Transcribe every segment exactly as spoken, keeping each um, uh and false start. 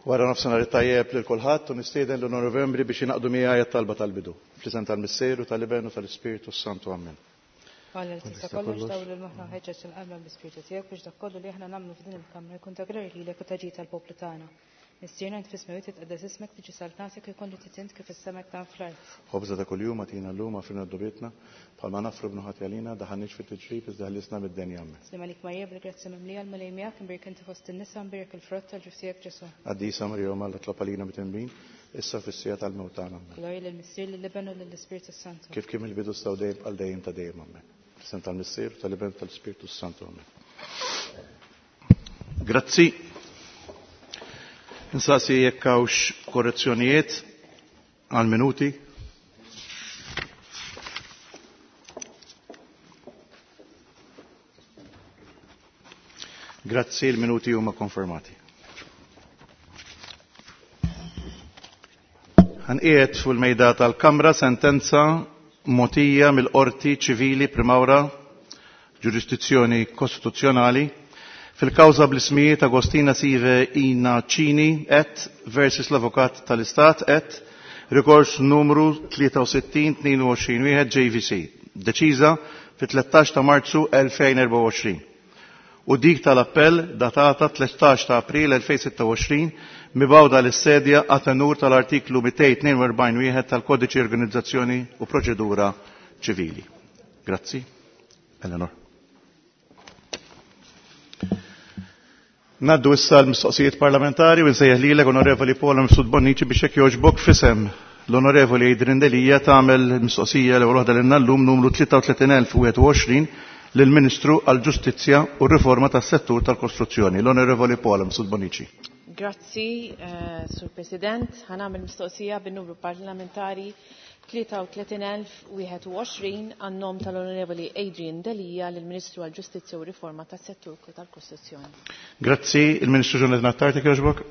Wara nofsinhar it-tajjeb lil kulħadd u nistieden l-Onorevoli Membri biex jingħaqdu miegħi għat-talba tal-bidu. Fl-isem tal-Missier u tal-Iben u tal-Ispirtu s-Santu. Amen. Alla li tista' kollox dawwal moħħna u ħeġġeġ il-qalba bl-Ispirtu tiegħek biex dak kollu li aħna nagħmlu f'din il-kamra jkun ta' glorja lilek u ta' ġid tal-poplu tagħna. Missierna int fis-smewwiet titqaddes ismek tiġi saltnatek ikun li trid int kif fis-sema hekk fl-art. Ħobża ta' kuljum agħtina llum aħfrilna dnubietna bħalma naħfru bnu ħati għalina daħalniex fit-tiġrib iżda ħlisna mid-deni. Amen. Sliem għalik Marija bil-grazzja mimlija l-Mulej miegħek imbierka inti fost in-nisa mbierek il-frott tal-ġuf tiegħek Ġesù. Qaddisa Marija Omm Alla itlob għalina midinbin issa fis-siegħa tal-mewt tagħna. Amen. Glorja lill-Missier lill-Iben u lill-Ispirtu s-Santu. Kif kien mill-bidu issa u dejjem għal dejjem ta' dejjem. Amen. Fl-isem tal-Missier tal-Iben tal-Ispirtu s-Santu. Amen. Grazzi. Insaqsi jekk hawnx korrezzjonijiet għal minuti. Grazzi, il-minuti huma konfermati. Ħanqiegħed fuq il-mejda tal-Kamra sentenza mogħtija mill-Qorti Ċivili Primawra ġurisdizzjoni kostituzzjonali fil-kawża bl-ismijiet Agostina Sive Ina Cini et versus l-Avukat tal-Istat et rikors numru tlieta u sittin tnejn u għoxrin wieħed J V C, deċiża fit-tlettax ta' Marzu elfejn erbgħa u għoxrin u dik tal-appell datata tlettax ta' April elfejn sitta u għoxrin mibgħuda lis-sedja għat-tenur tal-artiklu mitejn tnejn u erbgħin wieħed tal-Kodiċi Organizzazzjoni u Proċedura Ċivili. Grazzi. Eleanor. Naddu issa l-mistoqsijiet parlamentari u nsejjaħ lilek Onorevoli Paula Mifsud Bonnici biex hekk jogħġbok f'isem l-Onorevoli Adrian Delia tagħmel mistoqsija l-ewwel waħda lilna llum numru tlieta u tletin elf u wieħed u għoxrin lill-Ministru għall-Ġustizzja u r-Riforma tas-Settur tal-Kostruzzjoni, l-Onorevoli Paula Mifsud Bonnici. Grazzi, eh, Sur President. Ħa nagħmel mistoqsija bin-numru parlamentari tlieta u tletin elf u wieħed u għoxrin għan-nom tal-Onorevoli Adrian Delia lill-Ministru għall-Ġustizzja u Riforma tas-Settur tal-Kostruzzjoni. Grazzi, il-Ministru Jonathan Attard, jogħġbok.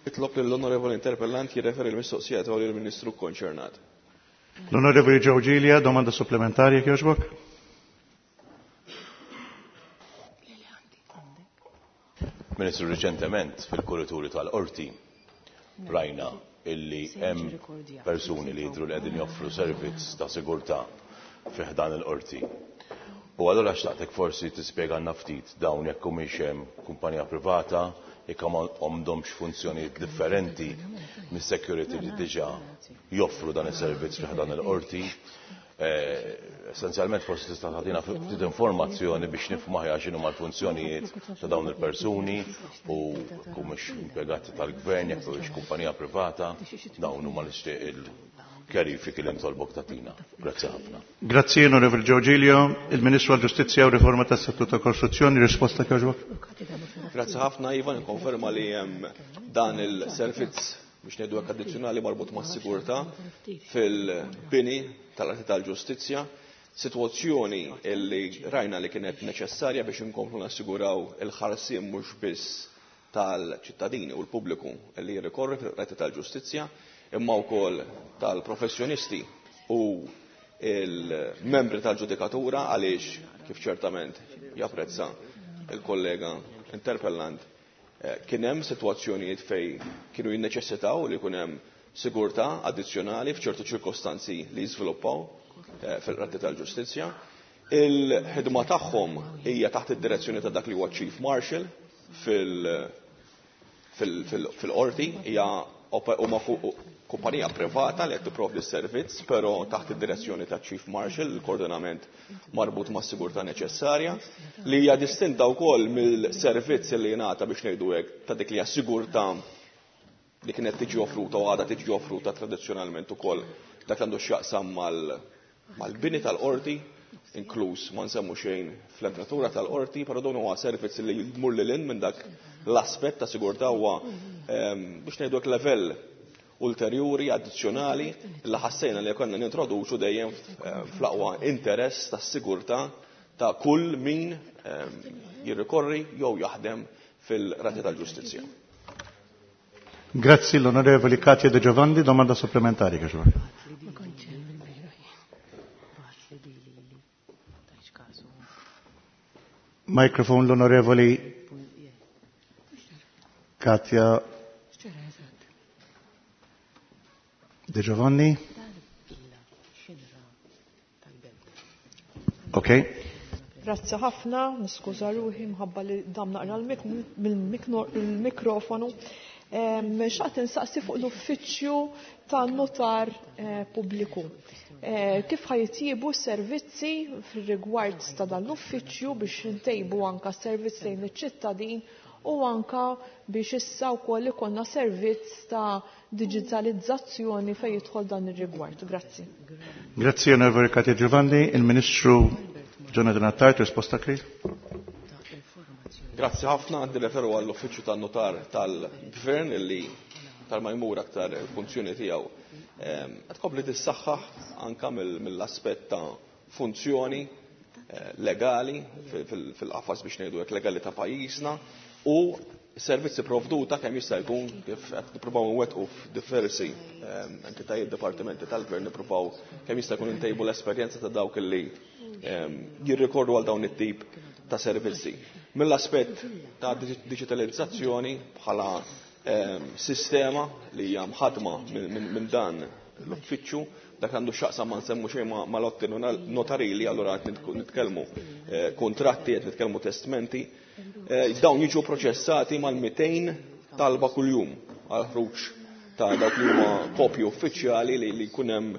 Nitlob lill-Onorevoli Interpellant jirreferi l-mistoqsija tiegħu lill-Ministru konċernat. L-Onorevoli Joe Gilia, domanda supplementari, jogħġbok. Ministru, riċentement fil-kurituri tal-Qorti rajna illi hemm persuni li jidhru li qegħdin joffru servizz ta' sigurtà fi ħdan il-qorti. U allura xtaqtek forsi tispjegalna ftit dawn jekk humiex hemm kumpanija privata, jekk għandhomx funzjonijiet differenti mis-security li diġà joffru dan is-servizz fi ħdan il-qorti. Essenzjalment forsi tista' tagħtina ftit informazzjoni biex nifhmu aħjar x'inhuma l-funzjonijiet ta' dawn il-persuni u humiex impjegati tal-gvern jekk huwiex kumpanija privata, dawn huma nixtieq il-kjarifiki li nitolbok tagħtina. Grazzi ħafna. Grazzi, Onorevoli Joe Giglio. Il-Ministru għall-Ġustizzja u Riforma tas-Settur tal-Kostruzzjoni, risposta jogħġbok. Grazzi ħafna, Ivan, nikkonferma li hemm dan il-servizz biex ngħidu hekk addizzjonali marbut mas-sigurtà fil-bini tal-Qorti tal-Ġustizzja, sitwazzjoni li rajna li kienet neċessarja biex inkomplu nassiguraw il-ħarsien mhux biss tal-ċittadini u l-pubbliku li jirrikorri fil-Qorti tal-Ġustizzja, imma wkoll tal-professjonisti u il-membri tal-ġudikatura għaliex kif ċertament japprezza il-kollega interpellant, eh, kien hemm sitwazzjonijiet fej kienu jinneċessitaw li jkun hemm sigurtà addizzjonali f'ċertu ċirkostanzi li jiżviluppaw, eh, fil-Qorti tal-Ġustizzja. Il-ħidma tagħhom hija taħt id-direzzjoni ta' dak li huwa Chief Marshal fil-, fil-, fil-, fil-qorti, hija huma kumpanija privata li qed tipprovdi s-servizz, però taħt id-direzzjoni ta' Chief Marshal, il-koordinament marbut ma' sigurtà neċessarja, li hija distinta wkoll mill-servizz li jingħata biex ngħidu hekk ta' dik li hija sigurtà li kienet tiġi offruta u għadha tiġi offruta tradizzjonalment ukoll dak li għandu x'jaqsam mal-, mal-bini tal-qorti, inkluż ma nsemmu xejn fl-entratura tal-qorti, però dawn huwa servizz li jmur lil hinn minn dak l-aspett ta' sigurtà huwa, ehm, biex ngħidu hekk level ulterjuri, addizzjonali, li ħassejna li konna nintroduċu dejjem fl-aqwa interess tas-sigurtà ta' kull min, ehm, jirrikorri jew jaħdem fil-Rati tal-Ġustizzja. Grazzi l-Onorevoli Katia De Giovanni, domanda supplementari, che vuole. Microphone l-Onorevoli Katja De Giovanni. Ok. Grazzi ħafna, niskuża ruħi mħabba li dam naqra l-mikrofonu. Xaqt insaqsi fuq l-uffiċċju tan-notar pubbliku. Kif ħajtjibu s-servizzi fir-rigward ta' dan l-uffiċċju biex intejbu anka s-servizz lejn iċ-ċittadin u anka biex issa wkoll ikollna servizz ta' digitalizzazzjoni fejn jidħol dan ir-rigward. Grazzi. Grazzi Onorevoli Katja Giovanni. Il-Ministru Jonathan Attard, risposta kli. Grazzi ħafna, għandi referu għall-uffiċċju tan-notar tal-Gvern illi tal-ma jmur aktar il-funzjoni tiegħu qed tkompli tissaħħaħ anka mill-aspett ta' funzjoni legali fil-qafas biex ngħidu hekk legali ta' pajjiżna u servizzi provduta kemm jista' jkun kif qed nippruvaw nwettqu f'diversi entitajiet dipartimenti tal-gvern nippruvaw kemm jista' jkun intejbu l-esperjenza ta' dawk illi jirrikorru għal dawn it-tip ta' servizzi. Mill-aspett ta' digitalizzazzjoni bħala sistema li hija mħadma minn dan l-uffiċċju, dak għandu x'aqsam ma nsemmu xejn ma' lotti notarili, allura qed nitkellmu kontratti, qed nitkellmu testmenti. Dawn jiġu proċessati mal-mitejn talba kuljum għal ħruġ ta' dawk li huma kopji uffiċjali li jkun hemm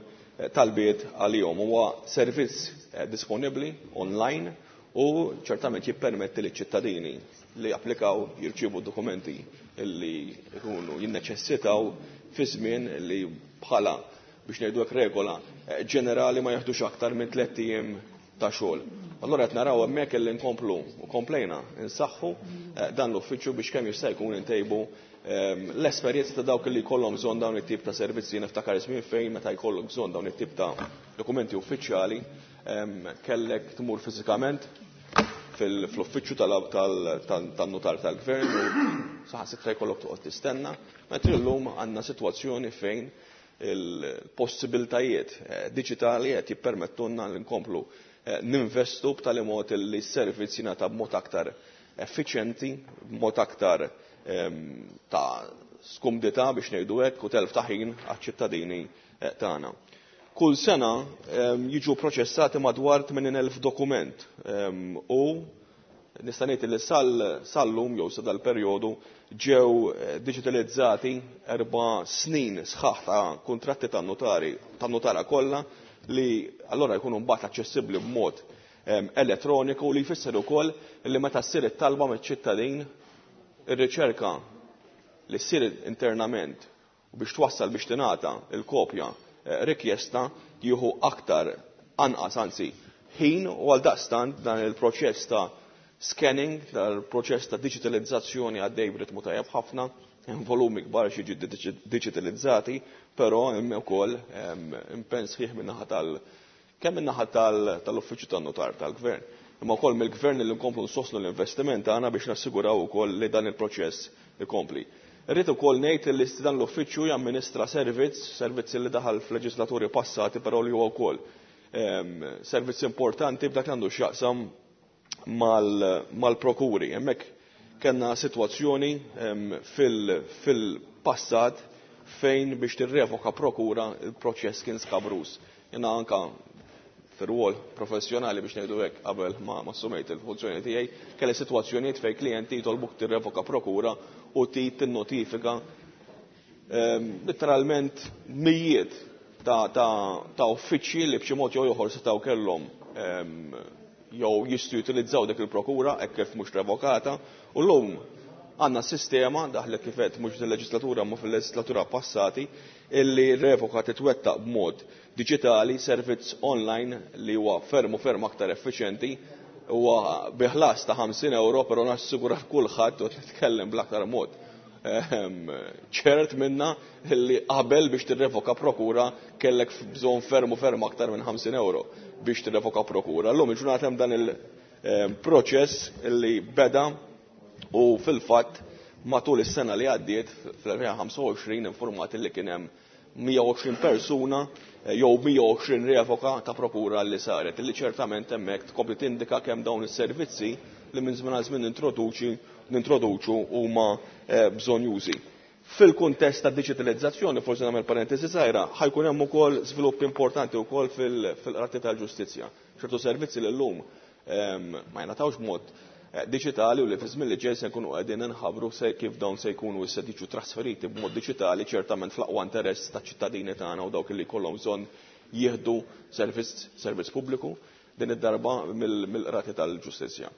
talbiet għalihom. Huwa servizz disponibbli online u ċertament jippermetti liċ ċittadini li applikaw jirċievu dokumenti li jkunu jinneċessitaw fi żmien li bħala biex ngħidu hekk regola ġenerali ma jaħdux aktar minn tliet ijiem ta' xogħol. Allura qed naraw hemmhekk illi nkomplu u komplejna nsaħħu dan l-uffiċċju biex kemm jista' jkun intejbu l-esperjenza ta' dawk li jkollhom bżonn dawn it-tip ta' servizzi. Niftakar żmien fejn meta jkollok bżonn dawn it-tip ta' dokumenti uffiċjali kellek tmur fiżikament fl-uffiċċju tan-notar tal-gvern u saħansitra jkollok toqgħod tistenna, mentri llum għandna sitwazzjoni fejn il-possibiltajiet diġitali qed jippermettulna li nkomplu ninvestu b'tali mod li s-servizz jingħata b'mod aktar effiċjenti, b'mod aktar ta' skumdità biex ngħidu hekk u telf ta' ħin għaċ-ċittadini tagħna. Kull sena jiġu proċessati madwar tmenin elf dokument u nista' ngħid li sal-lum jew sa dal-perjodu ġew digitalizzati erba' snin sħaħ ta' kuntratti tan-notari tan-notara kollha li allora jkunu mbagħad aċċessibbli b'mod elettroniku li jfisser ukoll li meta ssir it-talba miċ-ċittadin ir-riċerka li ssir internament u biex twassal biex tingħata l-kopja rikjesta jieħu aktar anqas anzi ħin u għal daqstant dan il-proċess ta' scanning, dan il-proċess ta' digitalizzazzjoni għaddej b'ritmu tajjeb ħafna, hemm volumi kbar xi jiġu digitalizzati, però hemm ukoll impenn sħiħ min-naħa tal kemm min-naħa tal-uffiċċju tan-notar tal-gvern, imma wkoll mill-gvern li nkomplu nsostnu l-investiment tagħna biex nassiguraw ukoll li dan il-proċess ikompli. Irrid ukoll ngħid li dan l-uffiċċju jamministra servizz, servizz li daħal f'leġislaturi passati, però li huwa wkoll servizz importanti b'dak li għandu x'jaqsam mal-prokuri. Hemmhekk kellna sitwazzjoni fil-passat fejn biex tirrevoka prokura il-proċess kien skabrus. Jiena anka fir-rwol professjonali biex ngħidu hekk qabel ma assumejt il-funzjoni tiegħi, kelli sitwazzjonijiet fejn klijenti jitolbuk tirrevoka prokura u trid tinnotifika literalment mijiet ta' uffiċċji li b'xi mod jew ieħor setgħu kellhom jew jistgħu jutilizzaw dik il-prokura hekk kif mhux revokata, u llum għandna sistema daħlet kif qed mhux fil-leġislatura ma fil-leġislatura passati illi revoka titwettaq b'mod diġitali, servizz online li huwa ferm u ferm aktar effiċjenti, huwa bi ħlas ta' ħamsin euro, però nassigura kulħadd u nitkellem bl-aktar mod ċert minna li qabel biex tirrevoka prokura kellek bżonn ferm u ferm aktar minn ħamsin euro biex tirrevoka prokura. Llum il-ġurnata hemm dan il-proċess li beda u fil-fatt matul is-sena li għaddiet fl-elfejn ħamsa u għoxrin informati li kien hemm mija u għoxrin persuna jew mija u għoxrin revoka ta' prokura li saret, li ċertament hemmhekk tkompli tindika kemm dawn is-servizzi li minn żmien għal żmien nintroduċi nintroduċu huma bżonjużi. Fil-kuntest ta' diġitalizzazzjoni, forsi nagħmel parentesi żgħira, ħajkun hemm ukoll żvilupp importanti wkoll fil-qrati tal-ġustizzja. Ċertu servizzi li llum ma jingħatawx b'mod diġitali u li fi żmien li ġej se nkunu qegħdin inħabbru kif dawn se jkunu issa jiġu trasferiti b'mod diġitali, ċertament fl-aqwa interess taċ-ċittadini tagħna u dawk li jkollhom bżonn jieħdu servizz, servizz pubbliku din id-darba mill-qrati tal-ġustizzja.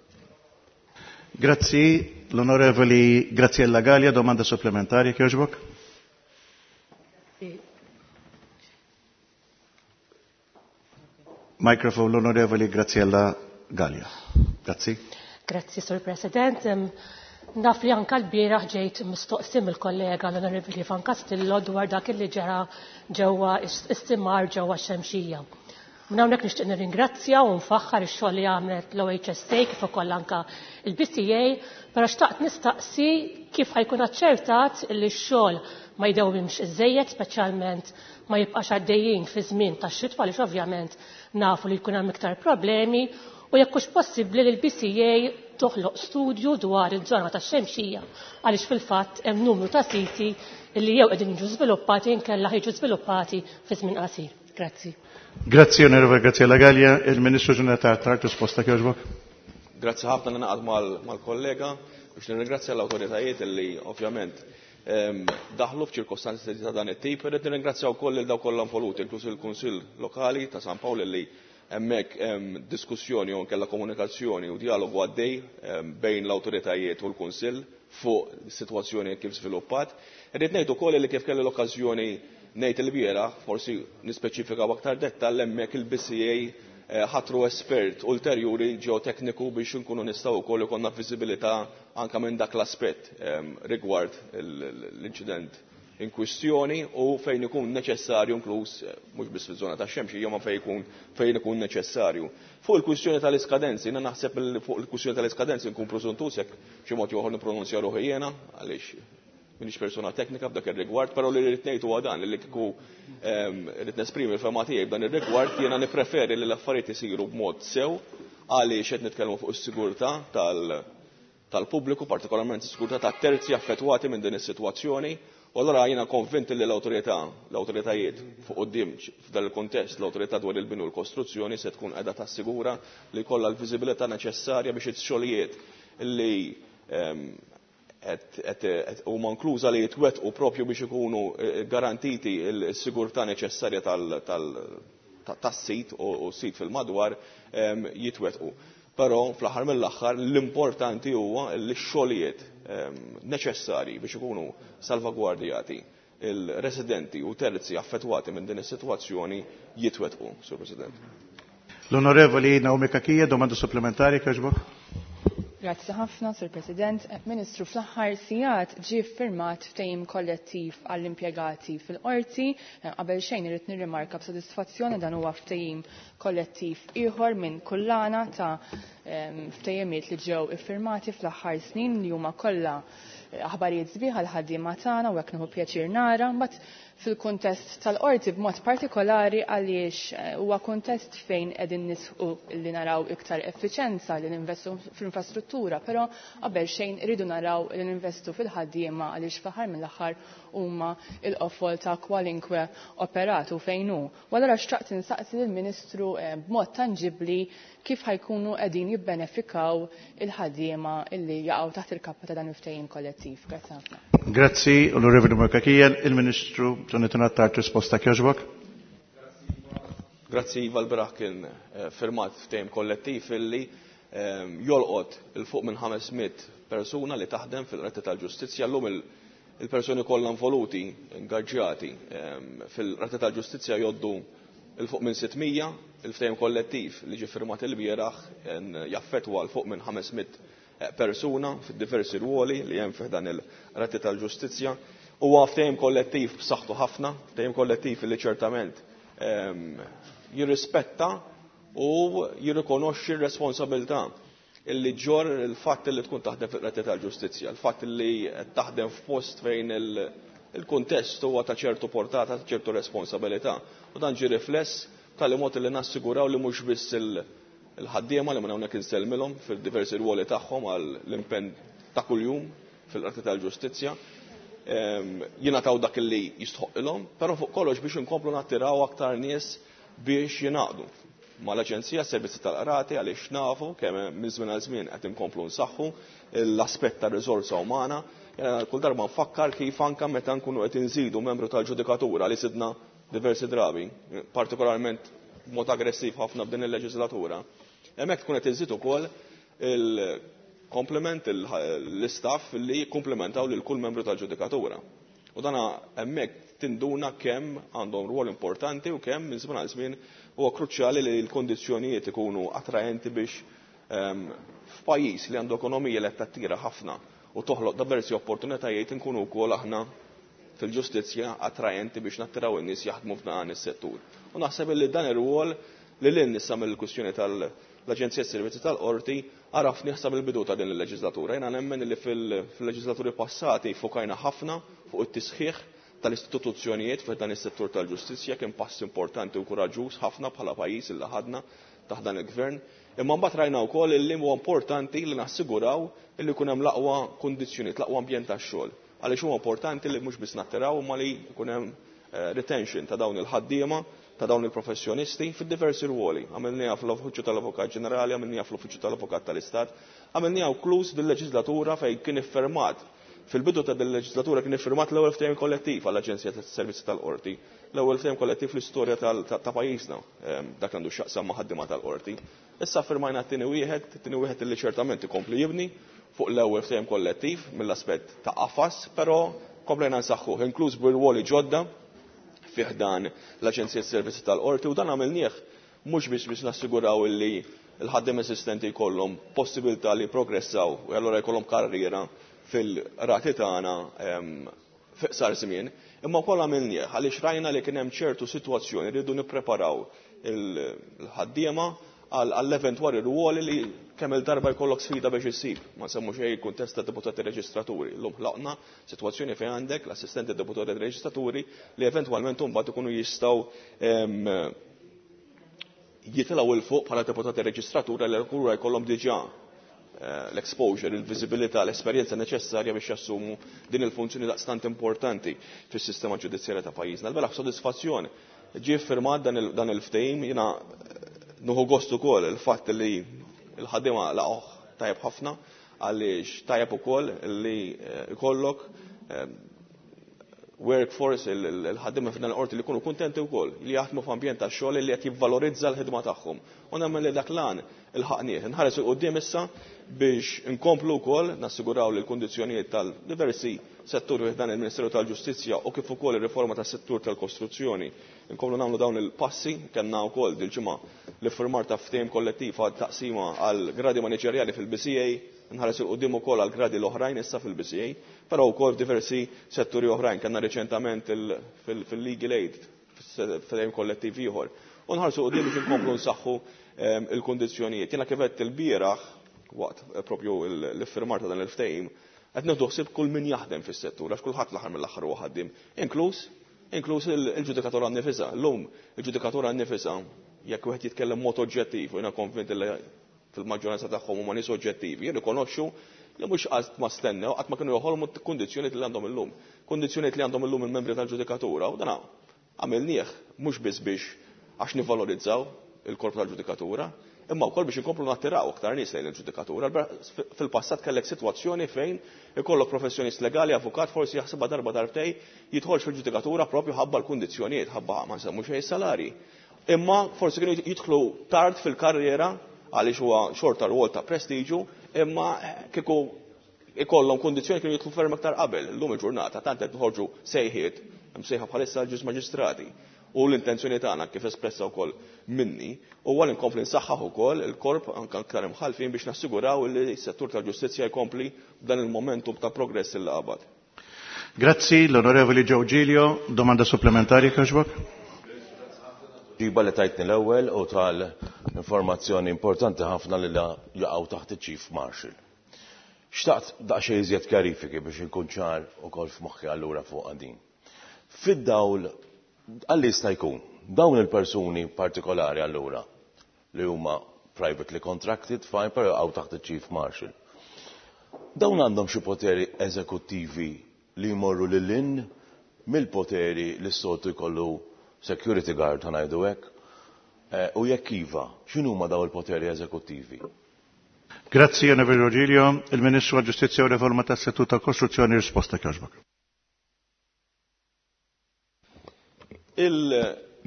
Grazzi, l-Onorevoli Graziella Gallia, domanda supplementari, kjoġbok. Microphone l-Onorevoli Graziella Gallia. Grazzi. Grazzi, Sur President. Naf li anka l-bieraħ ġejt mistoqsi mill-kollega l-Onorevoli Ivan Castillo dwar dak li ġara ġewwa istimar ġewwa x-Xemxija. Minn hawnhekk nixtieq nirringrazzja u nfaħħar ix-xogħol li għamlet l-O H S A kif ukoll anka l-B C A, però xtaqt nistaqsi kif ħajkun aċċertat li x-xogħol ma jdewwimx iżejjed, speċjalment ma jibqax għaddejjin fi żmien tax-xitwa għaliex ovvjament nafu li jkun hemm iktar problemi, u jekk hux possibbli li l-B C A toħloq studju dwar il-żona tax-Xemxija għaliex fil-fatt hemm numru ta' siti li jew qegħdin jiġu żviluppati inkella ħiġu żviluppati fi żmien qasir. Grazzi. Grazzi, Onorevole Graziella Gallia. Il-Ministru Ġenerali Tard risposta kjoġbok. Grazzi ħafna li naqgħod mal-kollega biex nirringrazzja l-awtoritajiet li ovvjament daħlu f'ċirkostanzi ta' dan it-tip. Irrid nirringrazzja wkoll lil dawk kollha involuti, inkluż il-Kunsill Lokali ta' San Pawl li hemmhekk hemm diskussjoni u nkella komunikazzjoni u dialogu għaddej bejn l-awtoritajiet u l-Kunsill fuq is-sitwazzjoni kif żviluppat. Irrid ngħid ukoll li kif kelli l-okkażjoni ngħid il-bieraħ, forsi nispeċifika b'aktar dettall, hemmhekk il-B C A ħatru espert ulterjuri ġeotekniku biex nkunu nistgħu wkoll ikollna viżibilità anke minn dak l-aspett rigward l-inċident in kwistjoni u fejn ikun neċessarju inkluż mhux biss fiż-żona tax-Xemxija ma fejn ikun fejn ikun neċessarju. Fuq il-kwistjoni tal-iskadenzi, jiena naħseb fuq il-kwistjoni tal-iskadenzi nkun preżuntus jekk xi mod ieħor nippronunzja ruħi jiena għaliex minix persona teknika f'dak ir-rigward, però li rrid ngħid huwa dan li kieku rrid nesprimi l-fema tiegħi f'dan ir-rigward, jiena nippreferi li l-affarijiet isiru b'mod sew għaliex qed nitkellmu fuq is-sigurtà tal-pubbliku, partikolarment is-sigurtà tat-terzi affettwati minn din is-sitwazzjoni. U allura jiena konvint li l-awtorità, l-awtoritajiet fuq quddiem f'dan il-kuntest, l-awtorità dwar il-bini u l-kostruzzjoni se tkun qiegħda tassigura li jkollha l-viżibilità neċessarja biex ix-xogħlijiet li huma inkluża li jitwettqu propju biex ikunu garantiti l-sigurtà neċessarja tas-sit u s-sit fil-madwar jitwettqu. Però fl-aħħar mill-aħħar l-importanti huwa li x-xogħlijiet neċessarji biex ikunu salvagwardjati il-residenti u terzi affettwati minn din is-sitwazzjoni jitwettqu, Sur President. L-Onorevoli Naomi Cachia, domanda supplementari, kjoġbok. Grazzi ħafna, Sur President. Ministru, fl-aħħar sigħat ġie ffirmat ftehim kollettiv għall-impjegati fil-qorti. Qabel xejn irid nirrimarka b'sodisfazzjoni dan huwa ftehim kollettiv ieħor minn kullana ta' ftehimiet li ġew iffirmati fl-aħħar snin li huma kollha aħbarijiet sbieħ għall-ħaddiema tagħna u hekk nieħu pjaċir nara. Mbagħad fil-kuntest tal-qorti b'mod partikolari għaliex huwa kuntest fejn qegħdin nisħu li naraw iktar effiċenza li ninvestu fl-infrastruttura, però qabel xejn iridu naraw li ninvestu fil-ħaddiema għaliex fl-aħħar mill-aħħar huma l-qofol ta' kwalinkwe operat u fejn hu. U allura xtaqt insaqsi lill-Ministru b'mod tanġibbli kif ħajkunu qegħdin jibbenefikaw il-ħaddiema illi jaqgħu taħt il-kappa ta' dan il-ftehim kollettiv. Grazzi ħafna. Grazzi, Onorevoli Cachia. Il-Ministru Jonathan Attard risposta kjoġbok. Grazzi, Iva, l-beraħ kien firmat ftehim kollettiv illi jolqot il fuq minn ħames mitt persuna li taħdem fil-Qorti tal-Ġustizzja. Llum il-persuni kollha involuti, ingaġġjati fil-Qorti tal-Ġustizzja joddu il fuq minn sitt mija. Il-ftehim kollettiv li ġie firmat il-bieraħ jaffettwa l fuq minn ħames mitt persuna fid-diversi ruoli li hemm fih dan il-Qorti tal-Ġustizzja. Huwa ftehim kollettiv b'saħħtu ħafna, ftehim kollettiv li ċertament jirrispetta u jirrikonoxxi r-responsabilità illi ġor il-fatt li tkun taħdem fil-Qorti tal-Ġustizzja, il-fatt li taħdem f'post fejn Il-kuntest huwa ta' ċertu portata, ta' ċertu responsabilità. U dan ġie rifless tal mod li nassiguraw li mhux biss il-ħaddiema li minn hawnhekk insellmilhom fil-diversi rwoli tagħhom għal l-impenn ta' kuljum fil-Qorti tal-Ġustizzja, jingħataw dak li jistħoqilhom, però fuq kollox biex inkomplu nattiraw aktar nies biex jingħaqdu mal-Aġenzija Servizzi tal-Qrati, għaliex nafu kemm minn żmien għal żmien qed inkomplu nsaħħu l-aspett ta' riżorsa umana. Kull darba nfakkar kif anke meta nkunu qed inżidu membru tal-ġudikatura li sidna diversi drabi, partikolarment b'mod aggressiv ħafna b'din il-leġislatura, hemmhekk tkun qed iżid ukoll il-komplement l-istaff li jikkumplementaw lil kull membru tal-ġudikatura. U dana hemmhekk tinduna kemm għandhom rwol importanti u kemm minn żmien għal żmien huwa kruċjali li l-kondizzjonijiet ikunu attraenti biex f'pajjiż li għandu ekonomija li qed tattira ħafna u toħloq diversi opportunitajiet inkunu wkoll aħna fil-ġustizzja attraenti biex nattiraw in-nies jaħdmu f'dan is-settur. U naħseb li dan ir-rwol li lil nissa mill-kwistjoni tal-Aġenzija Servizzi tal-Qorti għaraf nieħsab il-bidu ta' din il-leġislatura. Jiena nemmen li fil-leġislaturi passati fokajna ħafna fuq it-tisħiħ tal-istituzzjonijiet f'dan is-settur tal-ġustizzja, kien pass importanti u kuraġġuż ħafna bħala pajjiż illi ħadna taħt dan il-gvern. Imma mbagħad rajna wkoll illi huwa importanti li nassiguraw illi jkun hemm l-aqwa kundizzjonijiet, l-aqwa ambjent tax-xogħol. Għaliex huwa importanti li mhux biss nattiraw imma li jkun hemm retention ta' dawn il-ħaddiema, ta' dawn il-professjonisti fid-diversi rwoli. Għamilniha fl-Uffiċċju tal-Avukat Ġenerali, għamilniha fl-Uffiċċju tal-Avukat tal-Istat, għamilniha wklus dil-leġislatura fejn kien iffirmat. Fil-bidu ta' dil-leġislatura kien iffirmat l-ewwel ftehim kollettiv għall-Aġenzija tas-Servizzi tal-Qorti, l-ewwel ftehim kollettiv fl-istorja ta' pajjiżna, dak għandu x'jaqsam ma' ħaddiema tal-qorti. Issa firmajna t-tieni wieħed, t-tieni wieħed li ċertament ikompli jibni fuq l-ewwel ftehim kollettiv mill-aspett ta' qafas, però komplejna nsaħħuh, inkluż bir-rwoli ġodda fih dan l-Aġenzija tas-Servizzi tal-Qorti, u dan għamilnieh mhux biex biex nassiguraw illi l-ħaddiem esistenti jkollhom possibilità li jprogressaw u allura jkollhom karriera fil-rati tagħna fiqsar żmien, imma wkoll għamilnieh għaliex rajna li kien hemm ċertu sitwazzjoni li rridu nippreparaw il-ħaddiema għall-eventwali rwoli li kemm il-darba jkollok sfida biex issib. Ma nsemmu xejn il-kuntest ta' deputati reġistraturi. Llum ħlaqna sitwazzjoni fejn għandek l-assistenti deputati reġistraturi li eventwalment imbagħad ikunu jistgħu jitilgħu il fuq bħala deputati reġistratura li allura jkollhom diġà l-exposure, il-viżibilità, l-esperjenza neċessarja biex jassumu din il-funzjoni daqstant importanti fis-sistema ġudizzjarja ta' pajjiżna. L-beraħ b'sodisfazzjon ġie ffirmat dan il-ftehim, jiena nuħu gost ukoll il-fatt li l-ħaddiema laqgħuh tajjeb ħafna, għaliex tajjeb ukoll li jkollok workforce, il-ħaddiema f'dan il-qorti li jkunu kuntenti wkoll, li jaħdmu f'ambjent ta' xogħol li qed jivvalorizza l-ħidma tagħhom. U nemmen li dak l-għan il-ħaqnieh. Nħares il quddiem issa biex inkomplu wkoll nassiguraw li l-kundizzjonijiet tal-diversi setturi f'dan il-Ministeru tal-Ġustizzja u kif ukoll ir-riforma tas-settur tal-kostruzzjoni. Inkomplu nagħmlu dawn il-passi, kellna wkoll dil-ġimgħa l-iffirmar ta' ftehim kollettiv għal taqsima għal gradi maniġerjali fil-B C A, nħares il quddiem ukoll għal gradi l-oħrajn issa fil-B C A, però wkoll f'diversi setturi oħrajn. Kellna riċentament fil-legal aid, ftehim kollettiv ieħor. U nħarsu quddiem biex inkomplu nsaħħu il-kundizzjonijiet. Jiena kif għedt il-bieraħ, waqt propju l-iffirmar ta' dan il-ftehim, qed nieħdu ħsieb kull min jaħdem fis-settur, għax kulħadd l-aħħar mill-aħħar huwa ħaddiem, inkluż, inkluż il-ġudikatura nnifisha. Llum il-ġudikatura nnifisha, jekk wieħed jitkellem mod oġġettiv, u jiena konvint li fil-maġġoranza tagħhom huma nies oġġettivi, jirrikonoxxu li mhux qatt ma stennew, qatt ma kienu joħolmu kundizzjonijiet li għandhom illum. Kundizzjonijiet li għandhom illum il-membri tal-ġudikatura, u dan għamilnieh mhux biss biex għax nivvalorizzaw il-korp tal-ġudikatura, imma wkoll biex inkomplu nattiraw aktar nies lejn il-ġudikatura. Fil-passat kellek sitwazzjoni fejn ikollok professjonist legali, avukat, forsi jaħsibha darba darbtej jidħolx fil-ġudikatura propju ħabba l-kundizzjonijiet, ħabba ma nsemmu xejn salari. Imma forsi kienu jidħlu tard fil-karriera għaliex huwa xorta rwol ta' prestiġu, imma kieku ikollhom kundizzjoni kienu jidħlu ferm aktar qabel. Illum il-ġurnata tant qed noħorġu sejħiet, hemm sejħa bħalissa l-ġuż maġistrati. U l-intenzjoni tagħna kif espressa wkoll minni huwa li nkompli nsaħħaħ ukoll il-korp anke aktar imħalfin biex nassiguraw li s-settur tal-ġustizzja jkompli b'dan il-momentum ta' progress il qabad. Grazzi l-Onorevoli Joe Giglio, domanda supplementari kħaxbok. Ġiba li tajtni l-ewwel u tal-informazzjoni importanti ħafna li jaqgħu taħt iċ-Chief Marshal. Xtaqt daqsxejn iżjed kjarifiki biex inkun ċar ukoll f'moħħi allura fuq din. Fid-dawl għalli jista' jkun dawn il-persuni partikolari allura li huma privately contracted, fine, però għaw taħt il-Chief Marshal. Dawn għandhom xi poteri eżekuttivi li jmorru lil hinn mill-poteri li s-soltu jkollu security guard, ħa ngħidu hekk. Eh, u jekk iva, x'inhuma dawn il-poteri eżekuttivi? Grazzi, Onorevoli Rogelio. Il-Ministru għal-Ġustizzja u Riforma tas-Settur tal-Kostruzzjoni, risposta kjoġbok.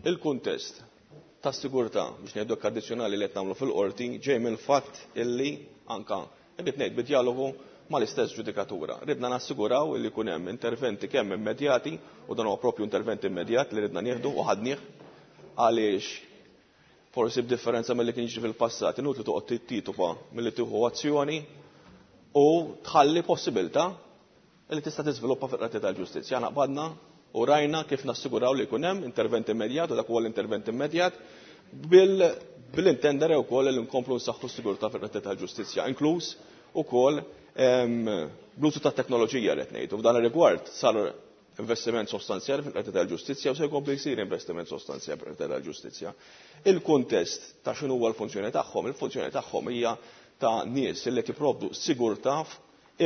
Il-kuntest ta' sigurtà biex ngħidu addizzjonali li qed nagħmlu fil-qorti ġej mill-fatt illi anka irrid ngħid bid-dialogu mal-istess ġudikatura. Ridna nassiguraw illi jkun hemm interventi kemm immedjati, u dan huwa propju intervent immedjat li ridna nieħdu u ħadnieh, għaliex forsi b'differenza milli kien jiġri fil-passat, inutli toqgħod titupa milli tieħu azzjoni u tħalli possibilità li tista' tiżviluppa fil-Qorti tal-Ġustizzja. Aħna qbadna u rajna kif nassiguraw li jkun hemm intervent immedjat, u dak huwa l-intervent immedjat bil-intendere wkoll li nkomplu nsaħħu s-sigurtà fil-Qorti tal-Ġustizzja, inkluż ukoll bl-użu tat-teknoloġija li qed ngħidu. F'dan ir-rigward sar investiment sostanzjali fil-Qorti tal-Ġustizzja u se jkompli jsir investiment sostanzjali fil-Qorti tal-Ġustizzja. Il-kuntest ta' x'inhu huwa l-funzjoni tagħhom, il-funzjoni tagħhom hija ta' nies li qed jipprovdu sigurtà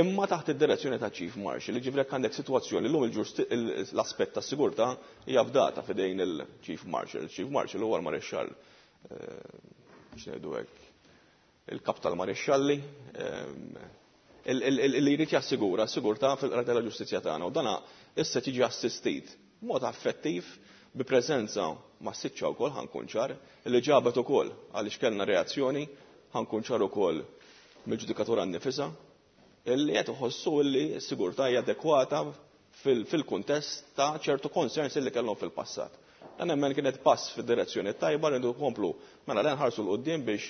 imma taħt id-direzzjoni ta' Chief Marshal. Jiġifieri jekk għandek sitwazzjoni llum l-aspett ta' sigurtà hija fdata f'idejn il-Chief Marshal. Il-Chief Marshal huwa l-Marixxall, biex ngħidu hekk, il-kap tal-Marixxalli, li jrid jassigura s-sigurtà fil-Qorti tal-Ġustizzja tagħna, u dana issa tiġi assistit b'mod affettiv bi preżenza massiċċa wkoll, ħankun ċar, li ġabet ukoll għaliex kellna reazzjoni, ħankun ċar ukoll mill-ġudikatura nnifisha, illi qed iħossu li s-sigurtà hija adekwata fil-kuntest ta' ċertu concerns illi kellhom fil-passat. Dan hemmhekk kienet pass fid-direzzjoni tajba, rridu nkomplu mela le nħarsu l quddiem biex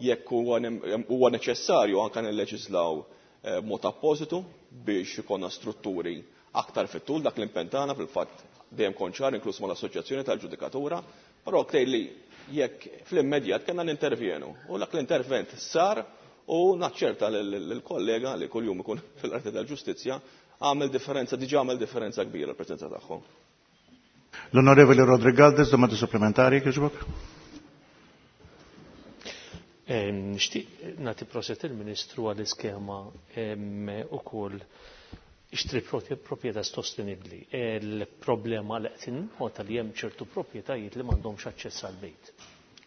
jekk huwa neċessarju anke nilleġislaw b'mod appositu biex ikollna strutturi aktar fit-tul. Dak l-impenn tagħna fil-fatt dejjem kont ċar, inkluż mal-Assoċjazzjoni tal-Ġudikatura, però tgħid li jekk fl-immedjat kellna nintervjenu, u dak l-intervent sar, u naċċerta lill-kollega li kuljum ikun fil-Qorti tal-Ġustizzja għamel differenza, diġà għamel differenza kbira l-preżenza tagħhom. L-Onorevoli Rodriguez, domanda supplementari, kieġbok? Nixtieq nagħti proset il-Ministru għall-iskema ukoll ixtri proprjetà sostenibbli. Il-problema li qed innota li hemm ċertu proprjetajiet li m'għandhomx aċċess għall-bejt.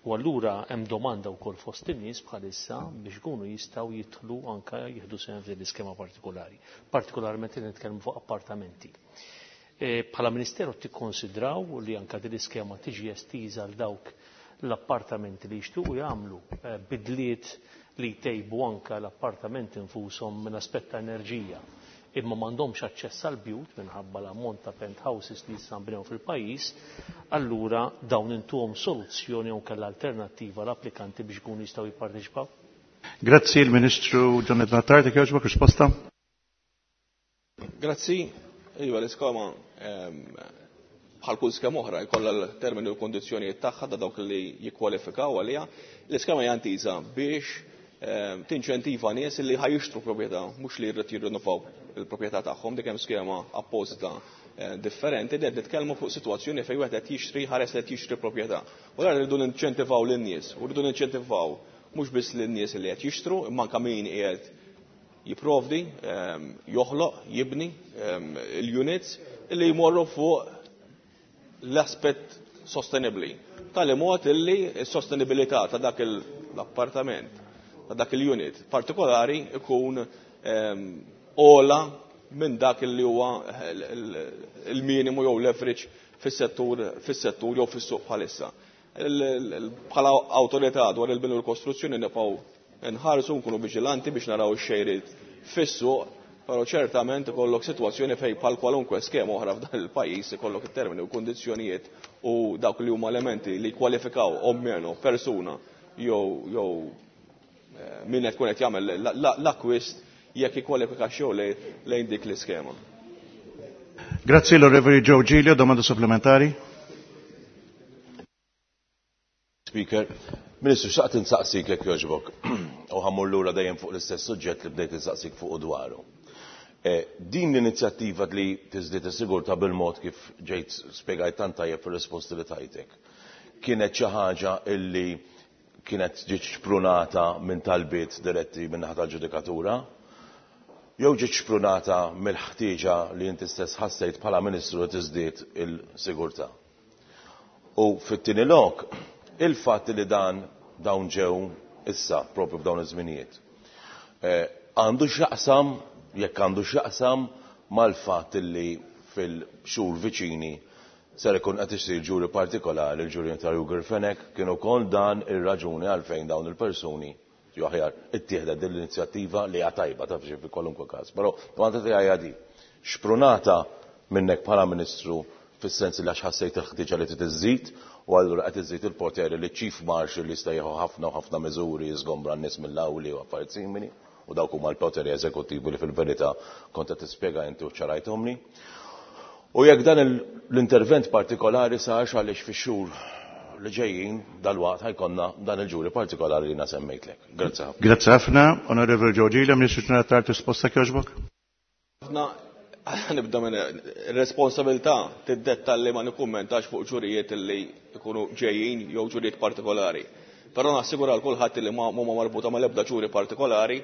U allura hemm domanda wkoll fost in-nies bħalissa biex ikunu jistgħu jidħlu anke jieħdu sehem f'din l-iskema partikolari, partikolarment li nitkellmu fuq appartamenti. Bħala Ministeru tikkonsidraw li anke din l-iskema tiġi estiża għal dawk l-appartamenti li jixtiequ jagħmlu bidliet li jtejbu anke l-appartamenti infushom minn aspett ta' enerġija, imma m'għandhomx aċċess għal bjut minħabba l-ammont ta' penthouses li issa nbnew fil-pajjiż, allura dawn intuhom soluzzjoni jew kellha alternattiva l-applikanti biex ikunu jistgħu jipparteċipaw? Grazzi il-Ministru John Attard, jogħġbok risposta. Grazzi. Iva, l-iskema bħal kull skema oħra jkollha l-termini u l-kondizzjonijiet tagħha ta' dawk li jikkwalifikaw għaliha. L-iskema hija intiża biex tinċentiva nies li ħajixtru proprjetà, mhux li jrid jirrinnovaw il-proprjetà tagħhom. Dik hemm skema apposta differenti li qed nitkellmu fuq sitwazzjoni fejn wieħed qed jixtri, ħares li qed jixtri proprjetà. U allura rridu ninċentivaw lin-nies, u rridu ninċentivaw mhux biss lin-nies li qed jixtru, imma anke min qiegħed jipprovdi, joħloq, jibni l-units li jmorru fuq l-aspett sostenibbli. Tali mod illi s-sostenibilità ta' dak l-appartament, ta' dak il-unit partikolari ikun ola minn dak li huwa il-minimu jew l-average fis-settur, fis-settur jew fis-suq bħalissa. Bħala awtorità dwar il-bini u l-kostruzzjoni nibqgħu nħarsu, nkunu viġilanti biex naraw ix-xejriet fis-suq, però ċertament ikollok sitwazzjoni fejn bħal kwalunkwe skema oħra f'dan il-pajjiż ikollok it-termini u kundizzjonijiet u dawk li huma elementi li jkwalifikaw o meno persuna jew jew min qed tkun qed jagħmel l-akkwist jekk jikkwalifika xew lejn dik l-iskema. Grazzi l-Onorevoli Joe Giglio, domanda supplementari. Speaker. Ministru, xtaqt insaqsik jekk jogħġbok, u ħa mmur lura dejjem fuq l-istess suġġett li bdejt insaqsik fuq dwaru. Din l-inizjattiva li tiżdied is-sigurtà bil-mod kif ġejt spjegajt tant tajjeb fir-risposti li tajtek, kienet xi ħaġa illi kienet ġiet xprunata minn talbiet diretti minn naħa tal-ġudikatura, jew ġiet xprunata mill-ħtieġa li inti stess ħassejt bħala Ministru li tiżdied il-sigurtà. U fit-tieni lok, il-fatt li dan dawn ġew issa propju f'dawn iż-żminijiet, għandu x'jaqsam, jekk għandu x'jaqsam mal-fatt li fil-xhur viċini ser ikun qed isir ġuri partikolari, il-ġuri ta' Ruger Fenech, kien ukoll dan ir-raġuni għalfejn dawn il-persuni jew aħjar ittieħdet din l-inizjattiva li hija tajba taf xi fi kwalunkwe każ. Però domanda tiegħi hija di, xprunata minnek bħala Ministru fis-sens li għax ħassejt il-ħtieġa li trid iżżid u allura qed iżżid il-poteri li Chief Marshal li jista' jieħu ħafna u ħafna miżuri jiżgombra n-nies mill-awli u affarijiet simili, u dawk huma l-poteri eżekuttivi li fil-verità kont qed tispjega inti u ċarajthomli. U jekk dan l-intervent partikolari sarx għaliex fix-xhur li ġejjin dalwaqt ħa jkollna dan il-ġuri partikolari li semmejtlek. Grazzi ħafna. Grazzi ħafna, Onorevoli George Elia, Ministru tingħata risposta jogħġbok. Ħafna, nibda minn responsabilità tiddetta li ma nikkummentax fuq ġurijiet li jkunu ġejjin jew ġurijiet partikolari. Però nassigura l kulħadd li ma huma marbuta mal-ebda ġuri partikolari,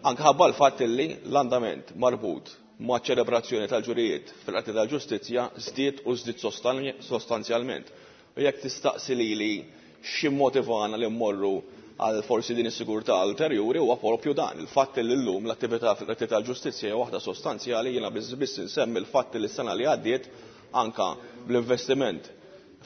anke ħabba l-fatt li l-andament marbut ma' ċelebrazzjoni tal-ġurijiet fil-Qorti tal-Ġustizzja żdied u żdied sostanzjalment. U jekk tistaqsi lili xi motivana li mmorru għal forsi din is-sigurtà ulterjuri huwa propju dan, il-fatt li llum l-attività fil-Qorti tal-Ġustizzja hija waħda sostanzjali. Jiena biss biss insemmi l-fatt li s-sena li għaddiet anka bl-investiment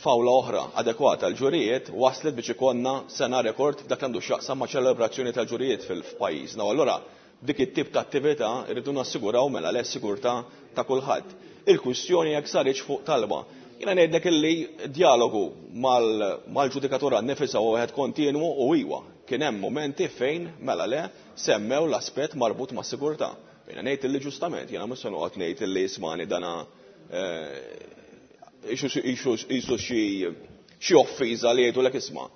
f'awla oħra adekwata għal ġurijiet waslet biex ikollna sena rekord f'dak li għandu x'jaqsam ma' ċelebrazzjoni tal-ġurijiet fil-pajjiżna. U allura dik it-tip ta' attività rridu nassiguraw mela le sigurtà ta' kulħadd. Il-kwistjoni jekk saritx fuq talba. Jiena ngħidlek illi dialogu mal-ġudikatura nnifisha huwa wieħed kontinwu u iwa kien hemm momenti fejn mela le semmew l-aspett marbut ma' sigurtà. Jiena ngħid illi ġustament, jiena mhux se noqgħod ngħid illi ismani dana isu xi offiża li jgħidulek isma'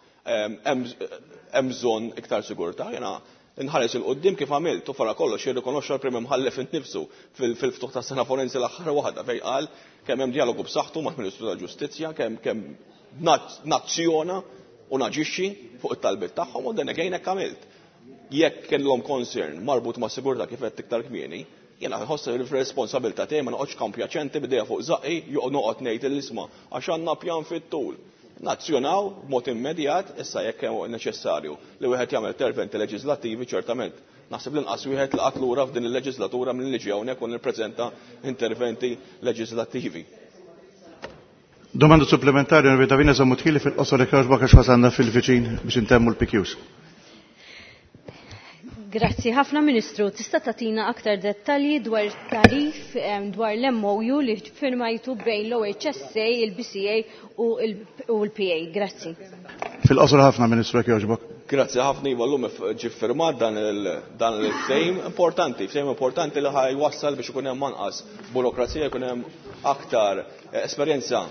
hemm bżonn iktar sigurtà. Jiena nħares il-qoddim kif għamilt, u fara kollox jirrikonoxxa l-Prim Imħallef innifsu fil-ftuħ ta' sena forensi l-aħħar waħda fejn qal kemm hemm dialogu b'saħħtu mal-Ministru tal-Ġustizzja, kemm kemm nazzjona u naġixxi fuq it-talbiet tagħhom, u dan again hekk għamilt. Jekk kellhom concern marbut ma' sigurtà kif qed iktar kmieni, jiena nħoss li fir-responsabilità tiegħi ma noqgħodx kampjaċenti bidejja fuq żaqqi jew noqgħod ngħid l-isma' għax għandna pjan fit-tul. Nazzjonaw b'mod immedjat issa jekk hemm neċessarju li wieħed jagħmel interventi leġislattivi, ċertament. Naħseb l-inqas wieħed li qatt lura f'din il-leġislatura minn liġi hawnhekk u nippreżenta interventi leġislattivi. Domanda supplementari, Onorevoli Davina Sammut Hili, fil-qosor jekk jogħġbok għax wasalna fil-viċin biex intemmu l-P Qs. Grazzi ħafna, Ministru. Tista' tagħtina aktar dettalji dwar tarif dwar l-M O U li firmajtu bejn l-O H S A, il-B C A u l-P A. Grazzi. Fil-qosor ħafna, Ministru, jekk jogħġbok. Grazzi ħafna, iva, llum ġie ffirmat dan il-ftehim importanti, ftehim importanti li ħaj wassal biex ikun hemm anqas burokrazija, ikun hemm aktar esperjenza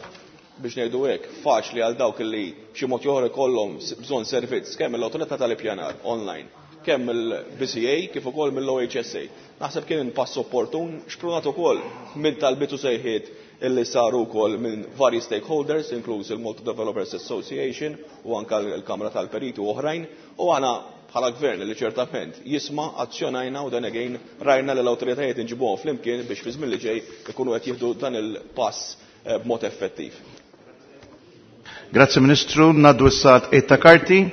biex ngħidu hekk faċli għal dawk li b'xi mod ieħor ikollhom bżonn servizz kemm mill-Awtorità tal-Ippjanar online, kemm mill-B C A kif ukoll mill-O H S A. Naħseb kien pass opportun, xprunat ukoll minn talbiet u sejħiet illi saru wkoll minn vari stakeholders, inkluż il-Malta Developers Association u anke l-Kamra tal-Periti u oħrajn, u aħna bħala gvern li ċertament jisma' azzjonajna u dan again rajna li l-awtoritajiet inġibuhom flimkien biex fi żmien li ġej ikunu qed jieħdu dan il-pass b'mod effettiv. Grazzi Ministru, ngħaddu issa ta' karti.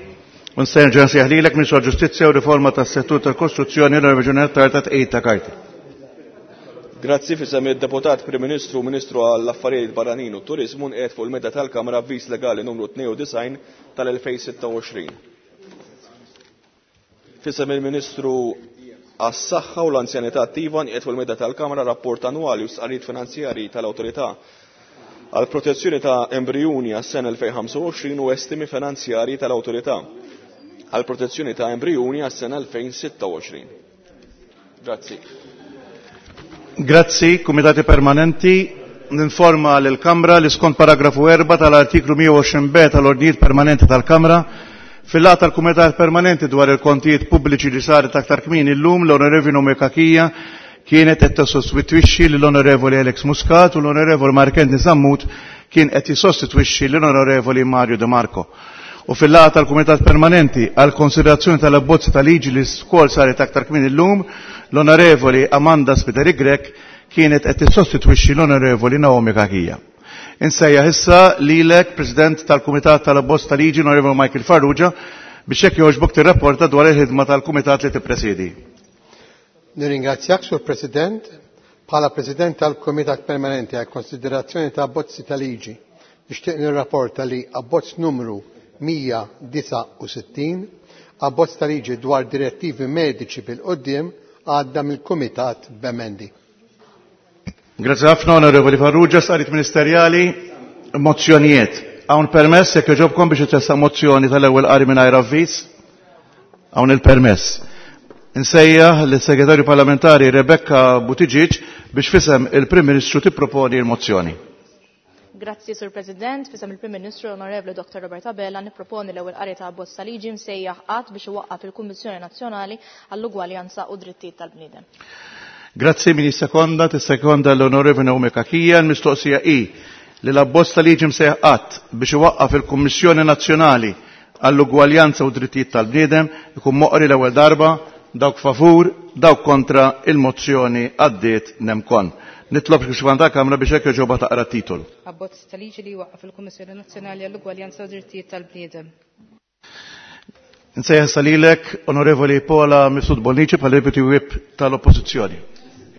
Unserġa nsejħlilek Ministru għall-Ġustizzja u Riforma tas-Settur tal-Kostruzzjoni l-Reġjun ta' tqejt ta' karti. Grazzi, fisem id-Deputat Prim Ministru u Ministru għall-Affarijiet Barranin u Turizmu nqiegħed fuq il-meda tal-Kamra avviż legali numru tnejn u disgħin tal-elfejn sitta u għoxrin. Fisem il-Ministru għas-Saħħa u l-Anzjanità Attiva nqiegħed fuq il-meda tal-Kamra rapport annwali u stqarrijiet finanzjarji tal-Awtorità għal protezzjoni ta' embrijuni għas-sena elfejn ħamsa u għoxrin u estimi finanzjarji tal-Awtorità għal protezzjoni ta' embrijuni għas-sena elfejn sitta u għoxrin. Grazzi. Grazzi, Kumitati Permanenti. Ninforma lill-Kamra li skont paragrafu erba' tal-artiklu mija u għoxrin B tal-Ordnijiet Permanenti tal-Kamra, fil-laqgħa tal-Kumitat Permanenti dwar il-Kontijiet Pubbliċi li saret aktar kmieni llum, l-Onorevoli Noemi Cachia kienet qed tissostitwixxi lill-Onorevoli Alex Muscat u l-Onorevoli Mark Anthony Sammut kien qed jissostitwixxi lill-Onorevoli Mario De Marco. U fil-laqgħa tal-Kumitat Permanenti għal konsiderazzjoni tal-abbozzi ta' liġi li wkoll saret aktar kmieni llum, l-Onorevoli Amanda Spiteri Grech kienet qed tissostitwixxi l-Onorevoli Naomi Cachia. Insejjaħ issa lilek, President tal-Kumitat tal-Abbozz ta' Liġi, Onorevoli Michael Farrugia, biex hekk jogħġbok tirrapporta dwar il-ħidma tal-Kumitat li tippresidi. Nirringrazzjak, Sur President. Bħala President tal-Kumitat Permanenti għal konsiderazzjoni ta' abbozzi ta' liġi, nixtieq nirrapporta li abbozz numru mija disa' u sittin, abbozz ta' liġi dwar direttivi mediċi bil-qoddim, għadda mill-Kumitat b'emendi. Grazie ħafna, Onorevoli Farrugia. Sarit ministerjali, mozzjonijiet. Hawn permess jekk jogħġobkom biex itressaq mozzjoni tal-ewwel qari mingħajr avviż? Hawn il-permess. Insejjaħ lis-Segretarju Parlamentari Rebecca Buttigieg biex fisem il-Prim Ministru tipproponi l-mozzjoni. Grazzi, Sur President. Fisem il-Prim Ministru Onorevoli Doctor Robert Abela nipproponi l-ewwel qari ta' abbozz ta' liġi msejjaħ qatt biex iwaqqaf il-Kummissjoni Nazzjonali għall-Ugwaljanza u Drittijiet tal-Bniedem. Grazzi, min jissekonda, tissekonda l-Onorevoli Naomi Cachia. L-mistoqsija hi li l-abbozz ta' liġi msejjaħ qatt biex iwaqqaf il-Kummissjoni Nazzjonali għall-Ugwaljanza u Drittijiet tal-Bniedem ikun moqri l-ewwel darba. Dawk favur, dawk kontra, il-mozzjoni għaddiet nemkon. Nitlob biex ta' Kamra biex hekk ġoba taqra titolu. Abbozz ta' liġi li jwaqqaf il-Kummissjoni Nazzjonali għall-Ugwaljanza u Drittijiet tal-Bniedem. Insejjaħ salilek, Onorevoli Paula Mifsud Bonnici, bħala Deputy Whip tal-Oppożizzjoni.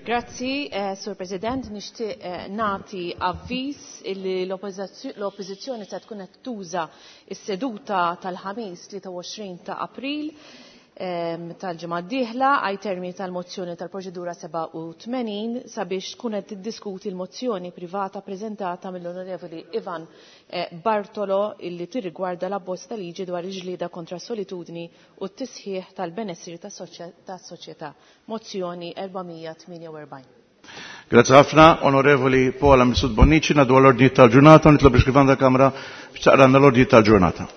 Grazzi, eh, Sur President. Nixtieq eh, nagħti avviż illi l-Oppożizzjoni se tkun qed tuża s-seduta tal-ħamis tlieta u għoxrin ta' April tal-ġimgħa d-dieħla għaj termini tal-mozzjoni tal-proċedura sebgħa u tmenin sabiex tkun qed tiddiskuti l-mozzjoni privata preżentata mill-Onorevoli Ivan eh, Bartolo illi tirrigwarda l-abbozz ta' liġi dwar il-ġlieda kontra solitudni u t-tisħiħ tal-benessri tas-soċjetà. Mozzjoni erba' mija tmienja u erbgħin. Grazie ħafna, Onorevoli Paula Mifsud Bonnici. Ngħaddu għall-ordni tal-ġurnata u nitlob biex ta' Kamra biex taqranna l-ordni tal-ġurnata.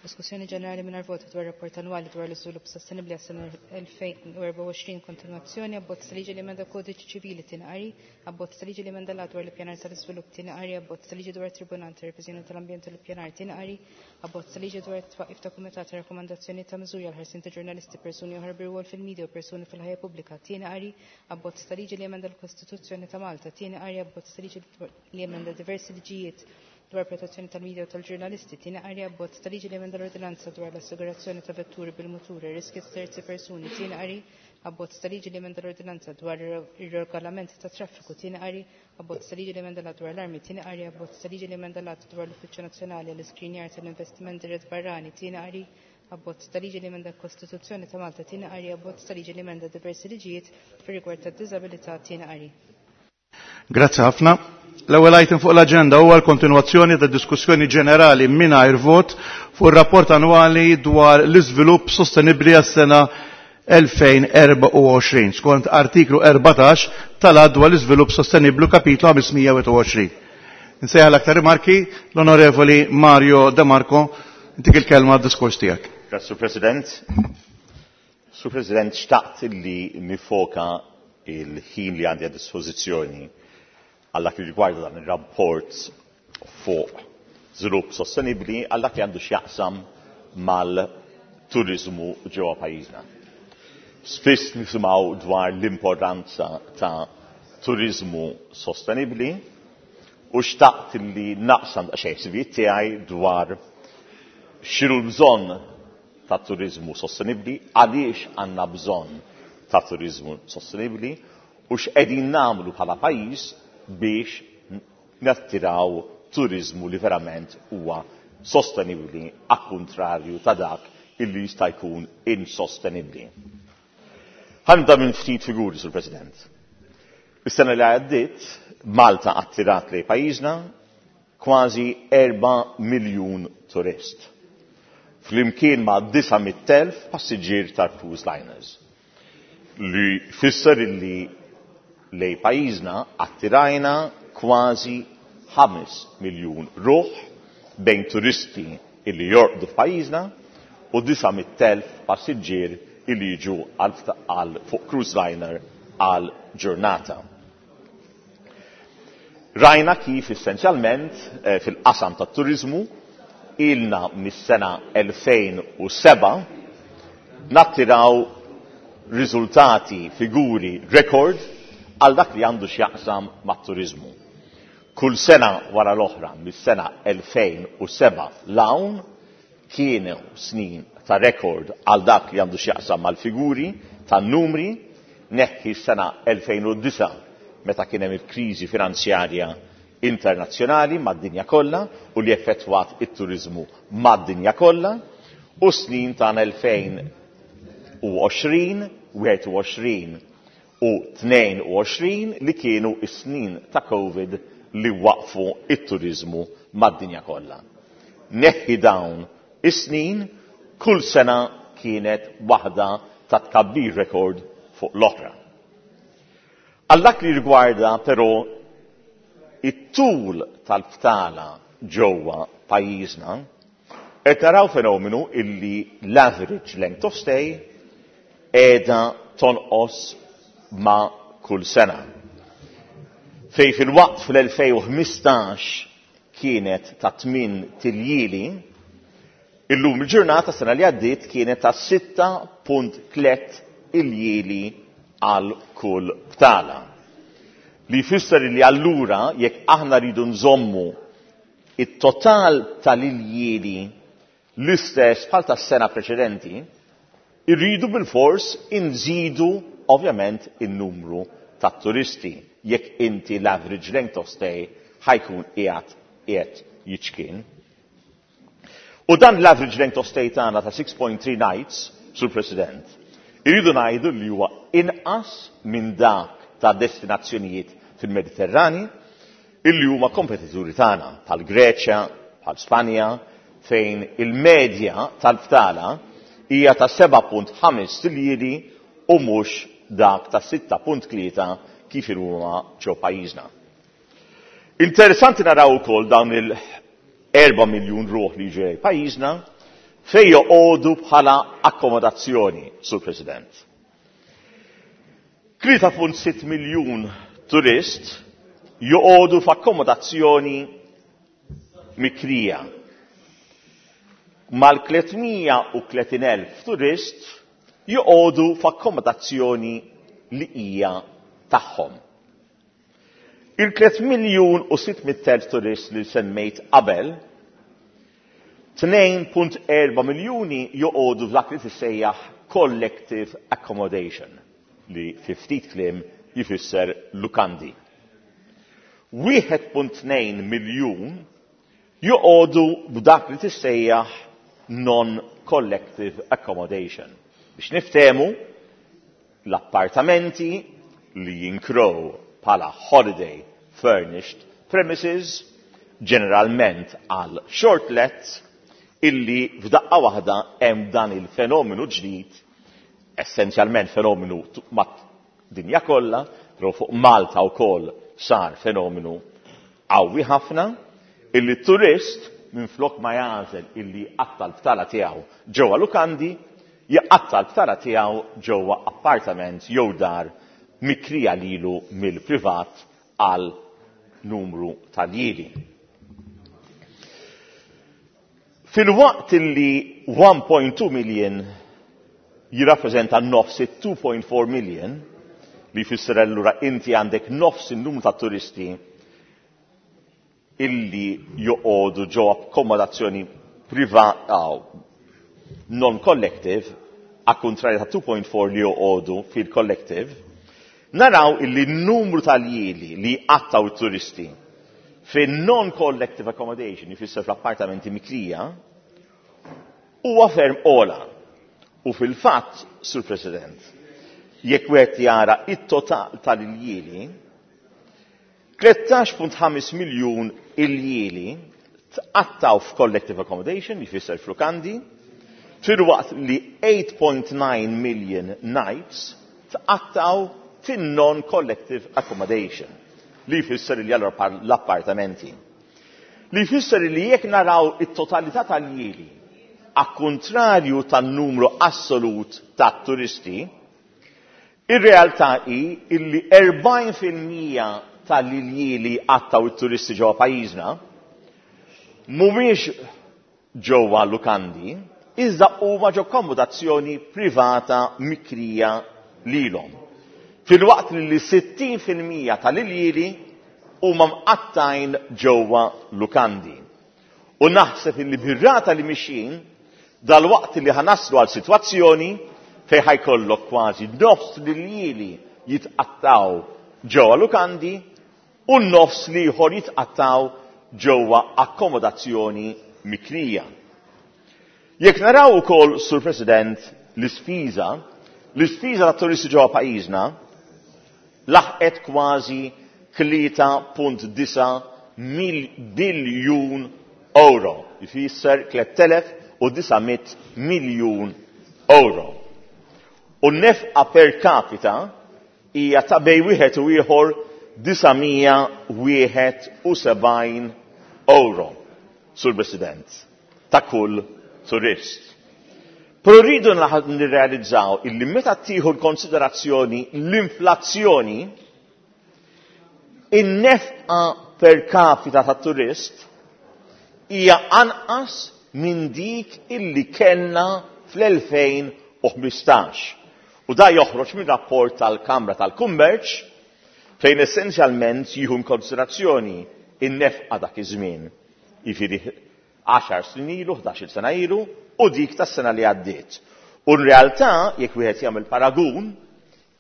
Diskussjoni ġenerali mingħajr voti dwar rapport annwali dwar l-iżvilupp sostenibbli għas-sena elfejn u erbgħa u għoxrin, kontinwazzjoni, abbozz ta' liġi li emenda kodiċi ċivili tieni qari, abbozz ta' liġi li emenda l-att dwar l-ippjanar tal-iżvilupp tieni qari, abbozz ta' liġi dwar Tribunal ta' Reviżjoni tal-Ambjent u l-Ippjanar tieni qari, abbozz ta' liġi dwar it-twaqqif ta' kumitat ta' rakkomandazzjoni ta' miżuri għal ħarsien ta' ġurnalisti, persuni oħra bir-rwol fil-medja u persuni fil-ħajja pubblika tieni qari, abbozz ta' liġi li emenda l-Kostituzzjoni ta' Malta tieni qari, abbozz ta' liġi li emenda diversi liġijiet dwar protezzjoni tal-medja u tal-ġurnalisti, tieni qari, abbozz ta' liġi li emenda l-ordinanza dwar l-assigurazzjoni ta' vetturi bil-muturi, riski ta' terzi persuni, tieni qari, abbozz ta' liġi li emenda l-ordinanza dwar ir-regolament ta' traffiku, tieni qari, abbozz ta' liġi li emenda l-att dwar l-armi, tieni qari, abbozz ta' liġi li emenda l-att dwar l-Uffiċċju Nazzjonali għall-Iskrinjar tal-Investiment Dirett Barrani, tieni qari, abbozz ta' liġi li emenda l-Kostituzzjoni ta' Malta, tieni qari, abbozz ta' liġi li emenda diversi liġijiet fir-rigward tad-diżabilità, tieni qari. Grazzi ħafna. L-ewwel item fuq l-aġenda huwa l-kontinwazzjoni ta' diskussjoni ġenerali mingħajr vot fuq ir-rapport annwali dwar l-iżvilupp sostenibbli għas-sena elfejn erbgħa u għoxrin skont artiklu erbatax tal-Att dwar l-iżvilupp sostenibbli kapitlu ħamsmija u għoxrin. Insejjaħ l-aktar rimarki l-Onorevoli Mario De Marco, intik il-kelma għad-diskors tiegħek. Grazie, Sur President. Sur President, xtaqt li nifoka il-ħin li għandi għad dispożizzjoni għal dak li rigwarda dan ir-rapport fuq żvilupp sostenibbli għal dak li għandu x'jaqsam mal-turizmu ġewwa pajjiżna. Spiss nisimgħu dwar l-importanza ta' turizmu sostenibbli u xtaqt li naqsam daqsxejn ħsibijiet tiegħi dwar x'inhu l-bżonn ta' turizmu sostenibbli, għaliex għandna bżonn ta' turizmu sostenibbli u x'qegħdin nagħmlu bħala pajjiż biex nattiraw turizmu li verament huwa sostenibbli għal kontrarju ta' dak illi jista' jkun insostenibbli. Ħa nibda minn ftit figuri, Sur President. Is-sena li għaddiet, Malta attirat lejn pajjiżna kważi erba' miljun turist. Flimkien ma' disa' mitt elf passiġġier ta' cruise liners. Li fisser illi lejn pajjiżna attirajna kważi ħames miljun ruħ bejn turisti illi jorqdu f'pajjiżna u disa' mitt elf passiġġier illi jiġu għal fuq cruise liner għal ġurnata. Rajna kif essenzjalment eh, fil-qasam tat-turiżmu ilna mis-sena elfejn u seba' nattiraw riżultati, figuri, rekord għal dak li għandu x'jaqsam mat-turiżmu. Kull sena wara l-oħra mis-sena elfejn u seba' l-hawn kienu snin ta' rekord għal dak li għandu x'jaqsam mal-figuri tan-numri, neħħi s-sena elfejn u disa' meta kien hemm il-kriżi finanzjarja internazzjonali mad-dinja kollha u li effettwat it-turiżmu mad-dinja kollha, u snin ta' elfejn u għoxrin, wieħed u għoxrin u tnejn u għoxrin li kienu s-snin ta' Covid li waqfu it-turiżmu mad-dinja kollha. Neħħi dawn is-snin, kull sena kienet waħda ta' tkabbir rekord fuq l-oħra. Għal dak li rigwarda però it-tul tal-btala ġewwa pajjiżna, qed naraw fenomenu illi l-average length of stay qiegħda tonqos ma' kull sena. Fej fil-waqt fl-elfejn u ħmistax kienet ta' tmien tiljieli, illum il-ġurnata sena li għaddiet kienet ta' sitta punt tliet iljieli għal kull btala. Li jfisser li allura jekk aħna rridu nżommu it-total tal-iljieli l-istess bħal tas-sena preċedenti, irridu bil-fors inżidu ovvjament in-numru ta' turisti jekk inti l-average length of stay ħajkun qiegħed qiegħed jiċkien. U dan l-average length of stay tagħna ta' six point three nights, Sur President, irridu ngħidu li huwa inqas minn dak ta' destinazzjonijiet fil-Mediterrani illi huma kompetituri tagħna bħal Greċja, bħal Spanja, fejn il-medja tal-btala hija ta' seba' punt ħames tiljieli u mhux dak ta' sitta punt tlieta kif huma ġew pajjiżna. Interessanti naraw ukoll dawn il-erba' miljun ruħ li ġej pajjiżna fejn joqogħdu bħala akkomodazzjoni, Sur President. Tlieta punt sitt miljun turist joqogħdu f'akkomodazzjoni mikrija. Mal-tliet mija u tletin elf turist joqogħdu f'akkomodazzjoni li hija tagħhom. Il-tliet miljun u sitt mitt elf turist li semmejt qabel, tnejn punt erba' miljuni joqogħdu f'dak li tissejjaħ collective accommodation, li fi ftit kliem jifisser lukandi. Wieħed punt tnejn miljun joqogħdu b'dak li tissejjaħ non-collective accommodation. Biex niftehmu, l-appartamenti li jinkrow bħala holiday furnished premises, ġeneralment għal short let, illi f'daqqa waħda hemm dan il-fenomenu ġdid, essenzjalment fenomenu mad-dinja kollha, però fuq Malta wkoll sar fenomenu qawwi ħafna, illi turist minflok ma jagħżel illi jqatta' l-btala tiegħu ġewwa lukandi, jqatta' l-btala tiegħu ġewwa appartament jew dar mikrija lilu mill-privat għal numru tal-jieli. Fil-waqt illi one point two million jirrappreżenta nofs it two point four million, li jfisser allura inti għandek nofs in-numru ta' turisti illi joqogħdu ġo akkomodazzjoni privata non-collective, a kontrarju ta' two point four li joqogħdu fil-collective, naraw illi n-numru tal-jieli li jqattaw it-turisti fin non-collective accommodation, jfisser fl-appartamenti mikrija, huwa ferm ola. U fil-fatt, Sur President, jekk wieħed jara it-total tal-iljieli, tlettax punt ħames miljun iljieli tqattaw f'collective accommodation, jfisser f'lukandi, filwaqt li eight point nine million nights tqattaw fin-non-collective accommodation, li jfisser li l-appartamenti. Li jfisser li jekk naraw it-totalità tal-ljieli, a kontrarju tan-numru assolut ta' turisti, ir-realtà hi illi erbgħin fil-mija tal-iljieli għattaw it-turisti ġewwa pajjiżna mhumiex ġewwa lukandi, iżda huma ġo akkomodazzjoni privata mikrija lilhom. Filwaqt li sittin fil-mija tal-iljieli huma mqattajn ġewwa lukandi. U naħseb illi bir-rata li mixjin dal-waqt li ħanaslu għal sitwazzjoni fejn ħajkollok kważi nofs l-iljieli jitqattaw ġewwa lukandi u nofs l-ieħor jitqattaw ġewwa akkomodazzjoni mikrija. Jekk naraw ukoll, Sur President, l-ispiża, l-ispiża tat-turisti ġewwa pajjiżna laħqet kważi tlieta punt disa' biljun euro, jfisser tliet elef u disa' mitt miljun euro. U n-nefqa per capita hija ta' bej wieħed u ieħor disa' mija wieħed u sebgħin euro, Sur President, ta' kull turist. Però rridu nirrealizzaw illi meta tieħu l-konsiderazzjoni l-inflazzjoni, in-nefqa per capita ta' turist hija anqas minn dik illi kellna fl-elfejn u ħmistax. U da joħroġ minn rapport tal-Kamra tal-Kummerċ fejn essenzjalment jieħu konsiderazzjoni in-nefqa dak iż-żmien, jiġifieri għaxar snin ilu, ħdax-il sena ilu, u dik tas-sena li għaddiet. U n-realtà, jekk wieħed jagħmel paragun,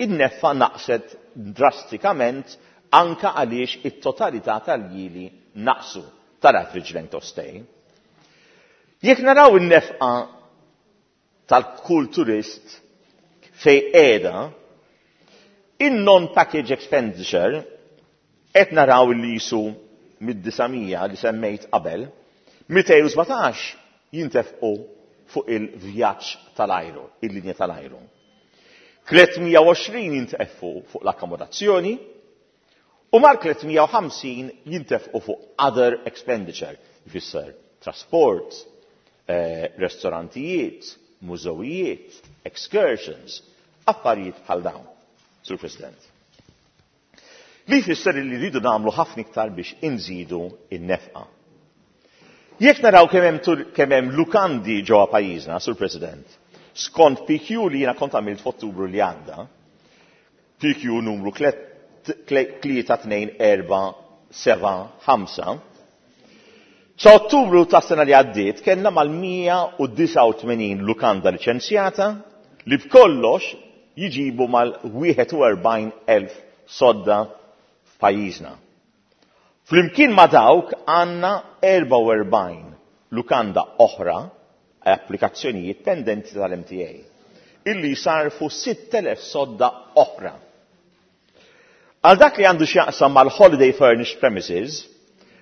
in-nefqa naqset drastikament anka għaliex it-totalità tal-jili naqsu tal-average length of stay. Jekk naraw in-nefqa tal-kull turist fej qiegħda, in-non-package expenditure qed naraw li jisu mid-disa' mija li semmejt qabel, mitejn u sbatax jintefqu fuq il-vjaġġ tal-ajru, il-linja tal-ajru. tliet mija u għoxrin jintefqu fuq l-akkomodazzjoni u mal tliet mija u ħamsin jintefqu fuq other expenditure, jfisser trasport, eh, ristorantijiet, mużewijiet, excursions, affarijiet bħal dawn, Sur President. Li jfisser li rridu nagħmlu ħafna iktar biex inżidu in-nefqa. Jekk naraw kemm hemm tur-, kemm hemm lukandi ġewwa pajjiżna, Sur President, skont P Q li jiena kont għamilt f'Ottubru li għadda, P Q numru tlieta tnejn erba' seba' ħamsa, sa Ottubru ta' sena li għaddiet kellna mal-mija u disgħa u tmenin lukanda liċenzjata li b'kollox jiġibu mal-wieħed u erbgħin elf sodda f'pajjiżna. Flimkien ma' dawk għandna erbgħa u erbgħin lukanda oħra applikazzjonijiet pendenti tal-M T A illi jsarfu sitt elef sodda oħra. Għal dak li għandu x'jaqsam mal-Holiday Furnished Premises,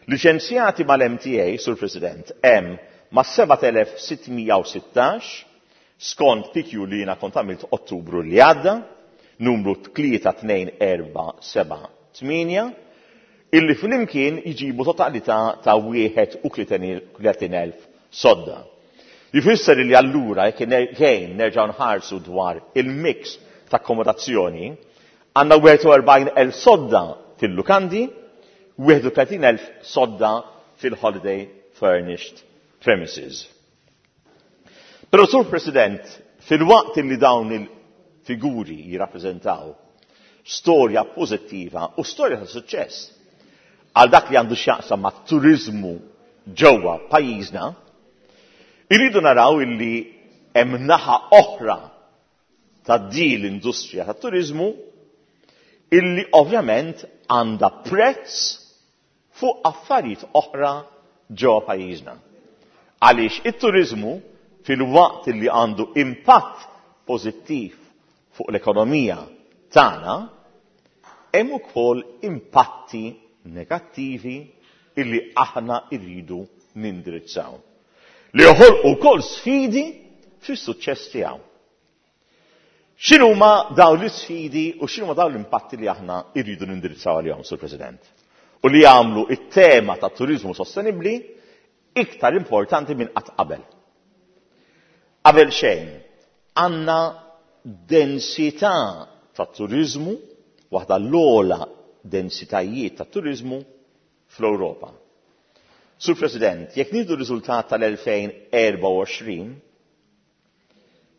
liċenzjati mal-M T A, Sur President, hemm ma' seba' elef sitt mija u sittax, skont P Q li jiena kont għamilt Ottubru li għadda, numru tlieta tnejn erba' seba' tmienja, illi flimkien jġibu totalità ta' wieħed u tletin elf sodda. Jfisser li allura jekk ejn nerġgħu nħarsu dwar il-mix ta' akkomodazzjoni, għandna wieħed u erbgħin elf sodda fil-lukandi, wieħed u tletin elf sodda fil-holiday furnished premises. Però Sur President, fil-waqt li dawn il-figuri jirrappreżentaw storja pożittiva u storja ta' suċċess għal dak li għandu x'jaqsam ma' turizmu ġewwa pajjiżna, irridu naraw illi hemm naħa oħra ta' din l-industrija tat-turizmu illi ovvjament għandha prezz fuq affarijiet oħra ġewwa pajjiżna. Għaliex it-turizmu fil-waqt illi għandu impatt pożittiv fuq l-ekonomija tagħna, hemm ukoll impatti negattivi illi aħna rridu nindirizzaw. Li joħolqu wkoll sfidi fis-suċċess tiegħu. X'inhuma dawn l-isfidi u x'inhuma dawn l-impatti li aħna rridu nindirizzaw għalihom, Sur President? U li jagħmlu it-tema ta' turiżmu sostenibbli iktar importanti minn qatt qabel. Qabel xejn, għandna densità ta' turiżmu, waħda l-ogħla densitajiet ta' turiżmu fl-Ewropa. Sur President, jekk nieħdu r-riżultat tal-elfejn erbgħa u għoxrin,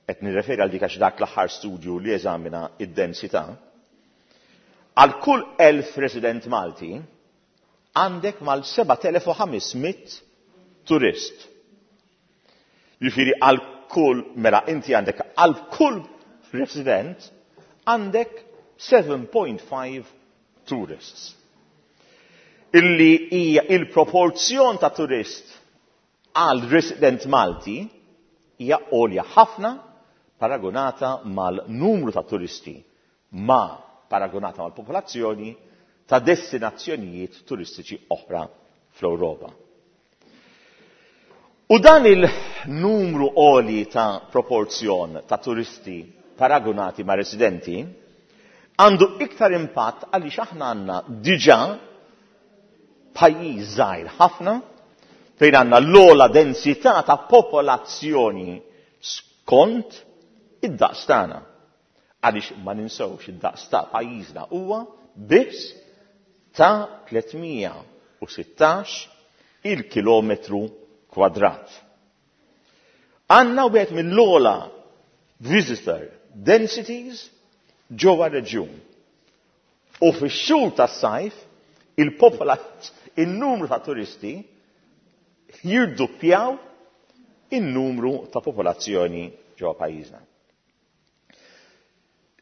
qed nirreferi għal dik għax dak l-aħħar studju li eżamina id-densità, għal kull elf resident Malti għandek mal sebat elef u ħames mitt turist. Jiġifieri għal kull, mela inti għandek għal kull resident għandek seven point five tourists. Illi hija il-proporzjon ta' turist għal resident Malti hija għolja ħafna paragonata mal-numru ta' turisti ma paragonata mal-popolazzjoni ta' destinazzjonijiet turistiċi oħra fl-Ewropa. U dan il-numru għoli ta' proporzjon ta' turisti paragonati ma' residenti għandu iktar impatt għaliex aħna għandna diġà pajjiż żgħir ħafna fejn għandna l-ogħla densità ta' popolazzjoni skont id-daqs tagħna. Għaliex ma ninsewx id-daqs ta' pajjiżna huwa biss ta' tlietmija u sittax il-kilometru kwadrat. Għandna wieħed mill-ogħla visitor densities ġewwa reġjun. U fix-xhur tas-sajf il-popolat-, il-numru ta' turisti jirduppjaw il-numru ta' popolazzjoni ġewwa pajjiżna.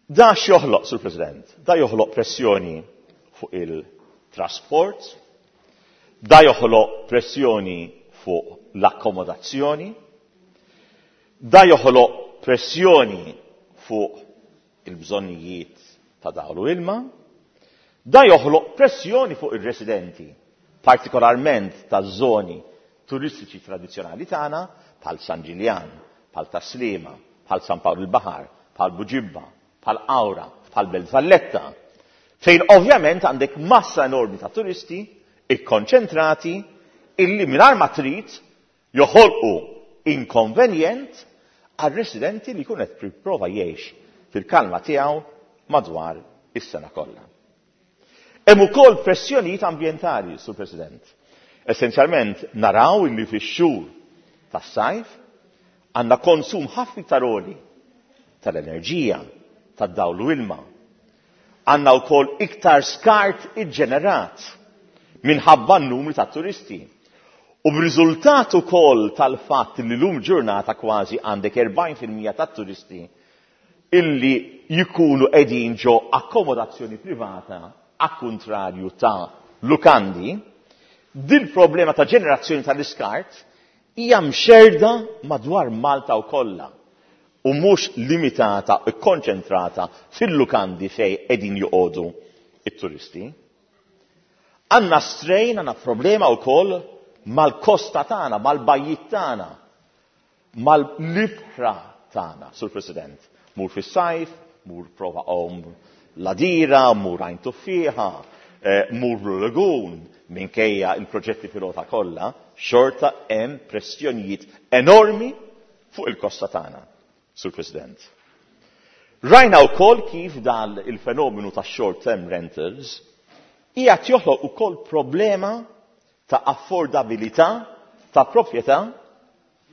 Da x'joħloq, Sur President? Da joħloq pressjoni fuq il-trasport, da joħloq pressjoni fuq l-akkomodazzjoni, da joħloq pressjoni fuq il-bżonnijiet ta' dawl u ilma, da joħloq pressjoni fuq ir-residenti, partikolarment ta' zoni turistiċi tradizzjonali tagħna, bħal San Ġiljan, bħal Tas-Sliema, bħal San Pawl il-Baħar, bħal Buġibba, bħal Qawra, bħal Belt Valletta, fejn ovvjament għandek massa enormi ta' turisti ikkonċentrati illi mingħajr ma trid joħolqu inkonvenjent għal residenti li jkun qed jipprova jgħix fil-kalma tiegħu madwar is-sena kollha. Hemm ukoll pressjonijiet ambjentali, Sur President. Essenzjalment naraw illi fix-xhur tas-sajf għandna konsum ħafna iktar għoli tal-enerġija, tad-dawl u ilma. Għandna wkoll iktar skart iġġenerat minħabba n-numri ta' turisti. U b'riżultat ukoll tal-fatt li llum ġurnata kważi għandek erbgħin fil-mija tat-turisti illi jkunu qegħdin ġo akkomodazzjoni privata a kontrarju ta' lukandi, dil problema ta' ġenerazzjoni tal-iskart hija mxerda madwar Malta u kollha u mhux limitata u konċentrata fil-lukandi fej qegħdin joqogħdu it-turisti. Għandna strain, għandna problema wkoll mal-kosta tagħna, mal-bajjiet tagħna, mal-libħra tagħna, Sur President. Mur fis-sajf, mur prova om l-Għadira, mur Għajn Tuffieħa, eh, mur Blue Lagoon, minkejja il-proġetti pilota kollha, xorta hemm pressjonijiet enormi fuq il-kosta tagħna, Sur President. Rajna wkoll kif dan il-fenomenu ta' short-term rentals qiegħed joħloq ukoll problema ta' affordabilità ta' proprjetà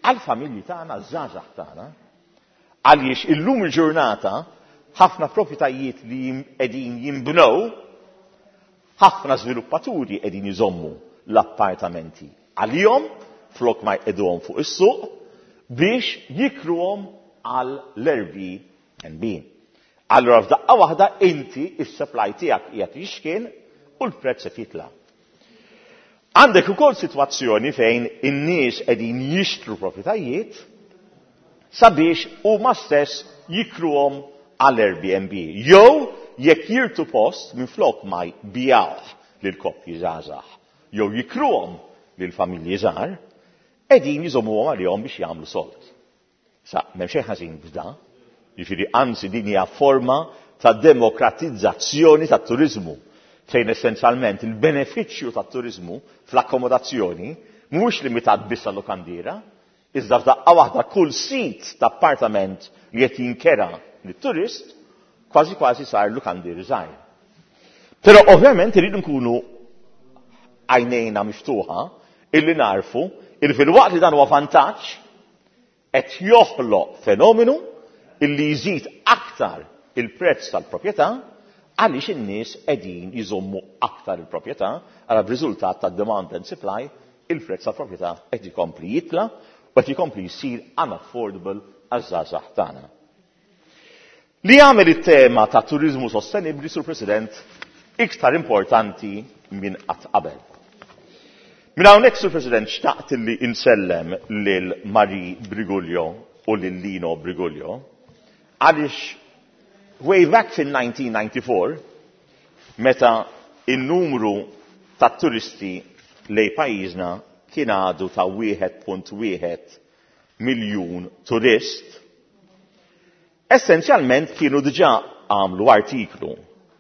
għal familji tagħna, żgħażagħ tagħna, għaliex illum il-ġurnata ħafna proprjetajiet li jim-, qegħdin jinbnew, ħafna żviluppaturi qegħdin iżommu l-appartamenti għalihom flok ma jqegħduhom fuq is-suq biex jikruhom għal l-Airbnb. Allura f'daqqa waħda inti is-supply tiegħek qiegħed jixkien u l-prezz qed jitla'. Għandek ukoll sitwazzjoni fejn in-nies qegħdin jixtru proprjetajiet sabiex huma stess jikruhom għal Airbnb. Jew jekk jirtu post minflok ma jbijawh lil koppji żgħażagħ, jew jikruhom lil familji żgħar, qegħdin jżommuhom għalihom biex jagħmlu sold. Sa m'hemm xejn ħażin f'da, Jiġifieri anzi din hija forma ta' demokratizzazzjoni tat-turiżmu fejn essenzjalment il-benefiċċju tat-turiżmu fl-akkomodazzjoni mhuwiex limitat biss għal-lokandiera, iżda f'daqqa waħda kull sit ta' appartament li qed jinkera lit-turist kważi kważi sar lukandier żgħir. Però ovvjament irridu nkunu għajnejna miftuħa illi narfu il filwaqt li dan huwa vantaġġ qed joħloq fenomenu illi jżid aktar il-prezz tal-proprjetà għaliex in-nies qegħdin jżommu aktar il-proprjetà għala b'riżultat ta' demand and supply il-prezz tal-proprjetà qed ikompli jitla u qed ikompli jsir unaffordable għaż-żgħażagħ tagħna. Li jagħmel it-tema ta' turiżmu sostenibbli, Sur President, iktar importanti minn qatt qabel. Minn hawnhekk, Sur President, xtaqt li insellem lil Marie Briguglio u lil Lino Briguglio għaliex way back fin-nineteen ninety-four, meta in-numru ta' turisti lej pajjiżna kien għadu ta' wieħed punt wieħed miljun turist, essenzjalment kienu diġà għamlu artiklu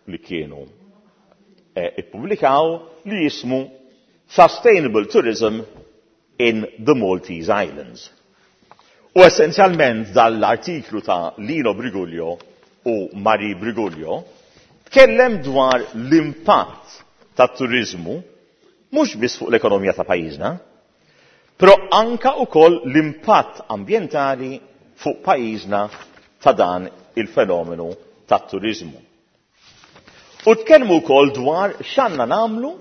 li kienu eh, ippubblikaw li jismu Sustainable Tourism in the Maltese Islands. U essenzjalment dal-artiklu ta' Lino Briguglio u Marie Briguglio tkellem dwar l-impatt ta' turizmu mhux biss fuq l-ekonomija ta' pajjiżna, però anka ukoll l-impatt ambjentali fuq pajjiżna ta' dan il-fenomenu ta' turizmu. U tkellmu wkoll dwar x'għandna nagħmlu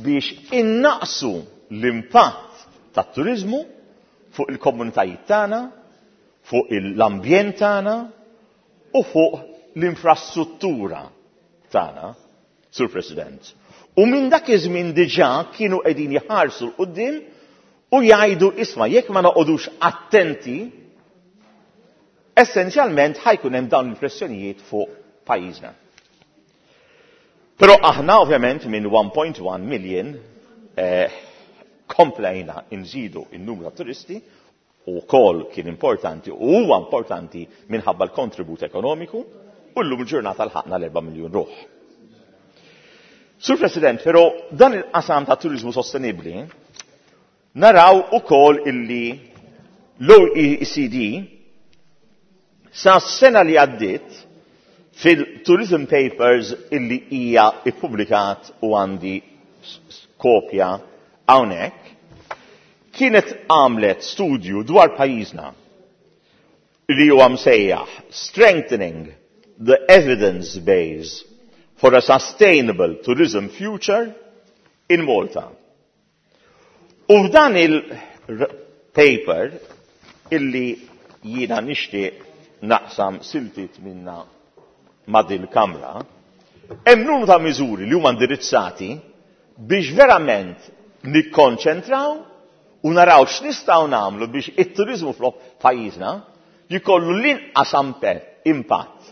biex innaqsu l-impatt tat turizmu fuq il-komunitajiet tagħna, fuq l-ambjent tagħna u fuq l-infrastruttura tagħna, Sur President. U minn dak iż-żmien diġà kienu qegħdin jħarsu 'l quddiem u jgħidu, isma', jekk ma noqogħdux attenti, essenzjalment ħa jkun hemm dawn il-pressjonijiet fuq pajjiżna. Però aħna ovvjament minn one point one million eh, komplejna nżidu in-numru ta' turisti u kol kien importanti u huwa importanti minħabba l-kontribut ekonomiku u llum il-ġurnata lħaqna l-erba' miljun ruħ. Sur President, però dan il-qasam ta' turizmu sostenibli naraw ukoll illi l-O E C D sa sena li għaddit fil-Tourism Papers illi hija ippubblikat u għandi kopja hawnhekk kienet għamlet studju dwar pajjiżna li huwa msejjaħ Strengthening the Evidence Base for a Sustainable Tourism Future in Malta. U f'dan il-paper illi jiena nixtieq naqsam siltiet minna ma' dil-kamra, hemm numru ta' miżuri li huma indirizzati biex verament nikkonċentraw u naraw x'nistgħu nagħmlu biex it-turizmu f'pajjiżna jkollu l-inqas impatt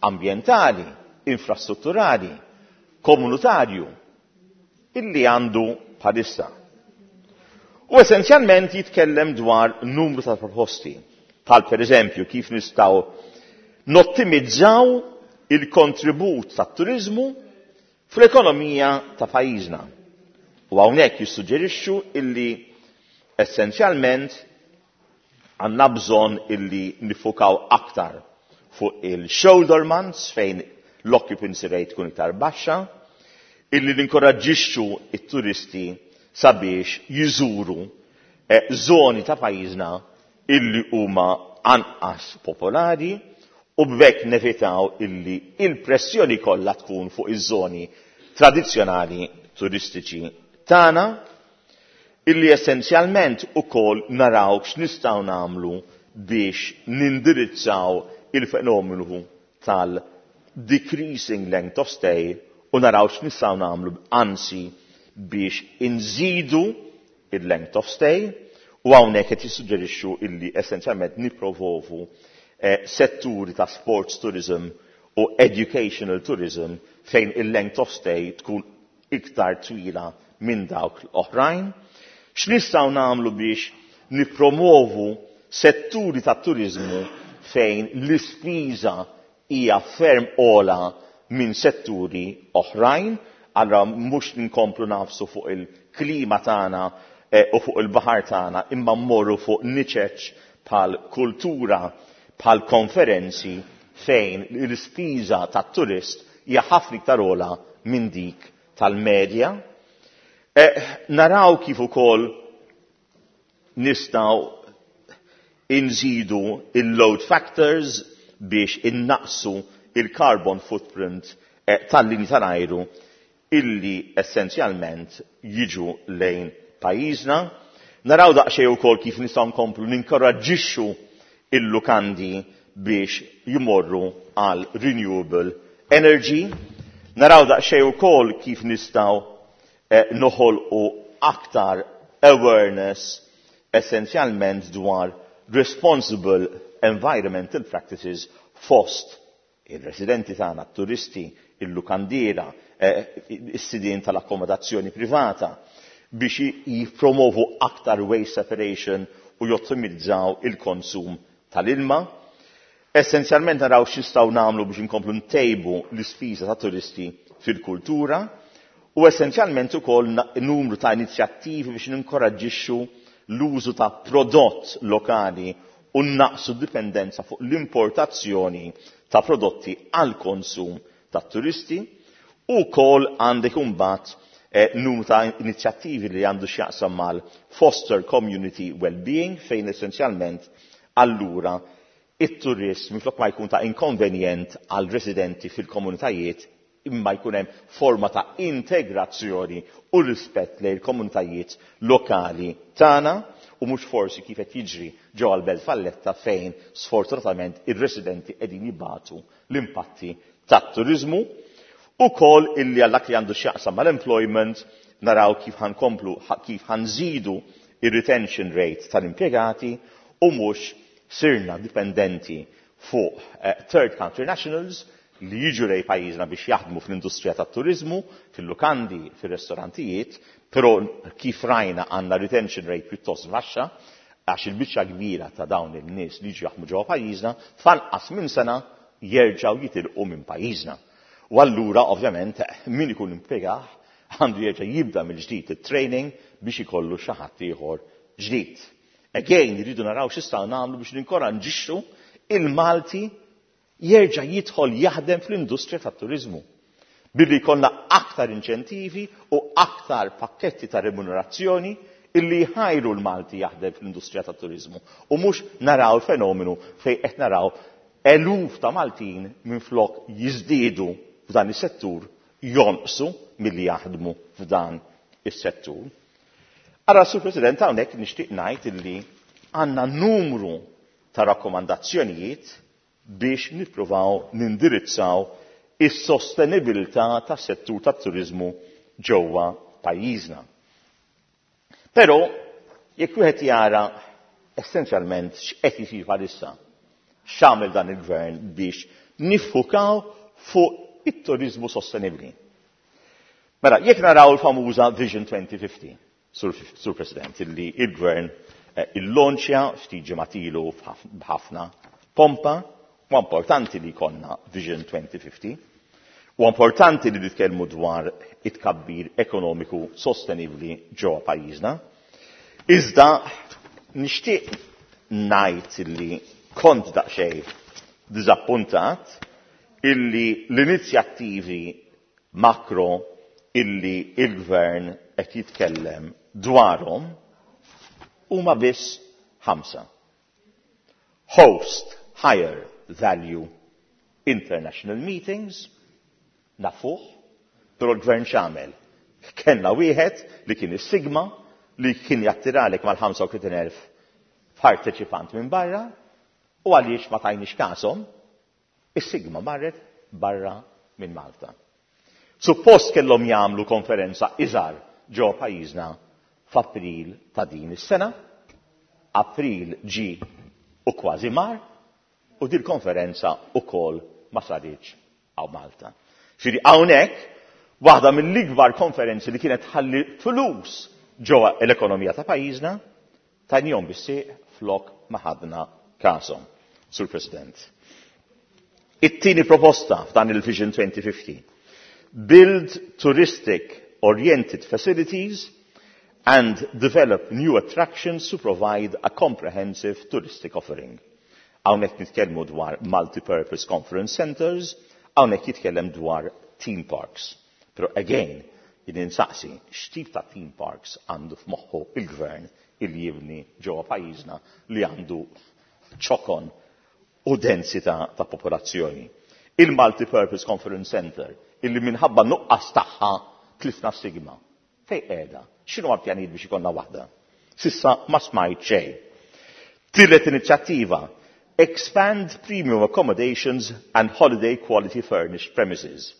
ambjentali, infrastrutturali, komunitarju illi għandu bħalissa. U essenzjalment jitkellem dwar numru ta' proposti, bħal per eżempju kif nistgħu nottimizzaw il-kontribut tat turizmu fl-ekonomija ta' pajjiżna. U hawnhekk jissuġġerixxu illi essenzjalment għandna bżonn illi nifukaw aktar fuq il-shoulder months fejn l-occupancy rate tkun iktar baxxa, illi ninkoraġġixxu it-turisti sabiex jiżuru eh, zoni ta' pajjiżna illi huma anqas popolari u b'hekk nevitaw illi il-pressjoni kollha tkun fuq iż-żoni tradizzjonali turistiċi tagħna, illi essenzjalment ukoll naraw x'nistgħu nagħmlu biex nindirizzaw il-fenomenu tal-decreasing length of stay u naraw x'nistgħu nagħmlu anzi biex inżidu il-length of stay, u hawnhekk qed jissuġġerixxu illi essenzjalment nippromovu eh, setturi ta' sports tourism u educational tourism fejn il-length of stay tkun iktar twila minn dawk l-oħrajn. X'nistgħu nagħmlu biex nippromovu setturi ta' turizmu fejn l-ispiża hija ferm ogħla minn setturi oħrajn, allura mhux nkomplu nagħfsu fuq il-klima tagħna eh, u fuq il-baħar tagħna, imma mmorru fuq niċeċ bħal kultura, bħal konferenzi fejn l-ispiża tat-turist hija ħafna iktar ogħla minn dik tal-medja. Eh, naraw kif ukoll nistgħu inżidu il-load factors biex innaqsu il-carbon footprint eh, tal-linji tal-ajru illi essenzjalment jiġu lejn pajjiżna. Naraw daqsxejn ukoll kif nistgħu nkomplu ninkoraġġixxu il-lukandi biex jmorru għal renewable energy. Naraw daqsxejn ukoll kif nistgħu eh, noħolqu aktar awareness essenzjalment dwar responsible environmental practices fost il-residenti tagħna, turisti, il-lukandiera, eh, is-sidien tal-akkomodazzjoni privata biex jippromovu aktar waste separation u jottimizzaw il-konsum tal-ilma. Essenzjalment naraw x'nistgħu nagħmlu biex inkomplu ntejbu l-ispiża ta' turisti fil-kultura u essenzjalment ukoll numru ta' inizjattivi biex ninkoraġġixxu l-użu ta' prodott lokali u naqsu dipendenza fuq l-importazzjoni ta' prodotti għal konsum ta' turisti u kol għandek imbagħad eh, numru ta' inizjattivi li għandu x'jaqsam mal-foster community well-being fejn essenzjalment allura it-turist minflok ma jkun ta' inkonvenjent għal residenti fil-komunitajiet imma jkun hemm forma ta' integrazzjoni u rispett lejn il-komunitajiet lokali tagħna u mhux forsi kif qed jiġri ġewwa l-Belt Valletta fejn sfortunatament ir-residenti qegħdin jibatu l-impatti tat-turiżmu. Ukoll illi għal dak li għandu x'jaqsam mal-employment naraw kif ħankomplu kif ħanżidu ir-retention rate tal-impjegati u mhux sirna dipendenti fuq eh, third country nationals li jiġu lejn pajjiżna biex jaħdmu fl-industrija tat-turiżmu, fil-lukandi, fil-restorantijiet, però kif rajna għandna retention rate pjuttost baxxa, għax il-biċċa kbira ta' dawn il-nies li jiġu jaħdmu ġewwa pajjiżna, f'anqas minn sena jerġgħu jitilqu minn pajjiżna. U allura ovvjament min ikun impjegah għandu jerġa' jibda mill-ġdid it-training biex ikollu xi ħadd ieħor ġdid. Again, jridu naraw x'nistgħu nagħmlu biex ninkoraġġixxu il-Malti jerġa' jidħol jaħdem fl-industrija tat-turiżmu. Billi jkollna aktar inċentivi u aktar pakketti ta' remunerazzjoni illi jħajru l-Malti jaħdem fl-industrija tat-turiżmu. U mhux naraw il-fenomenu fejn qed naraw eluf ta' Maltin minflok jiżdiedu f'dan is-settur jonqsu milli jaħdmu f'dan is-settur. Ara, Sur President, hawnhekk nixtieq ngħid illi għandna numru ta' rakkomandazzjonijiet biex nippruvaw nindirizzaw is-sostenibilità tas-settur tat-turiżmu ġewwa pajjiżna. Però jekk wieħed jara essenzjalment x'qed isir bħalissa, x'għamel dan il-gvern biex niffukaw fuq it-turiżmu sostenibbli. Mela, jekk naraw il-famuża Vision twenty fifty, Sur, Sur President, illi il-gvern eh, illonċja ftit ġimgħat ilu b'ħafna pompa, u importanti li jkollna Vision twenty fifty, u importanti li nitkellmu dwar it-kabbir ekonomiku sostenibli ġewwa pajjiżna. Iżda nixtieq ngħid illi kont daqsxejn diżappuntat illi l-inizjattivi makro illi il-gvern qed jitkellem dwarhom huma biss ħamsa. Host higher value international meetings, nafuh, però l-gvern x'għamel? Kellna wieħed li kien is-Sigma li kien jattiralek mal-ħamsa u tletin elf parteċipant minn barra u għaliex ma tajniex kashom, is-Sigma marret barra minn Malta. Suppost kellhom jagħmlu konferenza iżgħar ġo pajjiżna f'April ta' din is-sena. April ġi u kważi mar u din konferenza ukoll ma saritx hawn Malta. Ġifieri hawnhekk waħda mill-ikbar konferenzi li kienet ħalli flus ġewwa l-ekonomija ta' pajjiżna tajnihom bis-sieq flok ma ħadna kashom. Sur President. It-tieni proposta f'dan il-Vision twenty fifty: build touristic oriented facilities and develop new attractions to provide a comprehensive touristic offering. Hawnhekk nitkellmu dwar multi-purpose conference centers, hawnhekk jitkellem dwar theme parks. Pero again, jien insaqsi, x'tip ta' theme parks għandu f'moħħu il-gvern il jibni ġewwa pajjiżna li għandu ċokon u densità ta' popolazzjoni? Il-Multi-Purpose Conference Center, illi minħabba nuqqas tagħha tlifna SIGMA. Fej qiegħda? X'inhu għal pjanijiet biex ikollna waħda? S'issa ma smajt xejn. Tielet inizjattiva: expand premium accommodations and holiday quality furnished premises.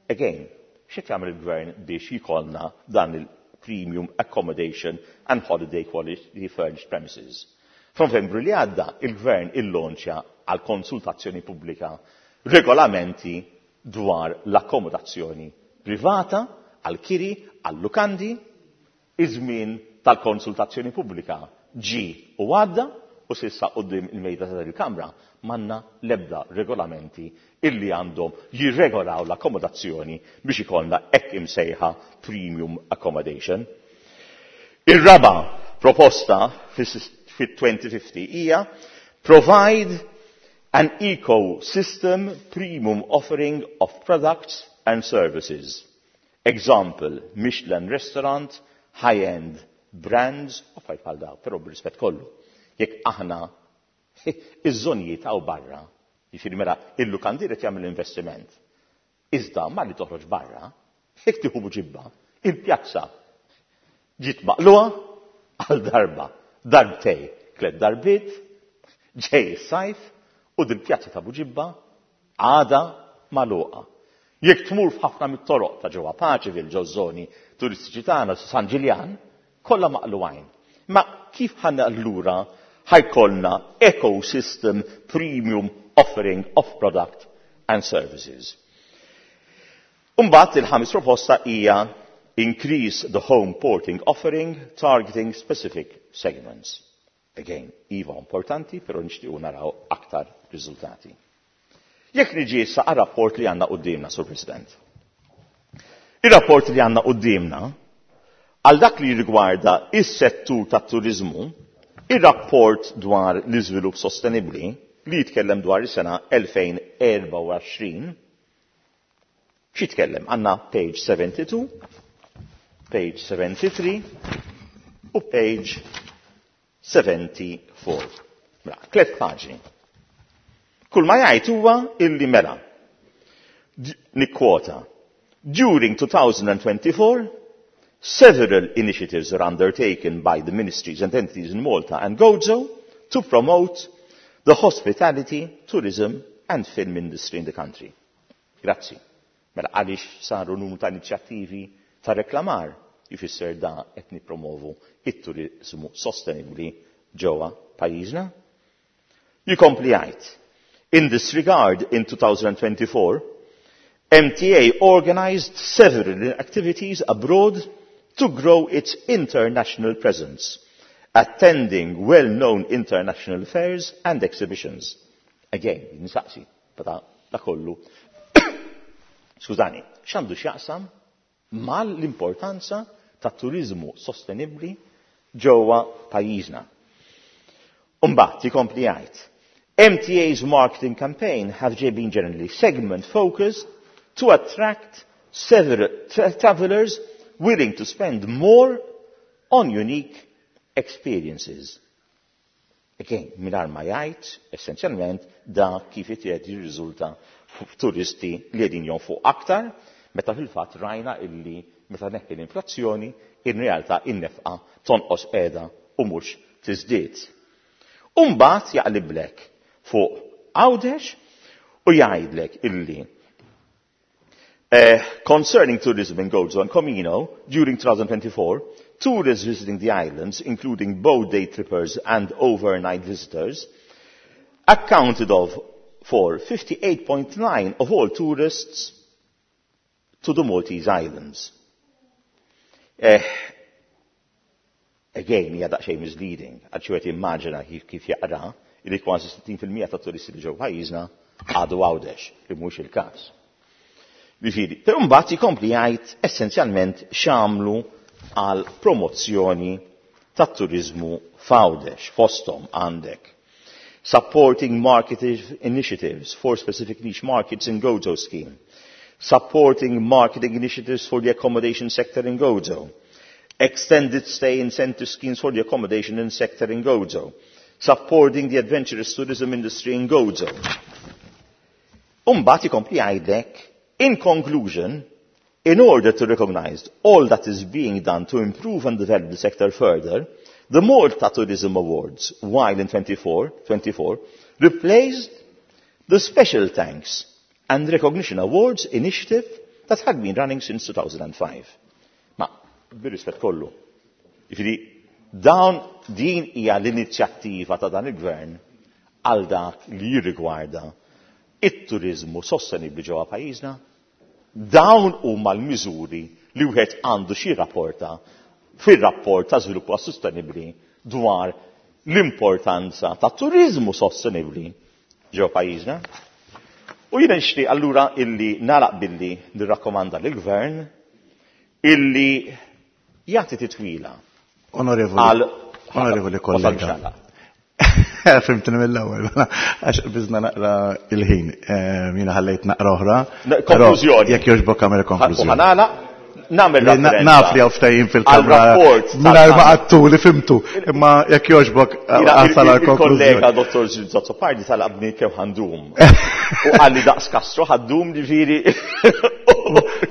Again, x'qed jagħmel il-gvern biex jkollna dan il-premium accommodation and holiday quality furnished premises? F'Novembru li għadda, il-gvern illonċja għal konsultazzjoni pubblika regolamenti dwar l-akkomodazzjoni privata, għal-kiri, għal-lukandi. Iż-żmien tal-konsultazzjoni pubblika ġi u għadda u s'issa quddiem il-mejda ta' il-Kamra m'għandna lebda regolamenti illi għandhom jirregolaw l-akkomodazzjoni biex ikollna hekk imsejħa premium accommodation. Ir-raba proposta fit-twenty fifty hija provide an ecosystem premium offering of products and services. Example, Michelin restaurant, high-end brands, u affarijiet bħal daw, però b'rispett kollu. Jekk aħna iż-żonijiet hawn barra, jiġifieri mela il-lukandier qed jagħmel investiment. Iżda ma li toħroġ barra, jekk tieħu Buġibba, il-pjazza ġiet maqlugħa għal darba, darbtej, tliet darbiet, ġej is-sajf u dil-pjazza ta' Buġibba għada magħluqa. Jekk tmur f'ħafna mit-toroq ta' ġewwa Paceville, ġo żoni turistiċi tagħna, San Ġiljan, kollha maqlugħin. Ma kif ħanna allura ħa jkollna ecosystem premium offering of product and services? Umbagħad il-ħames proposta hija increase the home porting offering targeting specific segments. Again, iva importanti, pero nixtiequ naraw aktar riżultati. Jekk niġi issa għal-rapport li għandna quddiemna, Sur President. Il-rapport li għandna quddiemna, għal dak li rigwarda is-settur tat-turizmu, il-rapport dwar l-iżvilupp sostenibli li jitkellem dwar is-sena elfejn u erbgħa u għoxrin, x'jitkellem? Għandna page seventy-two, page seventy-three u page seventy-four. Mela, tliet paġni. Kull ma jgħid huwa illi mela. Nikkwota: "During twenty twenty-four, several initiatives are undertaken by the ministries and entities in Malta and Gozo to promote the hospitality, tourism and film industry in the country." Grazzi. Mela għaliex saru numru ta' inizjattivi ta' reklamar jfisser da qed nippromovu it-turizmu sostenibli ġewwa pajjiżna? Jikompli jgħid: "In this regard, in twenty twenty-four, M T A organized several activities abroad to grow its international presence, attending well-known international fairs and exhibitions." Again, nisaqsi, bata da kollu. Skużani, x'għandu x'jaqsam mal-importanza ta' turizmu sostenibli ġewwa pajjiżna? Umbagħad jikompli jgħid: "M T A's marketing campaign have been generally segment focused to attract several tra travelers willing to spend more on unique experiences." Again, mingħajr ma jgħid, essenzjalment, da kif qed jirriżulta f'turisti li qegħdin jonfqu aktar, meta fil-fatt rajna illi meta neħħi l-inflazzjoni, in realtà in-nefqa tonqos qiegħda u mhux tiżdied. Umbagħad jaqliblek fuq Għawdex u jgħidlek illi Uh, concerning tourism in Gozo and Comino, during twenty twenty-four, tourists visiting the islands, including both day trippers and overnight visitors, accounted of for fifty-eight point nine of all tourists to the Maltese Islands. Eh, again, hija daqsxejn misleading, għax wieħed immaġina kif, kif jaqra. Illi kważi sittin fil-mija ta' turisti li ġew pajjiżna għadu Għawdex, li mhux il-każ. Jiġifieri, però mbagħad jkompli jgħid essenzjalment x'għamlu għal promozzjoni tat-turiżmu f'Għawdex. Fosthom għandek supporting marketing initiatives for specific niche markets in Gozo scheme, supporting marketing initiatives for the accommodation sector in Gozo, extended stay incentive schemes for the accommodation in sector in Gozo, supporting the adventurous tourism industry in Gozo. Umbagħad ikompli jgħidlek, in conclusion, in order to recognize all that is being done to improve and develop the sector further, the Malta Tourism Awards, while in twenty-four, twenty-four, replaced the Special Thanks and Recognition Awards initiative that had been running since two thousand and five. Ma, bir-rispett kollu, jiġifieri, dawn din hija l-inizjattiva ta' dan il-gvern għal dak li jirrigwarda it-turizmu sostenibli ġewwa pajjiżna. Dawn huma l-miżuri li wieħed għandu xi rapporta fir-rapport ta' żvilupp sostenibbli dwar l-importanza ta' turizmu sostenibbli ġewwa pajjiżna. U jiena nixtieq allura illi nagħlaq billi nirrakkomanda lill-gvern illi jagħti titwila. Onorevoli, għal onorevoli kollega. Fimtni mill-ewwel, għax biżna naqra il-ħin. Jiena ħallejt naqra oħra. Konklużjoni. Jekk jogħġbok għamel konklużjoni. U ħanala, nagħmel Li na- referenza naf li hawn ftehim fil-kamra għal-rapport mingħajr ma tal-kamra. qattu li fimtu, imma jekk jogħġbok, Jiena għasal il- għal-konklużjoni. Il-kollega Dottor Azzopardi talabni kemm ħandum. U qalli daqs Castro ħaddum ġifieri.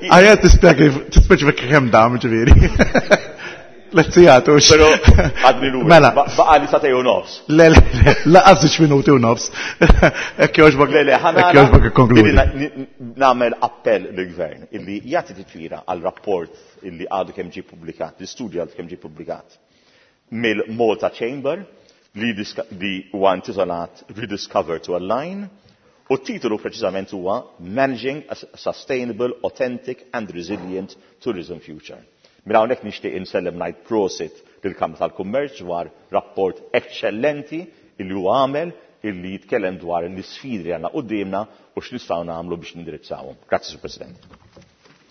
Għajja tispjega tispeċifika kemm dam ġifieri. Lezzijat, ux. Pero għadni lura. Mela. Ba-, baqa li satej u nofs. Le, le, le, laqas żewġ minuti u nofs. Hekk jogħġbok, Le, le, ħana hekk jogħġbok ikkonkludi. Illi na-, ni-, nagħmel appell lill-gvern illi jagħti titwira għal rapport illi għadu kemm ġie ppubblikat, l-istudju għadu kemm ġie ppubblikat mill-Malta Chamber li diska-, li huwa intitolat Rediscover to Align, u t-titolu preċiżament huwa Managing a Sustainable, Authentic and Resilient Tourism Future. Minn hawnhekk nixtieq insellem ngħid prosit lill-Kamra tal-Kummerċ dwar rapport eċċellenti illi huwa għamel illi jitkellem dwar l-isfidi li għandna quddiemna u x'nistgħu nagħmlu biex nindirizzawhom. Grazzi, Sur President.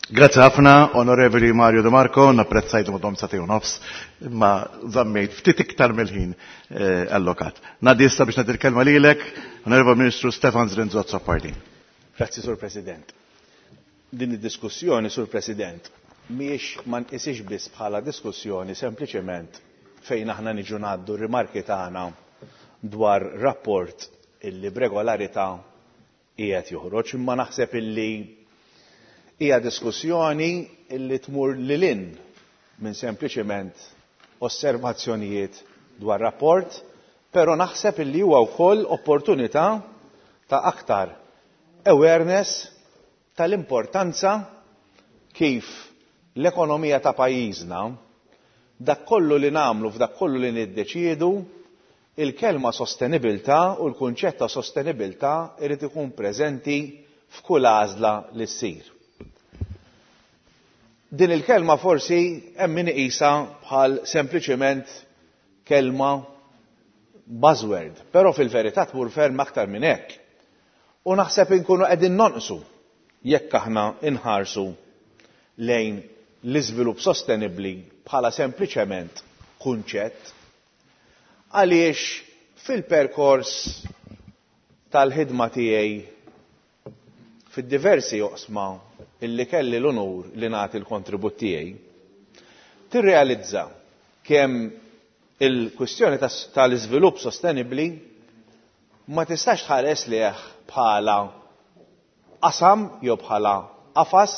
Grazzi ħafna, Onorevoli Mario De Marco, napprezzajtu madhom satej u nofs, imma żammejt ftit iktar mill-ħin, eh, allokat. Ngħaddi issa biex nagħti l-kelma lilek, Onorevoli Ministru Stefan Zrinzo Azzopardi. Grazzi, Sur President. Din id-diskussjoni, Sur President, mhijiex ma nqisix biss bħala diskussjoni sempliċement fejn aħna niġu ngħaddu r-rimarki tagħna dwar rapport illi b'regolarità qiegħed joħroġ, imma naħseb illi hija diskussjoni illi tmur lil hinn minn sempliċement osservazzjonijiet dwar rapport, però naħseb illi huwa wkoll opportunità ta' aktar awareness tal-importanza kif l-ekonomija ta' pajjiżna, dak kollu li nagħmlu f'dak kollu li niddeċiedu, il-kelma sostenibilità u l-kunċett ta' sostenibilità irid ikun preżenti f'kull għażla li ssir. Din il-kelma forsi hemm min iqisha bħal sempliċement kelma buzzword, però fil-verità tmur ferm aktar minn hekk. U naħseb inkunu qegħdin nonqsu jekk aħna inħarsu lejn l-iżvilupp sostenibbli bħala sempliċement kunċett, għaliex fil-perkors tal-ħidma tiegħi fid-diversi oqsma illi kelli l-onur li nagħti l-kontribut tiegħi, tirrealizza kemm il-kwistjoni tas-, tal-iżvilupp sostenibbli ma tistax tħares lejh bħala qasam jew bħala qafas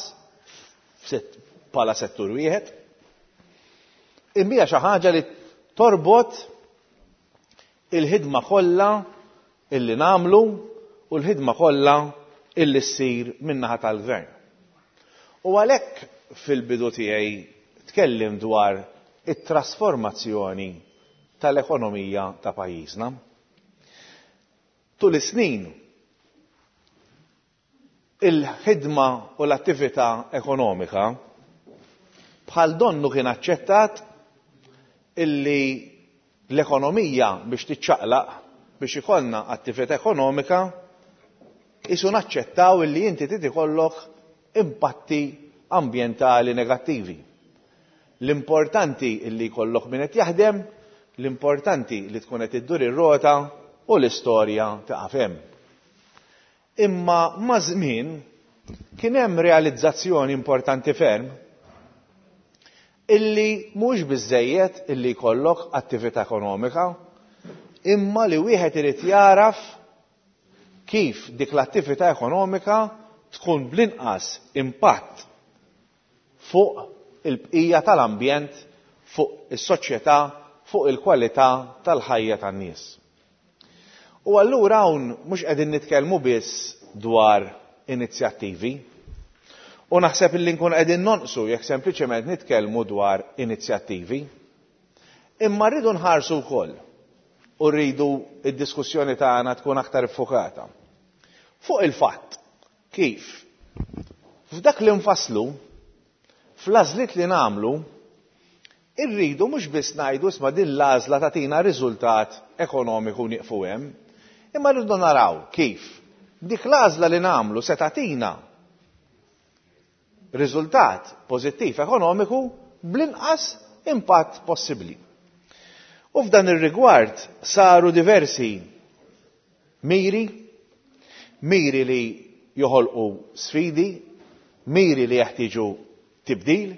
f'set-, bħala settur wieħed, imma hija xi ħaġa li torbot il-ħidma kollha illi nagħmlu u l-ħidma kollha illi ssir min-naħa tal-gvern. U għalhekk fil-bidu tiegħi tkellim dwar it-trasformazzjoni tal-ekonomija ta' pajjiżna. Tul is-snin il-ħidma u l-attività ekonomika bħal donnu kien aċċettat illi l-ekonomija biex tiċċaqlaq biex ikollna attività ekonomika isu naċċettaw illi inti trid ikollok impatti ambjentali negattivi. L-importanti illi jkollok min qed jaħdem, l-importanti li tkun qed iddur ir-rota u l-istorja taqaf hemm. Imma ma' żmien kien hemm realizzazzjoni importanti ferm illi mhux biżżejjed illi jkollok attività ekonomika, imma li wieħed irid jaraf kif dik l-attività ekonomika tkun bl-inqas impatt fuq il-bqija tal-ambjent, fuq is-soċjetà, fuq il-kwalità tal-ħajja tan-nies. U allura hawn mhux qegħdin nitkellmu biss dwar inizjattivi. U naħseb illi nkun qegħdin nonqsu jekk sempliċement nitkellmu dwar inizjattivi. Imma rridu nħarsu wkoll u rridu id-diskussjoni tagħna tkun aktar iffukata fuq il-fatt kif f'dak li nfasslu, fl-għażliet li nagħmlu, irridu mhux biss ngħidu isma' din l-għażla tagħtina riżultat ekonomiku nieqfu hemm, imma rridu naraw kif dik l-għażla li nagħmlu se tagħtina riżultat pożittiv ekonomiku bl-inqas impatt possibbli. U f'dan ir-rigward saru diversi miri, miri li joħolqu sfidi, miri li jeħtieġu tibdil,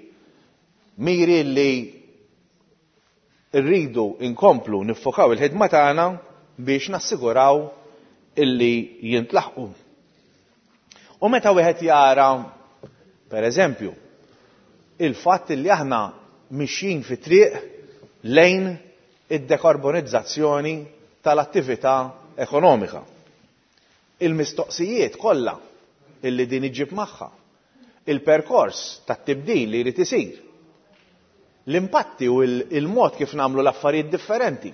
miri li rridu inkomplu niffokaw il-ħidma tagħna biex nassiguraw illi jintlaħqu. U meta wieħed jara, per eżempju, il-fatt li aħna mixjin fi triq lejn id-dekarbonizzazzjoni tal-attività ekonomika. Il-mistoqsijiet kollha illi din iġġib magħha, il-perkors tat-tibdil li jrid isir, l-impatti u il-mod kif nagħmlu l-affarijiet differenti.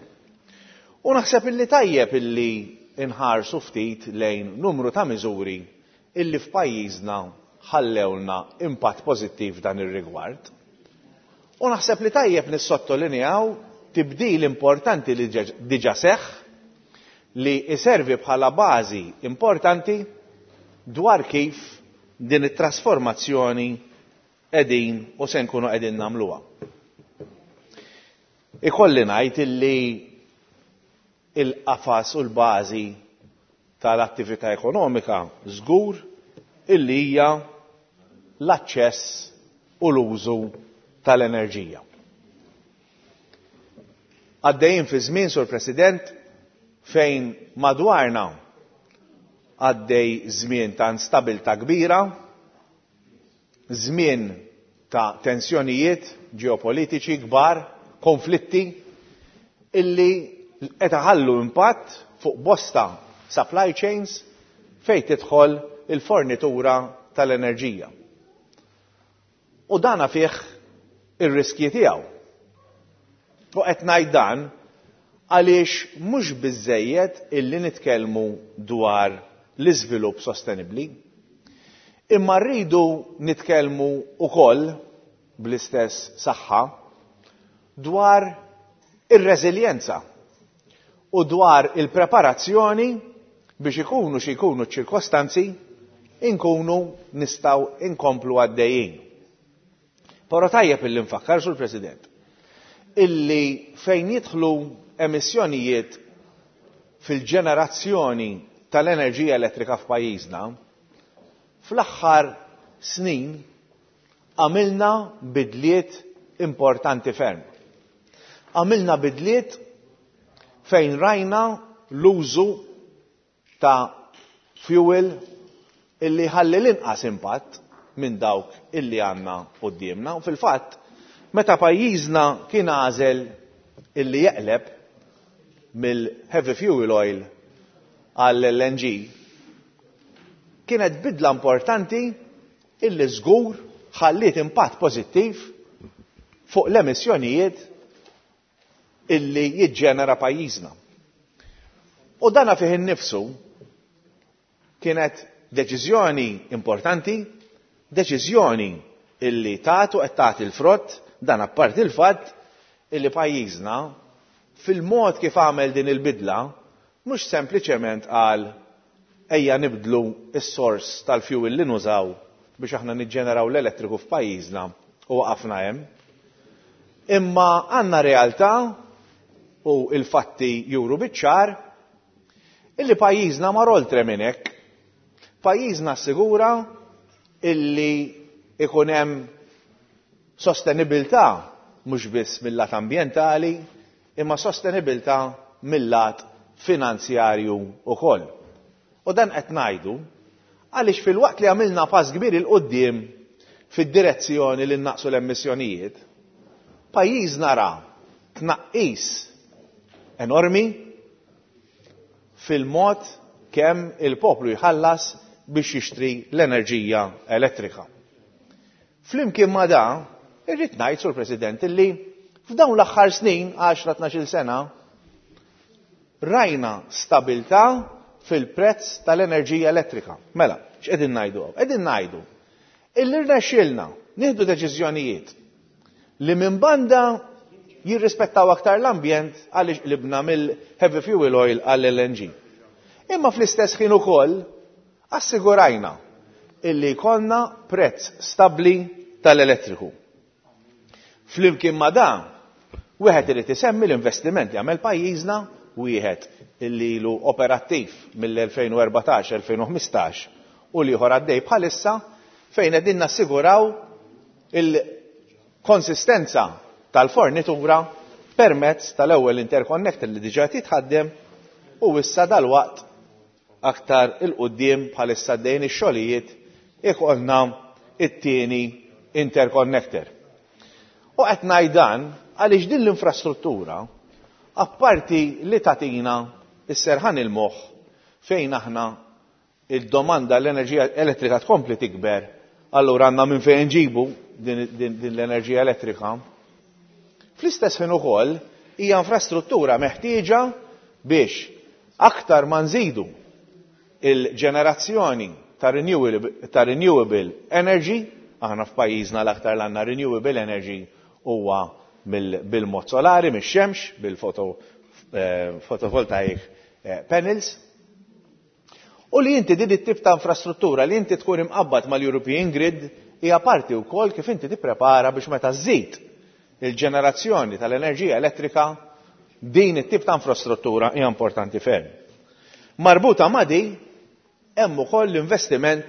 U naħseb illi tajjeb illi inħarsu ftit lejn numru ta' miżuri illi f'pajjiżna ħallewlna impatt pożittiv dan ir-rigward. U naħseb li tajjeb nissottolinjaw tibdil importanti li diġa seħħ li iservi bħala bażi importanti dwar kif din it-trasformazzjoni qegħdin u se nkunu qegħdin nagħmluha. Ikolli ngħid illi il-qafas u l-bażi tal-attività ekonomika żgur illi hija l-aċċess u l-użu tal-enerġija. Għaddejjin fi żmien, Sur President, fejn madwarna għaddej żmien ta' instabilità kbira, żmien ta' tensjonijiet ġeopolitiċi kbar, konflitti, illi qed iħallu impatt fuq bosta supply chains fejn tidħol il-fornitura tal-enerġija. U dana fih ir-riskji tiegħu. U qed ngħid dan għaliex mhux biżżejjed illi nitkellmu dwar l-iżvilupp sostenibbli, imma rridu nitkellmu wkoll bl-istess saħħa dwar ir-reżiljenza u dwar il-preparazzjoni biex ikunu xi jkunu ċ-ċirkostanzi inkunu nistgħu inkomplu għaddejjin. Però tajjeb illi nfakkar, Sur President, illi fejn jidħlu emissjonijiet fil-ġenerazzjoni tal-enerġija elettrika f'pajjiżna, fl-aħħar snin għamilna bidliet importanti ferm. Għamilna bidliet fejn rajna l-użu ta' fuel illi ħalli l-inqas impatt minn dawk illi għandna quddiemna. U fil-fatt, meta pajjiżna kien għażel illi jeqleb mill-heavy fuel oil għall-L N G, kienet bidla importanti illi żgur ħalliet impatt pożittiv fuq l-emissjonijiet illi jiġġenera pajjiżna. U dana fih innifsu kienet deċiżjoni importanti, deċiżjoni illi tagħtu qed tagħti l-frott, dan apparti il-fatt illi pajjiżna fil-mod kif għamel din il-bidla mhux sempliċement qal ejja nibdlu s-sors tal-fuel li nużaw biex aħna niġġeneraw l-elettriku f'pajjiżna u waqafna hemm. Imma għandna realtà u il-fatti juru biċ-ċar illi pajjiżna mar oltre minn hekk. Pajjiżna assigura illi ikun hemm sostenibilità mhux biss mill-lat ambjentali, imma sostenibilità mill-lat finanzjarju ukoll. U dan qed ngħidu għaliex filwaqt li għamilna pass kbir 'il quddiem fid-direzzjoni li naqsu l-emissjonijiet, pajjiżna ra tnaqqis enormi fil-mod kemm il-poplu jħallas biex jixtri l-enerġija elettrika. Flimkien ma da, irrid ngħid, Sur President, illi f'dawn l-aħħar snin, għaxra tnax-il sena, rajna stabilità fil-prezz tal-enerġija elettrika. Mela, x'qegħdin ngħidu hawn? Qegħdin ngħidu illi rnexxielna nieħdu deċiżjonijiet li minn banda jirrispettaw aktar l-ambjent għaliex qlibna mill-heavy fuel oil għall-L N G. Imma fl-istess ħin ukoll assigurajna illi jkollna prezz stabbli tal-elettriku. Flimkien ma dan, wieħed irid isemmi l-investiment li għamel pajjiżna, wieħed illi ilu operattiv mill-elfejn u erbatax, elfejn u ħmistax u l-ieħor għaddej bħalissa fejn qegħdin nassiguraw il-konsistenza tal-fornitura permezz tal-ewwel interconnector li diġà titħaddem u issa dalwaqt aktar il-quddiem bħalissa għaddejjin ix-xogħlijiet ikollna it-tieni interconnector. U qed ngħid dan għaliex din l-infrastruttura apparti li tagħtina s-serħan il-moħħ fejn aħna il-domanda l-enerġija elettrika tkompli tikber, allura għandna minn fejn nġibu din, din, din l-enerġija elettrika. Fl-istess ħin ukoll hija infrastruttura meħtieġa biex aktar ma nżidu il-ġenerazzjoni ta' renewable, ta' renewable energy, aħna f'pajjiżna l-aktar l-għandna renewable energy huwa mill-, bil-mod solari, mix-xemx, bil-photovoltaic, eh, panels. U li inti din it-tip ta' infrastruttura li inti tkun imqabbad mal-European Grid hija parti wkoll kif inti tipprepara biex meta żżid il-ġenerazzjoni tal-enerġija elettrika, din it-tip ta' infrastruttura hija importanti ferm. Marbuta ma' di hemm ukoll l-investiment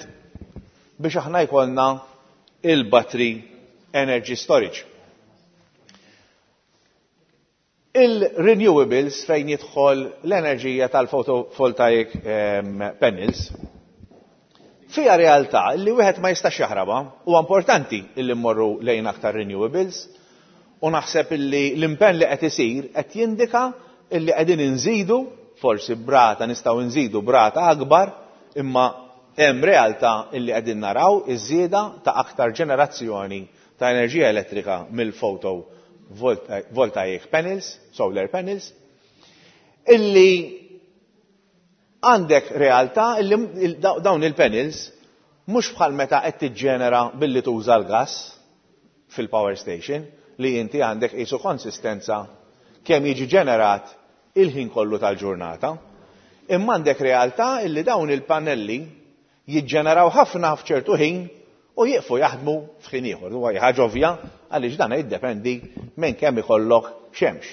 biex aħna jkollna il-battery energy storage. Il-renewables fejn jidħol l-enerġija tal-photovoltaic, ehm, panels fija realtà li wieħed ma jistax jaħrabha. Huwa importanti li mmorru lejn aktar renewables u naħseb illi l-impenn li qed isir qed jindika illi qegħdin inżidu, forsi brata nistgħu nżidu brata akbar, imma hemm realtà illi qegħdin naraw iż-żieda ta' aktar ġenerazzjoni ta' enerġija elettrika mill-photovoltaic panels, solar panels, illi għandek realtà illi dawn il-panels mhux bħal meta qed tiġġenera billi tuża l-gas fil-power station, li inti għandek qisu konsistenza kemm jiġi ġenerat il-ħin kollu tal-ġurnata. Imma għandek realtà illi dawn il-pannelli jiġġeneraw ħafna f'ċertu ħin u jieqfu jaħdmu f'ħin ieħor. Huwa ħaġa ovvja għaliex dan jiddependi minn kemm ikollok xemx.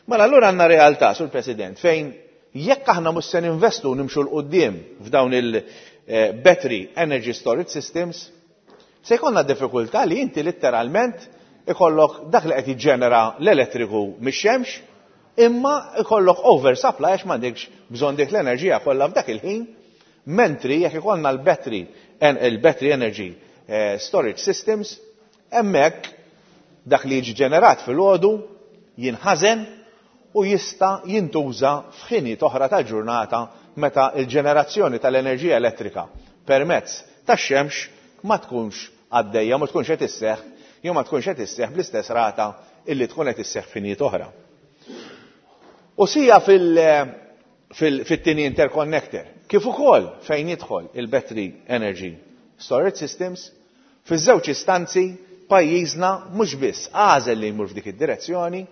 Mela allura għandna realtà, Sur President, fejn jekk aħna mhux se ninvestu u nimxu 'l quddiem f'dawn il-battery energy storage systems, se jkollna diffikultà li inti letteralment ikollok dak li qed jiġġenera l-elettriku mix-xemx, imma ikollok oversupply għax m'għandekx bżonn dik l-enerġija kollha f'dak il-ħin, mentri jekk ikollna l-battery, il-battery energy, eh, storage systems, hemmhekk dak li jiġi ġenerat fil-għodu jinħażen u jista' jintuża f'ħinijiet oħra tal-ġurnata meta l-ġenerazzjoni tal-enerġija elettrika permezz tax-xemx ma tkunx għaddejja, ma tkunx qed isseħħ, jew ma tkunx qed isseħħ bl-istess rata illi tkun qed isseħħ f'ħinijiet oħra. U sija fil-, fil-, fit-tieni interconnector, kif ukoll fejn jidħol il-battery energy storage systems, fiż-żewġ istanzi pajjiżna mhux biss għażel li jmur f'dik id-direzzjoni,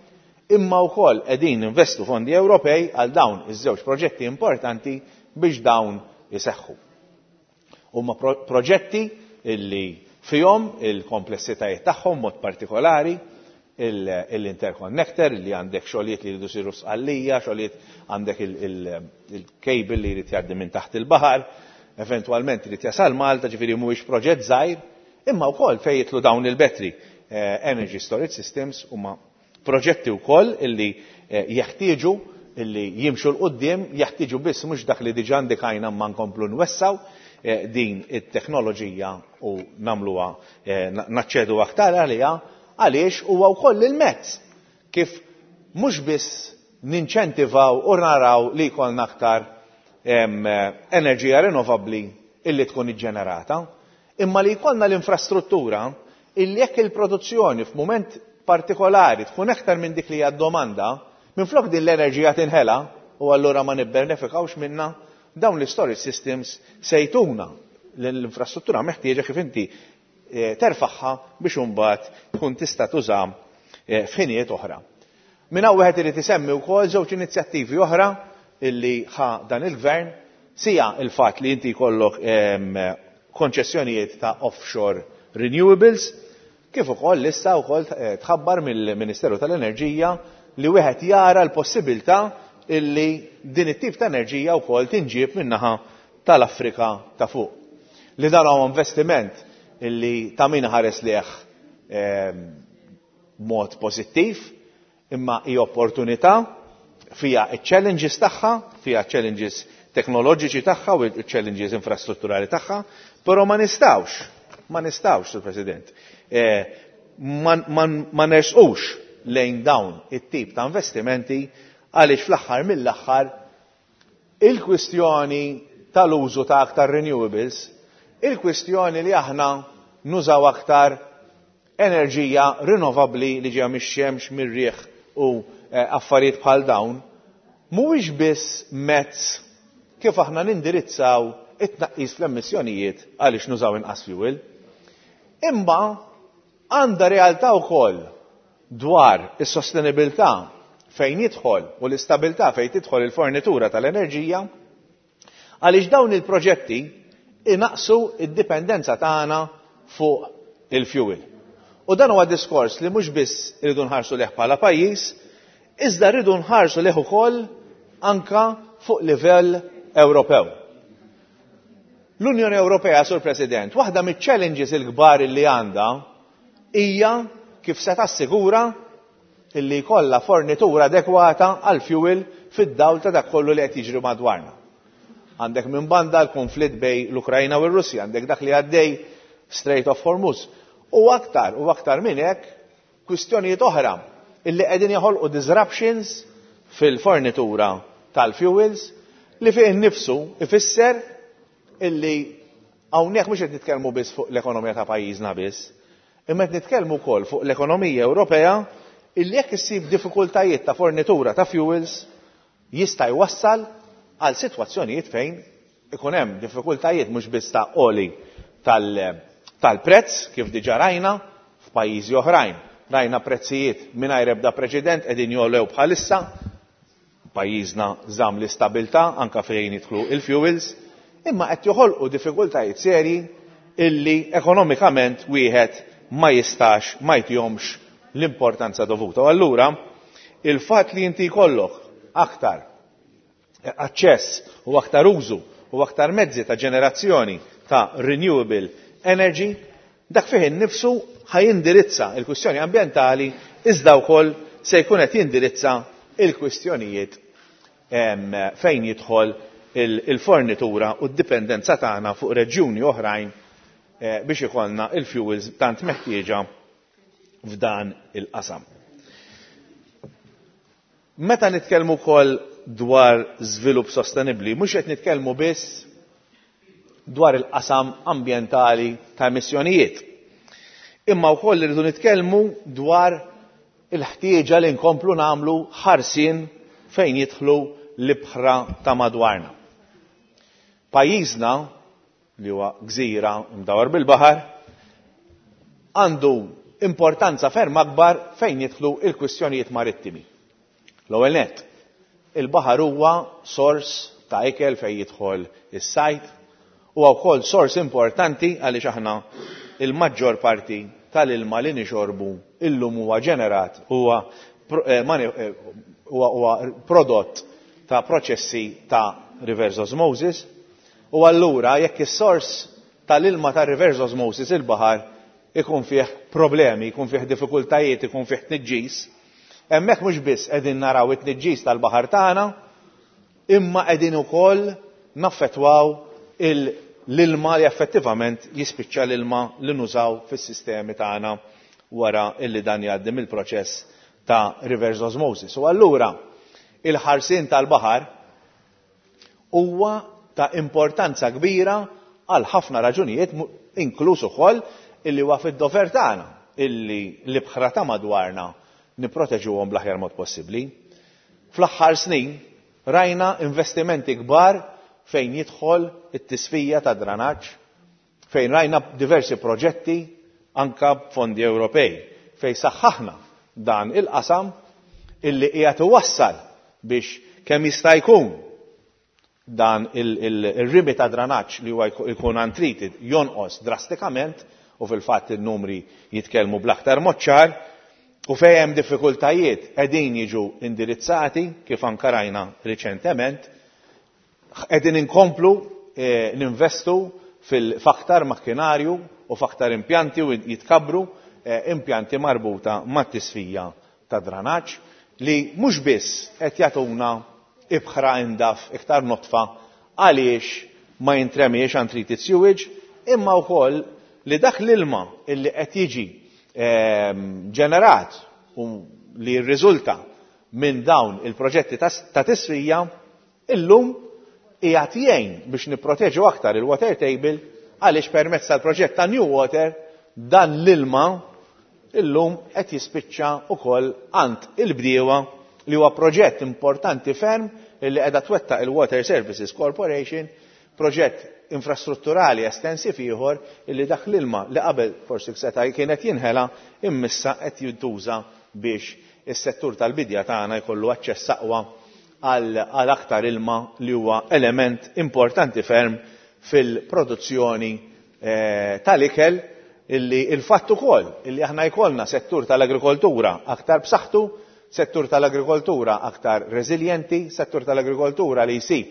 imma wkoll qegħdin investu fondi Ewropej għal dawn iż-żewġ proġetti importanti biex dawn iseħħu. Huma proġetti illi fihom il-komplessitajiet tagħhom mod partikolari l-interconnector li għandek xogħlijiet li jridu jsiru Sqallija, xogħlijiet għandek il-cable li jrid jgħaddi minn taħt il-baħar, eventwalment irid jasal Malta, ġifieri mhuwiex proġett żgħir, imma wkoll fejn jidħlu dawn il-battery energy storage systems huma proġetti wkoll illi jeħtieġu illi jimxu 'l quddiem, jeħtieġu biss mhux dak li diġà indikajna ma nkomplu nwessaw din it-teknoloġija u nagħmluha naċċedu aktar għaliha, għaliex huwa wkoll il-mezz kif mhux biss ninċentivaw u naraw li jkollna aktar enerġija rinnovabbli illi tkun iġġenerata, imma li jkollna l-infrastruttura illi jekk il-produzzjoni f'mument partikolari tkun aktar minn dik li hija d-domanda, minflok din l-enerġija tinħela u allura ma nibbenefikawx minna, dawn l-storage systems se jtuna l-infrastruttura meħtieġa kif inti terfaħħa biex imbagħad tkun tista' tuża f'ħinijiet oħra. Minn hawn wieħed irid isemmi wkoll żewġ inizjattivi oħra illi ħa dan il-gvern, sija il-fatt li inti jkollok konċessjonijiet ta' offshore renewables, kif ukoll issa wkoll tħabbar mill-Ministeru tal-Enerġija li wieħed jara l-possibilità illi din it-tip ta' enerġija wkoll tinġieb min-naħa tal-Afrika ta' fuq. Li dan huwa investiment illi ta' min ħares leh mod pożittiv, imma hi opportunità fija challenges tagħha, fija challenges teknoloġiċi tagħha u challenges infrastrutturali tagħha, però ma nistgħux, ma nistgħux, Sur President, ma nersqux lejn dawn it-tip ta' investimenti għaliex fl-aħħar mill-aħħar il-kwistjoni tal-użu ta' aktar renewables, il-kwistjoni li aħna nużaw aktar enerġija rinnovabbli li ġejja mix-xemx, mir-riħ u affarijiet bħal dawn, mhuwiex biss mezz kif aħna nindirizzaw it-tnaqqis fl-emissjonijiet għaliex nużaw inqas fuel, imma għandha realtà wkoll dwar is-sostenibilità fejn jidħol u l-istabilità fejn tidħol il-fornitura tal-enerġija, għaliex dawn il-proġetti inaqsu id-dipendenza tagħna fuq il-fuel. U dan huwa diskors li mhux biss irridu nħarsu leh bħala pajjiż, iżda rridu nħarsu leh ukoll anka fuq livell Ewropew. L-Unjoni Ewropea, Sur President, waħda miċ-challenges il-kbar li għandha hija kif se tassigura illi jkollha fornitura adekwata għal fuel fid-dawl ta' dak kollu li qed jiġri madwarna. Għandek minn banda l-konflitt bejn l-Ukrajna u r-Russja, għandek dak li għaddej Strait of Hormuz. U aktar, u aktar minn hekk, kwistjonijiet oħra illi qegħdin joħolqu disruptions fil-fornitura tal-fuels li fih innifsu ifisser illi hawnhekk mhux qed nitkellmu biss fuq l-ekonomija ta' pajjiżna biss, imma qed nitkellmu wkoll fuq l-ekonomija Ewropea illi jekk issib diffikultajiet ta' fornitura ta' fuels jista' jwassal għal sitwazzjonijiet fejn ikun hemm diffikultajiet mhux biss ta' oli tal-prezz kif diġà rajna f'pajjiżi oħrajn. Rajna prezzijiet mingħajr ebda preċedent qegħdin jogħlew bħalissa, pajjiżna żamm l-istabilità anke fejn jidħlu il-fuels, imma qed joħolqu diffikultajiet serji illi ekonomikament wieħed ma jistax ma jtihomx l-importanza dovuta. U allura il-fatt li inti jkollok aktar aċċess u aktar użu u aktar mezzi ta' ġenerazzjoni ta' renewable energy, dak fih innifsu ħajindirizza il-kwistjoni ambjentali iżda wkoll se jkun qed jindirizza il-kwistjonijiet fejn jidħol il-fornitura u d-dipendenza tagħna fuq reġjuni oħrajn biex ikollna il-fuels tant meħtieġa f'dan il-qasam. Meta nitkellmu wkoll dwar żvilupp sostenibbli, mhux qed nitkellmu biss dwar il-qasam ambjentali ta' emissjonijiet. Imma wkoll irridu nitkellmu dwar il-ħtieġa li nkomplu nagħmlu ħarsien fejn jidħlu l-ibħra ta' madwarna. Pajjiżna, li huwa gżira mdawar bil-baħar, għandu importanza ferm akbar fejn jidħlu il-kwistjonijiet marittimi. L-ewwel nett, il-baħar huwa sors ta' ikel fejn jidħol is-sajd, huwa wkoll sors importanti għaliex aħna il-maġġor parti tal-ilma li nixorbu illum huwa ġenerat, huwa huwa prodott ta' proċessi ta' reverse osmosis, u allura jekk is-sors tal-ilma ta' reverse osmosis il-baħar ikun fih problemi, ikun fih diffikultajiet, ikun fih tniġġis, hemmhekk mhux biss qegħdin naraw it-tniġġis tal-baħar tagħna, imma qegħdin ukoll naffettwaw l-ilma li effettivament jispiċċa l-ilma li nużaw fis-sistemi tagħna wara illi dan jgħaddi mill-proċess ta' reverse osmosis. U allura il-ħarsien tal-baħar huwa ta' importanza kbira għal ħafna raġunijiet, inkluż ukoll illi huwa fid-dover tagħna illi l-ibħra ta' madwarna nipproteġuhom bl-aħjar mod possibbli. Fl-aħħar snin rajna investimenti kbar fejn jidħol it-tisfija ta' dranaġġ, fejn rajna diversi proġetti anka b'fondi Ewropej, fejn saħħaħna dan il-qasam illi qiegħed iwassal biex kemm jista' jkun dan il-rimi ta' dranaġġ li huwa jkun untreated jonqos drastikament, u fil-fatt il-numri jitkellmu bl-aktar mod ċar, u fejn hemm diffikultajiet qegħdin jiġu indirizzati kif anka rajna riċentement, qegħdin inkomplu ninvestu fil-faktar makkinarju u faktar impjanti u jitkabbru impjanti marbuta mat-tisfija ta' dranaġġ li mhux biss qed jagħtuna ibħra indaf iktar notfa għaliex ma jintremiex untreated sewage, imma wkoll li dak l-ilma illi qed jiġi ġenerat u li jirriżulta minn dawn il-proġetti ta' tisfija illum qiegħed jgħin biex nipproteġu aktar il-water table, għaliex permezz tal-proġett ta' New Water dan l-ilma illum qed jispiċċa wkoll għand il-bdiewa, li huwa proġett importanti ferm illi qiegħda twettaq il-Water Services Corporation, proġett infrastrutturali estensiv ieħor illi dak l-ilma li qabel forsi seta' kienet jinħela immissa qed jintuża biex is-settur tal-bidja tagħna jkollu aċċess aqwa għal aktar ilma li huwa element importanti ferm fil-produzzjoni tal-ikel, illi il-fatt ukoll illi aħna jkollna settur tal-agrikoltura aktar b'saħħtu, settur tal-agrikoltura aktar reżiljenti, settur tal-agrikoltura li jsib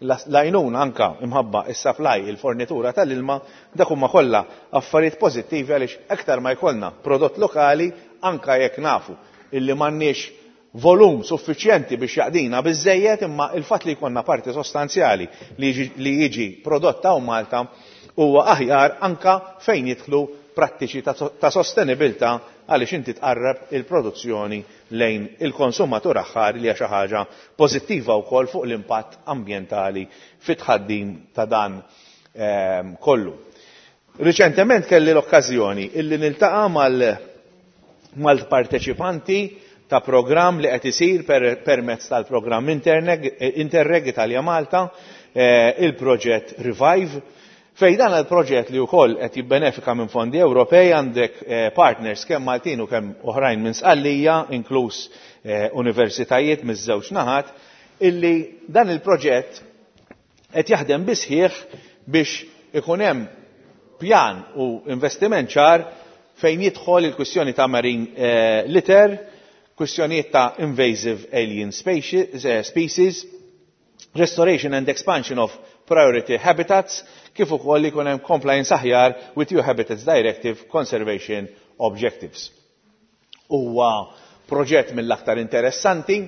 l-għajnuna anka imħabba is-supply, il-fornitura tal-ilma, dak huma kollha affarijiet pożittivi għaliex aktar ma jkollna prodott lokali, anka jekk nafu illi m'għandniex volum suffiċjenti biex jaqdina biżejjed, imma il-fatt li jkollna parti sostanzjali li jiġi prodotta hawn Malta huwa aħjar anka fejn jidħlu prattiċi ta' sostenibilità, għaliex inti tqarreb il-produzzjoni lejn il-konsumatur aħħar, li hija xi ħaġa pożittiva wkoll fuq l-impatt ambjentali fit-tħaddim ta' dan kollu. Riċentement kelli l-okkażjoni illi niltaqa' mal-parteċipanti ta' programm li qed isir permezz tal-programm Interreg Italia Malta, il-proġett Revive, fejn dan il-proġett li wkoll qed jibbenefika minn fondi Ewropej, għandek partners kemm Maltin u kemm oħrajn minn Sqallija, inkluż universitajiet miż-żewġ naħat, illi dan il-proġett qed jaħdem bisħieħ biex ikun hemm pjan u investiment ċar fejn jidħol il-kwistjoni ta' marine litter, kwistjonijiet ta' invasive alien species, restoration and expansion of priority habitats, kif ukoll li jkun hemm compliance aħjar with E U Habitats Directive Conservation Objectives. Huwa proġett mill-aktar interessanti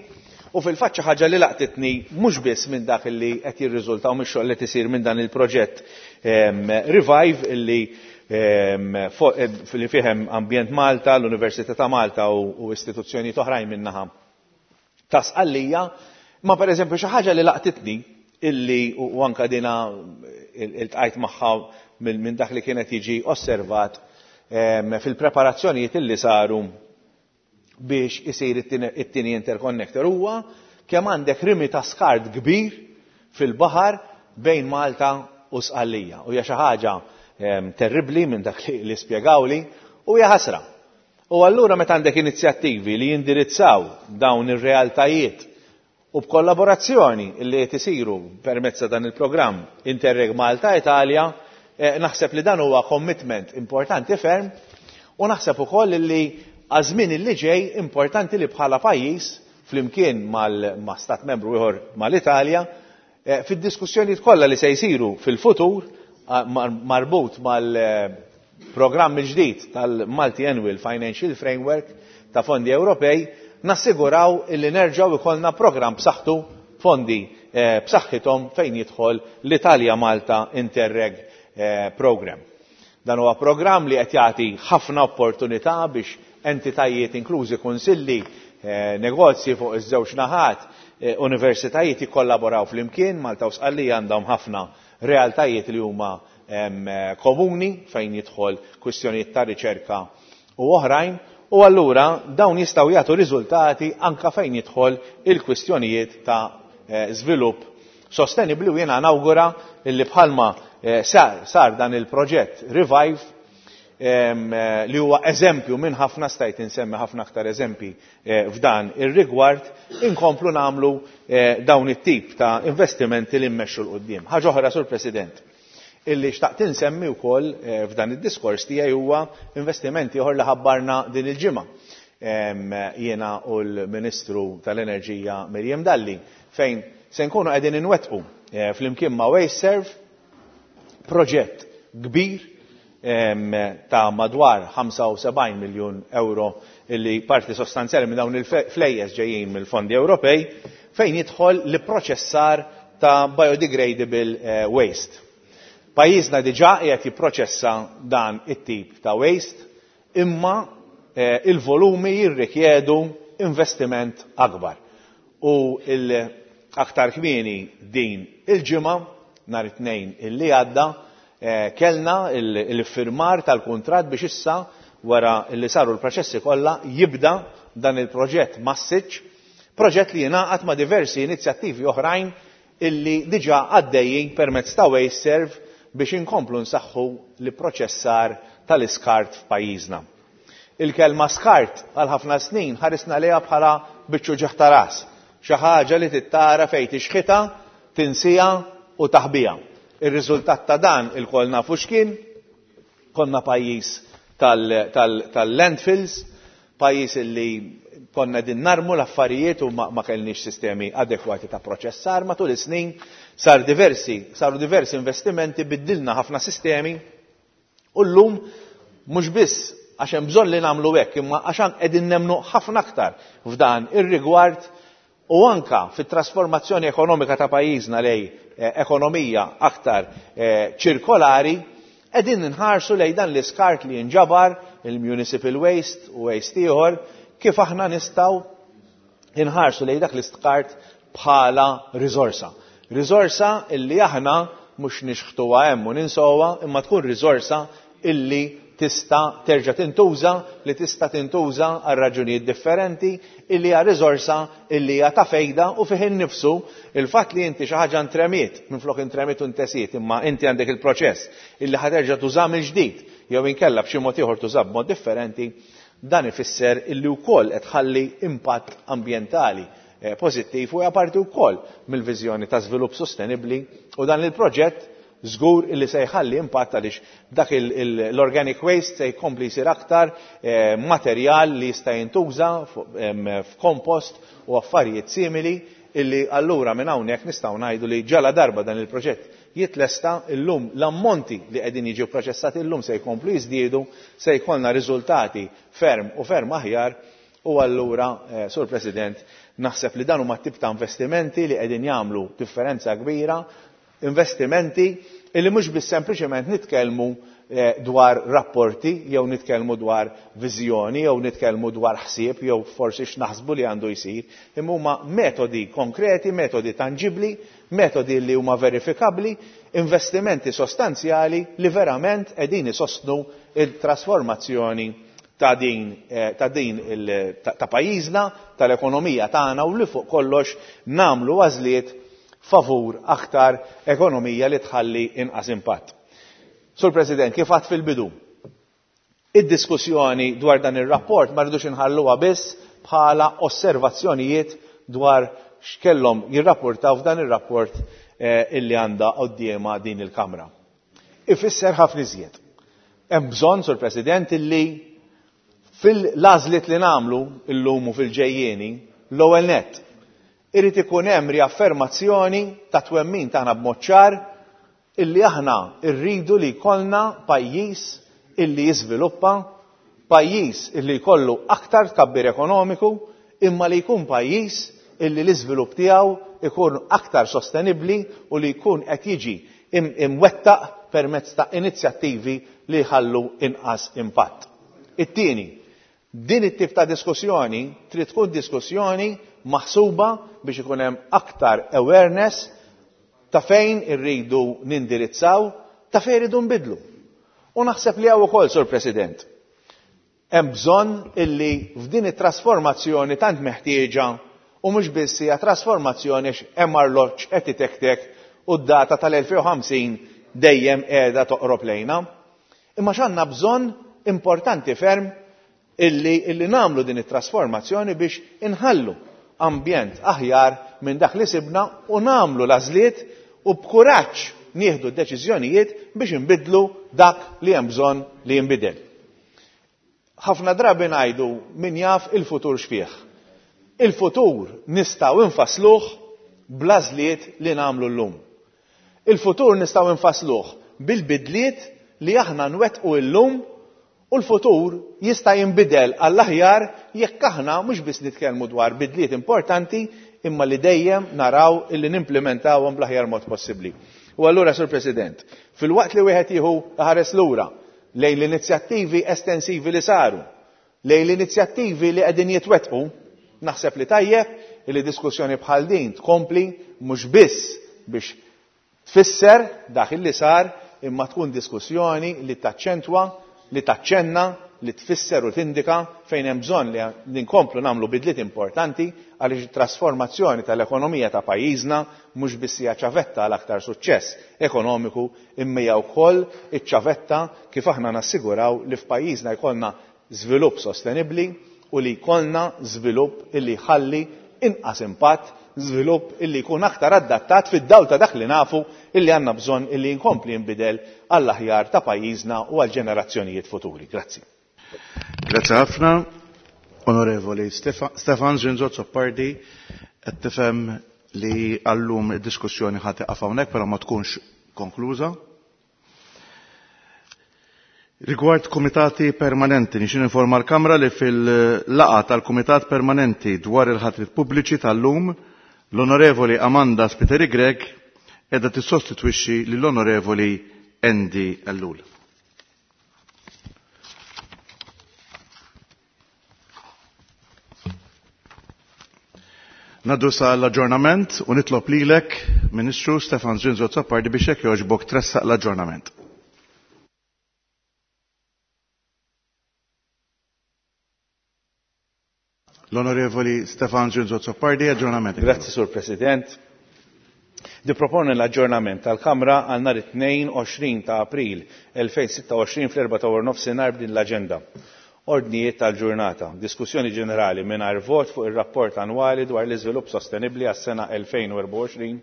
u fil-fatt xi ħaġa li laqtitni mhux biss minn dak li qed jirriżulta u mix-xogħol li tisir minn dan il-proġett Revive illi li fih hemm Ambjent Malta, l-Università ta' Malta u istituzzjonijiet oħrajn min-naħa ta' Sqallija, ma pereżempju xi ħaġa li laqtitni illi u anka dina iltqajt magħha minn dak li kienet jiġi osservat fil-preparazzjonijiet illi saru biex isir it-tieni interconnector huwa kemm għandek rimi ta' skart kbir fil-baħar bejn Malta u Sqallija. U hija xi ħaġa terribbli minn dak li spjegawli u hija ħasra. U allura meta għandek inizjattivi li jindirizzaw dawn ir-realtajiet u b'kollaborazzjoni li qed isiru permezz ta' dan il-programm Interreg Malta Italia, eh, naħseb li dan huwa commitment importanti ferm u naħseb ukoll li għaż-żmien li ġej importanti li bħala pajjiż flimkien mal stat membru ieħor mal-Italja eh, fid-diskussjonijiet kollha li se jsiru fil-futur marbut mal-programm il-ġdid tal-Multi Annual Financial Framework ta' fondi Ewropej, nassiguraw illi nerġgħu ikollna programm b'saħħtu, fondi eh, b'saħħithom fejn jidħol l-Italja Malta Interreg eh, Program. Dan huwa programm li qed jagħti ħafna opportunità biex entitajiet inklużi kunsilli, eh, negozji fuq iż-żewġ naħat, universitajiet jikkollaboraw flimkien. Malta u Sqallija għandhom ħafna realtajiet li huma komuni fejn jidħol kwistjonijiet ta' riċerka u oħrajn, u allura dawn jistgħu jagħtu riżultati anka fejn jidħol il-kwistjonijiet ta' żvilupp sostenibli. U jiena nawgura illi bħalma sar, sar dan il-proġett Revive, li huwa eżempju minn ħafna, stajt insemmi ħafna aktar eżempji f'dan ir-rigward, inkomplu nagħmlu dawn it-tip ta' investimenti li mmexxu 'l quddiem. Ħaġa oħra, Sur President, illi xtaqt insemmi wkoll f'dan id-diskors tiegħi huwa investimenti oħra li ħabbarna din il-ġimgħa. Jiena u l-Ministru tal-Enerġija Miriam Dalli, fejn se nkunu qegħdin inwettqu flimkien ma' WasteServ proġett kbir ta' madwar ħamsa u sebgħin miljun euro, illi parti sostanzjali minn dawn il-flejjes ġejjin mill-fondi Ewropej, fejn jidħol li proċessar ta' biodegradable waste. Pajjiżna diġà qiegħed jipproċessa dan it-tip ta' waste, imma il-volumi jirrikjedu investiment akbar. U aktar kmieni din il-ġimgħa, nhar it-Tnejn illi għadda, kellna il-firmar tal-kuntratt biex issa, wara li saru l-proċessi kollha, jibda dan il-proġett massiċ, proġett li jingħaqad ma' diversi inizjattivi oħrajn illi diġà għaddejjin permezz ta' WasteServ biex inkomplu nsaħħu li proċessar tal-iskart f'pajjiżna. Il-kelma skart għal ħafna snin ħarisna lejha bħala biċċu ġieħ ta' ras, xi ħaġa li tittara fejn tixħitha, tinsija u taħbija. Ir-riżultat ta' dan ilkoll nafu x'kien, konna pajjiż tal-landfills, pajjiż illi konna din narmu l-affarijiet u ma, ma kellniex sistemi adekwati ta' proċessar. Matul is-snin sar diversi, saru diversi investimenti, biddilna ħafna sistemi u llum mhux biss għax hemm bżonn li nagħmlu hekk, imma għax qegħdin nemmnu ħafna aktar f'dan ir-rigward u anka fit-trasformazzjoni ekonomika ta' pajjiżna lej ekonomija aktar ċirkolari, qegħdin nħarsu lej dan l-iskart li jinġabar, il-municipal waste u waste ieħor, kif aħna nistgħu inħarsu lej dak l-iskart bħala riżorsa. Riżorsa illi aħna mhux nixħtuha hemm u ninsowha, imma tkun riżorsa illi tista' terġa' tintuża, li tista' tintuża għal raġunijiet differenti, illi hija riżorsa illi hija ta' fejda. U fih innifsu il-fatt li inti xi ħaġa ntremiet, minflok intremiet u ntesiet, imma inti għandek il-proċess illi ħa terġa' tuża mill-ġdid jew inkella b'xi mod ieħor tuża b'mod differenti, dan ifisser illi wkoll qed tħalli impatt ambjentali pożittiv u hija parti wkoll mill-viżjoni ta' żvilupp sostenibbli. U dan il-proġett żgur illi se jħalli impatt, għaliex dak l-organic waste se jkompli jsir aktar materjal li jista' jintuża f'kompost u affarijiet simili, illi allura minn hawnhekk nistgħu ngħidu li ġala darba dan il-proġett jitlesta, illum l-ammonti li qegħdin jiġu proċessati illum se jkomplu jiżdiedu, se jkollna riżultati ferm u ferm aħjar. U allura, Sur President, naħseb li dan huma tip ta' investimenti li qegħdin jagħmlu differenza kbira, investimenti illi mhux biss sempliċement nitkellmu dwar rapporti jew nitkellmu dwar viżjoni jew nitkellmu dwar ħsieb jew forsi x'naħsbu li għandu jsir, imma huma metodi konkreti, metodi tangibbli, metodi li huma verifikabbli, investimenti sostanzjali li verament qegħdin isostnu il-trasformazzjoni ta' din, ta' din il, ta', ta' pajjiżna, tal-ekonomija tagħna, u li fuq kollox nagħmlu għażliet favur aktar ekonomija li tħalli inqas impatt. Sur President, kif għadt fil-bidu, Id-diskussjoni dwar dan ir-rapport ma rridux inħalluha biss bħala osservazzjonijiet dwar x'kellhom jirrapportaw f'dan ir-rapport eh, illi għandha quddiemha din il-Kamra. Ifisser ħafna iżjed. Hemm bżonn, Sur President, illi fil-għażliet li nagħmlu illum u fil-ġejjieni, l-ewwel nett irid ikun hemm riaffermazzjoni ta' twemmin tagħna b'mod ċar illi aħna rridu li jkollna pajjiż illi jiżviluppa, pajjiż illi jkollu aktar tkabbir ekonomiku, imma li jkun pajjiż illi l-iżvilupp tiegħu ikun aktar sostenibbli u li jkun qed jiġi imwettaq permezz ta' inizjattivi li jħallu inqas impatt. It-tieni, din it-tip ta' diskussjoni trid tkun diskussjoni maħsuba biex ikun hemm aktar awareness ta' fejn irridu nindirizzaw, ta' fejn irridu nbidlu. U naħseb li hawn ukoll, Sur President, hemm bżonn illi f'din it-trasformazzjoni tant meħtieġa, u mhux biss hija trasformazzjoni għax hemm arloġġ qed itektek u d-data tal-elfejn u ħamsin dejjem qiegħda toqrob lejna. Imma x'għandna bżonn importanti ferm illi, illi nagħmlu din it-trasformazzjoni biex inħallu ambjent aħjar minn dak li sibna u nagħmlu l-għażliet u b'kuraġġ nieħdu d-deċiżjonijiet biex inbidlu dak li hemm bżonn li jinbidel. Ħafna drabi ngħidu min jaf il-futur x'fih. Il-futur nistgħu nfassluh bl-għażliet li nagħmlu llum. Il-futur nistgħu nfassluh bil-bidliet li aħna nwettqu llum, u l-futur jista' jinbidel għall-aħjar jekk aħna mhux biss nitkellmu dwar bidliet importanti imma li dejjem naraw illi nimplementawhom bl-aħjar mod possibbli. U allura, Sur President, fil-waqt li wieħed jieħu ħares lura lejn l-inizjattivi estensivi li saru, lejn l-inizjattivi li qegħdin jitwettqu, naħseb li tajjeb li diskussjoni bħal din tkompli mhux biss biex tfisser dak li sar, imma tkun diskussjoni li taċċentwa, li taċċenna, li tfisser u tindika fejn hemm bżonn li nkomplu nagħmlu bidliet importanti għaliex it-trasformazzjoni tal-ekonomija ta' pajjiżna mhux biss hija ċavetta għal aktar suċċess ekonomiku, imma hija wkoll iċ-ċavetta kif aħna nassiguraw li f'pajjiżna jkollna żvilupp sostenibbli u li jkollna żvilupp illi jħalli inqas impatt, żvilupp illi jkun aktar adattat fid-dawl ta' dak li nafu illi għandna bżonn illi nkompli jinbidel għall-aħjar ta' pajjiżna u għall-ġenerazzjonijiet futuri. Grazzi. Grazzi ħafna, Onorevoli Stefan Zrinzo Azzopardi. Qed tifhem li għallum id-diskussjoni ħa tieqaf hawnhekk, però ma tkunx konkluża. Rigward komitati permanenti, nixin informa l-Kamra li fil-laqa tal-Kumitat Permanenti dwar il-ħatrit pubbliċi tal-lum, l-Onorevoli Amanda Spiteri Grech edha tissostitwixxi lill-Onorevoli Andy Ellul. Naddu sa l-aġġornament u nitlob lilek, Ministru Stefan Zrinzo Azzopardi, biex jekk jogħġbok tressaq l-aġġornament. L-Onorevoli Stefan Zrinzo Azzopardi, aġġornament. Grazzi, Sur President. Niproponi l-aġġornament tal-Kamra għal nhar it-tnejn għoxrin ta' April elfejn sitta u għoxrin fl-erba' ta' wara nofsinhar b'din l-aġenda. Ordnijiet tal-ġurnata, diskussjoni ġenerali mingħajr vot fuq ir-rapport annwali dwar l-iżvilupp sostenibbli għas-sena elfejn u erbgħa u għoxrin.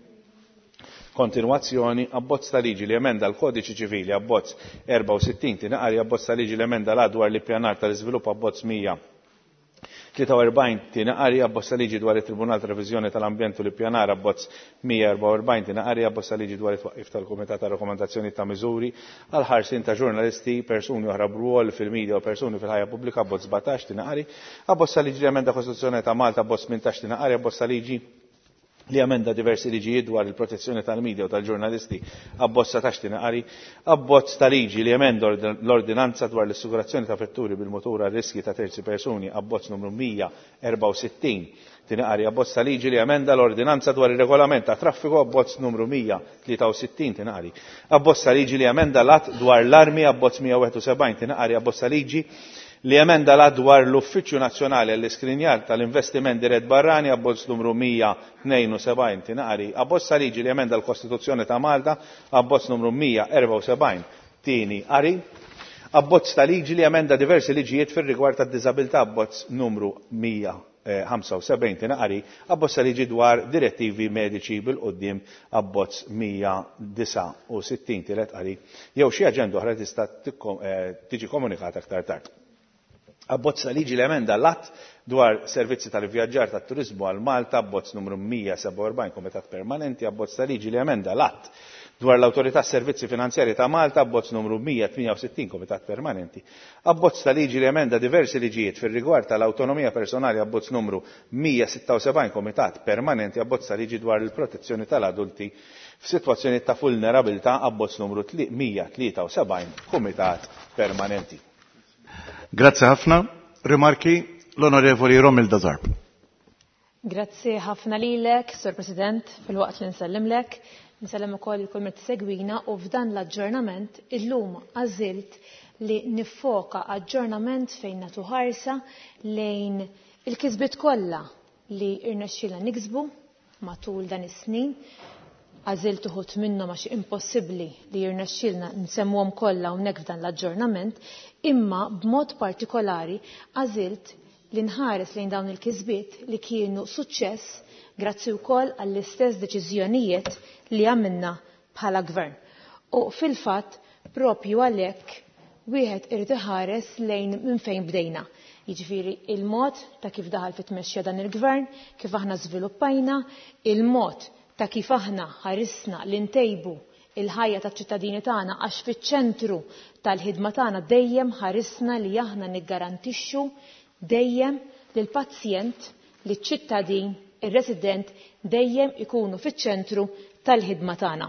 Kontinwazzjoni, abbozz ta' liġi li emenda l-Kodiċi Ċivili abbozz erbgħa u sittin tinqari, abbozz ta' liġi li emenda l-att dwar l-ippjanar tal-iżvilupp abbozz mija tlieta u erbgħin tinqari, abbozz ta' liġi dwar it-Tribunal ta' Reviżjoni tal-Ambjent u l-Ippjanar abbozz mija erbgħa u erbgħin tinqari, abbozz ta' liġi dwar it-twaqqif tal-Kumitat ta' Rakkomandazzjoni ta' Miżuri għal ħarsien ta' ġurnalisti, persuni oħra b'rwol fil-medja u persuni fil-ħajja pubblika abbozz sbatax tinqari, abbozz ta' liġi li emenda Kostituzzjoni ta' Malta abbozz tmintax tinqari, abbozz ta' liġi li emenda diversi liġijiet dwar il-protezzjoni tal-medja u tal-ġurnalisti abbozz satax tinqari, abbozz ta' liġi li emenda l-ordinanza dwar l-assigurazzjoni ta' vetturi bil-motur għal riski ta' terzi persuni abbozz numru mija erbgħa u sittin tinqari, abbozz ta' liġi li emenda l-ordinanza dwar ir-regolament ta' traffiku abbozz numru mija tlieta u sittin tinqari, abbozz ta' liġi li emenda l-att dwar l-armi abbozz mija wieħed u sebgħin tinqari, abbozz ta' liġi li emenda l-att dwar l-Uffiċċju Nazzjonali għall-Iskrinjar tal-Investiment Dirett Barrani abbozz numru mija tnejn u sebgħin tinqari, abbozz ta' liġi li emenda l-Kostituzzjoni ta' Malta abbozz numru mija erbgħa u sebgħin tieni qari, Abbozz ta' liġi li emenda diversi liġijiet fir-rigward tad-diżabilità, abbozz numru mija ħamsa u sebgħin tieni qari, abbozz ta' liġi dwar direttivi mediċi bil-quddiem, abbozz mija disgħa u sittin tielet qari, jew xi aġenda oħra tista' tiġi komunikata aktar tard. Abbozz ta' liġi li emenda l-att dwar servizzi tal-ivvjaġġar tat-turiżmu għal Malta, abbozz numru mija sebgħa u erbgħin Kumitat Permanenti, abbozz ta' liġi li emenda l-att dwar l-Awtorità Servizzi Finanzjarji ta' Malta, abbozz numru mija tmienja u sittin Kumitat Permanenti, abbozz ta' liġi li emenda diversi liġijiet fir-rigward tal-awtonomija personali, abbozz numru mija sitta u sebgħin Kumitat Permanenti, abbozz ta' liġi dwar il-protezzjoni tal-adulti f'sitwazzjoni ta' vulnerabilità, abbozz numru mija tlieta u sebgħin Kumitat Permanenti. Grazie ħafna. Rimarki l-Onorevoli Romilda Zarb. Grazie ħafna lilek, Sur President, fil-waqt li nsellimlek. Nsellem ukoll kull min tsegwina u f'dan l-aġġornament illum għażilt li nifoka aġġornament fejn nagħtu ħarsa lejn il-kisbiet kollha li rnexxielna niksbu matul dan is-snin. Għażilt uħud minnhom għax impossibbli li jirnexxielna nsemmuhom kollha hawnhekk f'dan l-aġġornament, imma b'mod partikolari għażilt li nħares lejn dawn il-kisbiet li kienu suċċess grazzi wkoll għall-istess deċiżjonijiet li għamilna bħala gvern. U fil-fatt propju għalhekk wieħed irid iħares lejn minn fejn bdejna. Jiġifieri il-mod ta' kif daħal fit-tmexxija dan il-gvern, kif aħna żviluppajna, il-mod ta' kif aħna ħarisna li ntejbu il-ħajja taċ-ċittadini tagħna għax fiċ-ċentru tal-ħidma tagħna dejjem ħarisna li aħna niggarantixxu dejjem lill-pazjent, liċ-ċittadin, ir-resident dejjem ikunu fiċ-ċentru tal-ħidma tagħna.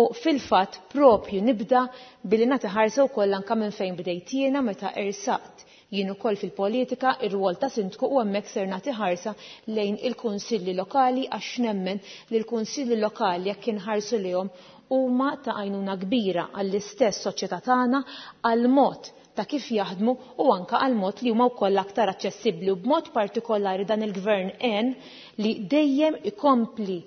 U fil-fatt propju nibda billi nagħti ħarsa wkoll anke minn fejn bdejt jiena meta ersaqt jien ukoll fil-politika ir-rwol ta' sindku u hemmhekk ser nagħti ħarsa lejn il-kunsilli lokali għax nemmen li l-kunsilli lokali jekk inħarsu lejhom huma ta' għajnuna kbira għall-istess soċjetà tagħna, għall-mod ta' kif jaħdmu u anka għal mod li huma wkoll aktar aċċessibbli u b'mod partikolari dan il-gvern għen li dejjem ikompli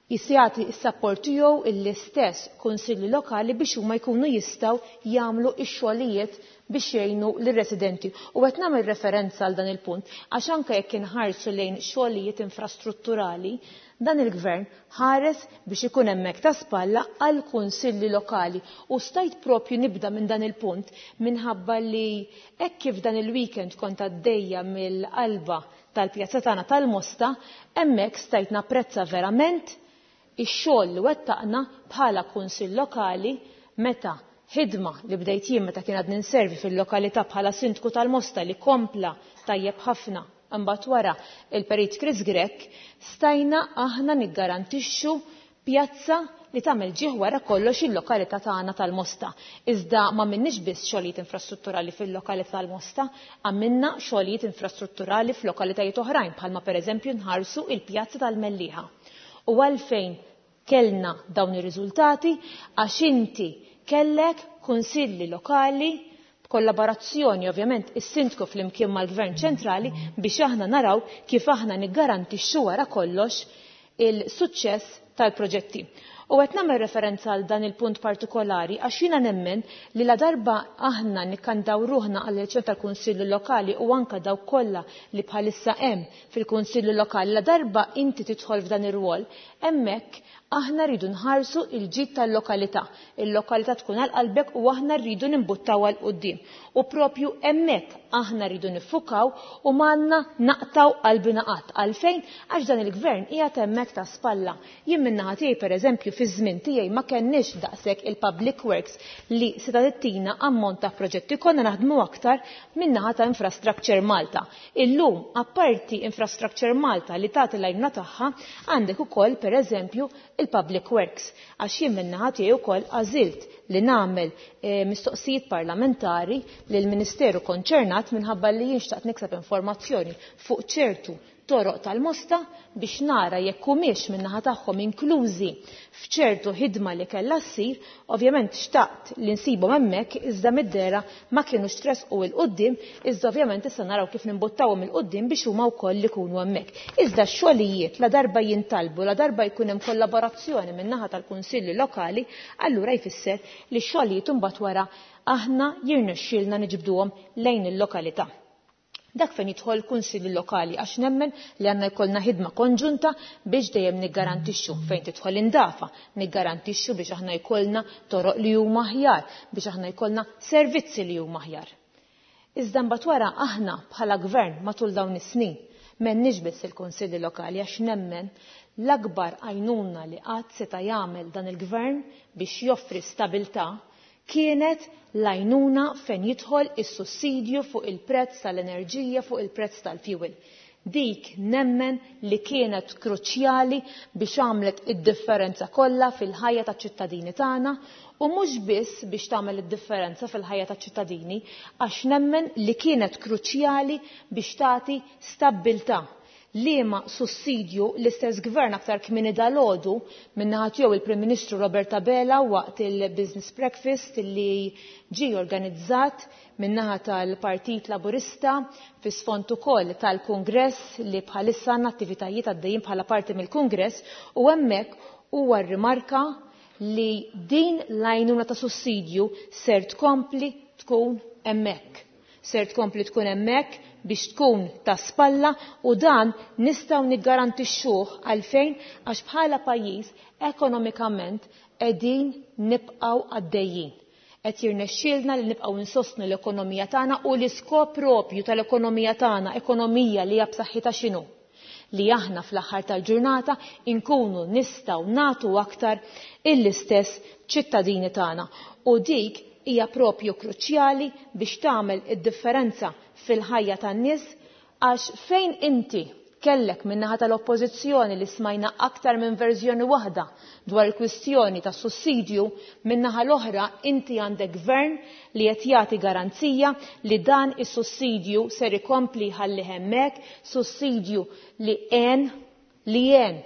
jagħti s-sapport tiegħu l-istess kunsilli lokali biex huma jkunu jistgħu jagħmlu x-xogħlijiet biex jgħinu lir-residenti. U qed nagħmel referenza għal dan il-punt għax anke jekk inħarsu lejn xogħlijiet infrastrutturali, dan il-gvern ħares biex ikun hemmhekk ta' spalla għal kunsilli lokali. U stajt propju nibda minn dan il-punt minħabba li hekk kif dan il-weekend kont għaddejja mill-qalba tal-pjazza tagħna tal-Mosta, hemmhekk stajt napprezza verament ix-xogħol li wettaqna bħala kunsill lokali meta ħidma li bdejt jien meta kien għadni nservi fil-lokalità bħala sindku tal-Mosta li kompla tajjeb ħafna imbagħad wara il-Perit Chris Grech, stajna aħna niggarantixxu pjazza li tagħmel ġieħ wara kollox il-lokalità tagħna tal-Mosta. Iżda ma minniex biss xogħlijiet infrastrutturali fil-lokalità tal-Mosta, għamilna xogħlijiet infrastrutturali f'lokalitajiet oħrajn bħalma pereżempju nħarsu il-pjazza tal-Mellieħa. U għalfejn kellna dawn ir-riżultati? Għax inti kellek kunsilli lokali b'kollaborazzjoni ovvjament is-sindku flimkien mal-Gvern ċentrali biex aħna naraw kif aħna niggarantixxu wara kollox il-suċċess tal-proġetti. U qed nagħmel referenza għal dan il-punt partikolari għax jiena nemmen li la darba aħna nikkandaw ruħna għall elezzjoni tal-Kunsillu Lokali u anke dawk kollha li bħalissa hemm fil-Kunsillu Lokali, la darba inti tidħol f'dan ir-rwol, hemmhekk aħna rridu nħarsu il-ġid tal-lokalità. Il-lokalità tkun għal qalbek u aħna rridu nimbuttaw għal quddiem. U propju hemmhekk aħna rridu niffukaw u m'għandna naqtaw qalbina qatt. Għalfejn? Għax dan il-gvern qiegħed hemmhekk ta' spalla. Jien min-naħa tiegħi pereżempju fiż-żmien tiegħi ma kenniex daqshekk il-public works li seta' tittina ammont ta' proġetti, konna naħdmu aktar min-naħa ta' Infrastructure Malta. Illum apparti Infrastructure Malta li tagħti l-għajnuna tagħha, għandek ukoll pereżempju il-public works. Għax jien min-naħa tiegħi wkoll għażilt li nagħmel, eh, mistoqsijiet parlamentari lill-Ministeru konċernat minħabba li jien xtaqt nikseb informazzjoni fuq ċertu toroq tal-Mosta biex nara jekk humiex min-naħa tagħhom inklużi f'ċertu ħidma li kellha ssir. Ovvjament xtaqt li nsibhom hemmhekk, iżda mid-dehra ma kinux tressqu 'il quddiem, iżda ovvjament issa naraw kif nimbuttawhom 'il quddiem biex huma wkoll ikunu hemmhekk. Iżda x-xogħlijiet la darba jintalbu, la darba jkun hemm kollaborazzjoni min-naħa tal-kunsilli lokali, allura jfisser li x-xogħlijiet imbagħad wara aħna jirnexxielna niġbduhom lejn il-lokalità. Dak fejn jidħol kunsilli lokali, għax nemmen li għandna jkollna ħidma konġunta biex dejjem niggarantixxu fejn tidħol indafa, niggarantixxu biex aħna jkollna toroq li huma aħjar, biex aħna jkollna servizzi li huma aħjar. Iżda mbagħad wara aħna bħala gvern matul dawn is-snin m'għandniex biss il-kunsilli lokali, għax nemmen l-akbar għajnuna li qatt seta' jagħmel dan il-gvern biex joffri stabilità kienet l-għajnuna fejn jidħol is-sussidju fuq il-prezz tal-enerġija, fuq il-prezz tal-fuel. Dik nemmen li kienet kruċjali biex għamlet id-differenza kollha fil-ħajja taċ-ċittadini tagħna, u mhux biss biex tagħmel id-differenza fil-ħajja taċ-ċittadini, għax nemmen li kienet kruċjali biex tagħti stabbiltà. Liema sussidju l-istess gvern aktar kmieni dalgħodu min-naħa tiegħu il-Prim Ministru Robert Abela waqt il-Business Breakfast li ġie organizzat min-naħa tal-Partit Laburista fi sfond ukoll tal-Kungress li bħalissa għandna attivitajiet għaddejjin bħala parti mill-Kungress, u hemmhekk huwa rrimarka li din l-għajnuna ta' sussidju ser tkompli tkun hemmhekk. Ser tkompli tkun hemmhekk biex tkun ta' spalla, u dan nistgħu niggarantixxuh għalfejn, għax bħala pajjiż ekonomikament qegħdin nibqgħu għaddejjin. Qed jirnexxielna li nibqgħu insostnu l-ekonomija tagħna, u l-iskop propju tal-ekonomija tagħna, ekonomija li hija b'saħħitha x'inhu? Li aħna fl-aħħar tal-ġurnata inkunu nistgħu nagħtu aktar il-istess ċittadini tagħna. U dik hija propju kruċjali biex tagħmel id-differenza fil-ħajja tan-nies, għax fejn inti kellek min-naħa tal-oppożizzjoni li smajna aktar minn verżjoni waħda dwar il-kwistjoni tas sussidju, min-naħa l-oħra inti għandek gvern li qed jagħti garanzija li dan is-sussidju ser ikompli jħalli hemmhekk, sussidju li għen li għen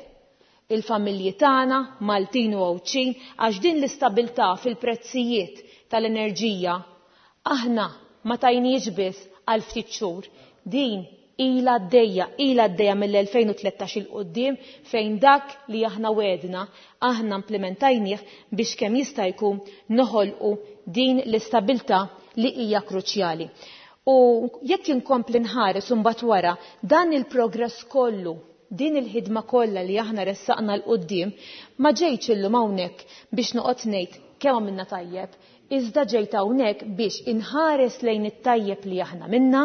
il-familji tagħna Maltin u Għawdxin, għax din l-istabilità fil-prezzijiet tal-enerġija aħna ma tajniex biss għal ftit xhur, din ilha għaddejja, ilha għaddejja mill-elfejn u tlettax il quddiem, fejn dak li aħna wedna aħna implementajnieh biex kemm jista' jkun noħolqu din l-istabilità li hija kruċjali. U jekk inkompli nħares imbagħad wara dan il-progress kollu, din il-ħidma kollha li aħna ressaqna l quddiem, ma ġejtx illum hawnhekk biex noqgħod ngħid kemm għamilna tajjeb, iżda ġejt hawnhekk biex inħares lejn it-tajjeb li aħna minna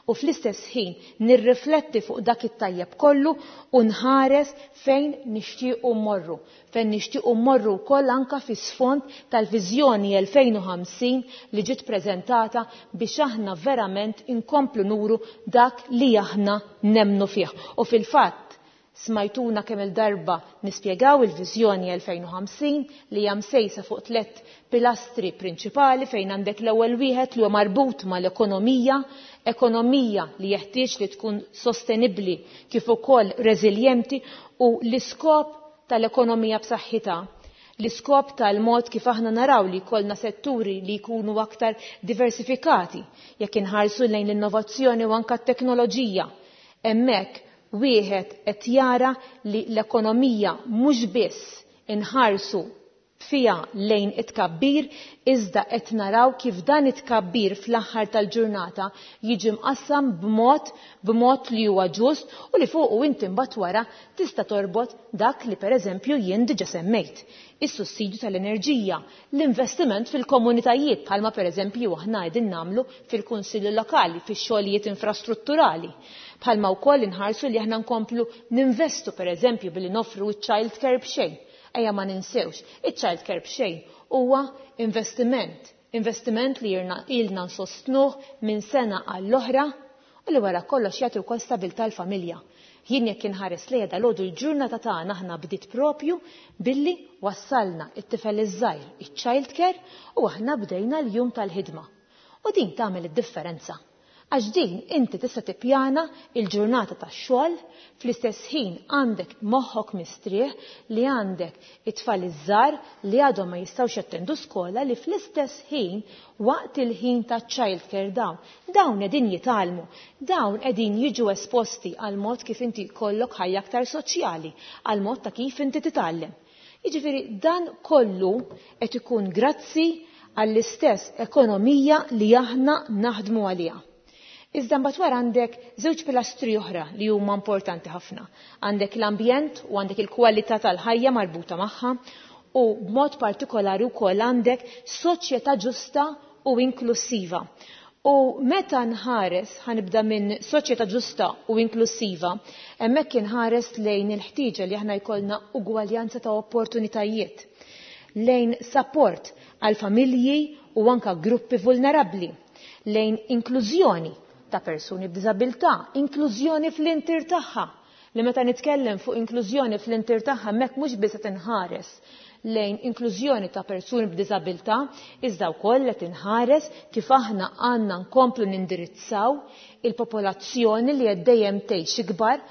u fl-istess ħin nirrifletti fuq dak it-tajjeb kollu u nħares fejn nixtiequ mmorru, fejn nixtiequ mmorru wkoll anke fis-sfond tal-viżjoni elfejn u ħamsin li ġiet preżentata biex aħna verament inkomplu nuru dak li aħna nemmnu fih. U fil-fatt smajtuna kemm il-darba nispjegaw il-viżjoni elfejn u ħamsin li hija msejsa fuq tliet pilastri prinċipali, fejn għandek l-ewwel wieħed li huwa marbut mal-ekonomija, ekonomija li jeħtieġ li tkun sostenibbli kif ukoll reżiljenti, u l-iskop tal-ekonomija b'saħħitha, l-iskop tal-mod kif aħna naraw li jkollna setturi li jkunu aktar diversifikati jekk inħarsu lejn l-innovazzjoni u anke t-teknoloġija. Hemmhekk wieħed qed jara li l-ekonomija mhux biss inħarsu fija lejn it-tkabbir, iżda qed naraw kif dan it-tkabbir fl-aħħar tal-ġurnata jiġi mqassam b'mod, b'mod li huwa ġust u li fuqu inti mbagħad wara tista' torbot dak li pereżempju jien diġà semmejt. Is-sussidju tal-enerġija, l-investiment fil-komunitajiet bħalma pereżempju aħna qegħdin nagħmlu fil-kunsilli lokali, fix-xogħlijiet infrastrutturali. Bħalma wkoll inħarsu li aħna nkomplu ninvestu pereżempju billi noffru ċ-child care b'xejn. Ejja ma ninsewx, iċ-child care b'xejn huwa investiment, investiment li jirna, ilna nsostnuh minn sena għall-oħra u li wara kollox jagħti wkoll stabilità l-familja. Jien jekk inħares lejha dalgħodu l-ġurnata tagħna aħna bdiet propju billi wassalna it-tifel iż-żgħir iċ-child care u aħna bdejna l-jum tal-ħidma. U din tagħmel id-differenza. Għax din inti tista' tippjana il-ġurnata tax-xogħol, fl-istess ħin għandek moħħok mistrieħ li għandek it-tfal iż-żgħar li għadhom ma jistgħux jattendu skola li fl-istess ħin waqt il-ħin ta' childcare dawn, dawn qegħdin jitgħallmu, dawn qegħdin jiġu esposti għal mod kif inti jkollok ħajja aktar soċjali, għal mod ta' kif inti titgħallem. Jiġifieri dan kollu qed ikun grazzi għall-istess ekonomija li aħna naħdmu għaliha. Iżda mbagħad wara għandek żewġ pilastri oħra li huma importanti ħafna. Għandek l-ambjent u għandek il-kwalità tal-ħajja marbuta magħha u b'mod partikolari wkoll għandek soċjetà ġusta u inklusiva. U meta nħares, ħanibda minn soċjetà ġusta u inklusiva, hemmhekk inħares lejn il-ħtieġa li aħna jkollna ugwaljanza ta' opportunitajiet, lejn support għal familji u anka gruppi vulnerabbli, lejn inklużjoni ta' persuni b'diżabilità, inklużjoni fl-intir tagħha. Li meta nitkellem fuq inklużjoni fl-intir tagħha hemmhekk mhux biss qed inħares lejn inklużjoni ta' persuni b'diżabilità, iżda wkoll qed inħares kif aħna għandna nkomplu nindirizzaw il-popolazzjoni li qed dejjem tgħix ikbar,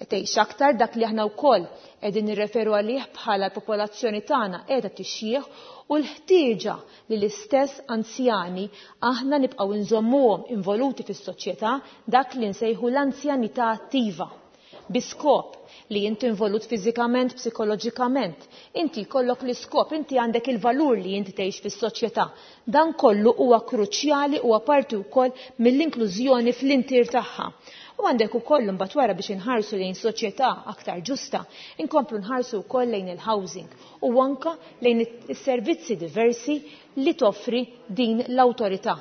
tgħix aktar, dak li aħna wkoll qegħdin nirreferu għalih bħala l-popolazzjoni tagħna qiegħda tixjieħ u l-ħtieġa li l-istess anzjani aħna nibqgħu nżommuhom involuti fis-soċjetà, dak li nsejħu l-anzjanità attiva, bi skop li inti involut fiżikament, psikoloġikament, inti jkollok l-iskop, inti għandek il-valur li inti tgħix fis-soċjetà. Dan kollu huwa kruċjali u parti wkoll mill-inklużjoni fl-intir tagħha. U għandek ukoll imbagħad wara biex inħarsu lejn soċjetà aktar ġusta, inkomplu nħarsu wkoll lejn il-housing u anka lejn is-servizzi diversi li toffri din l-awtorità.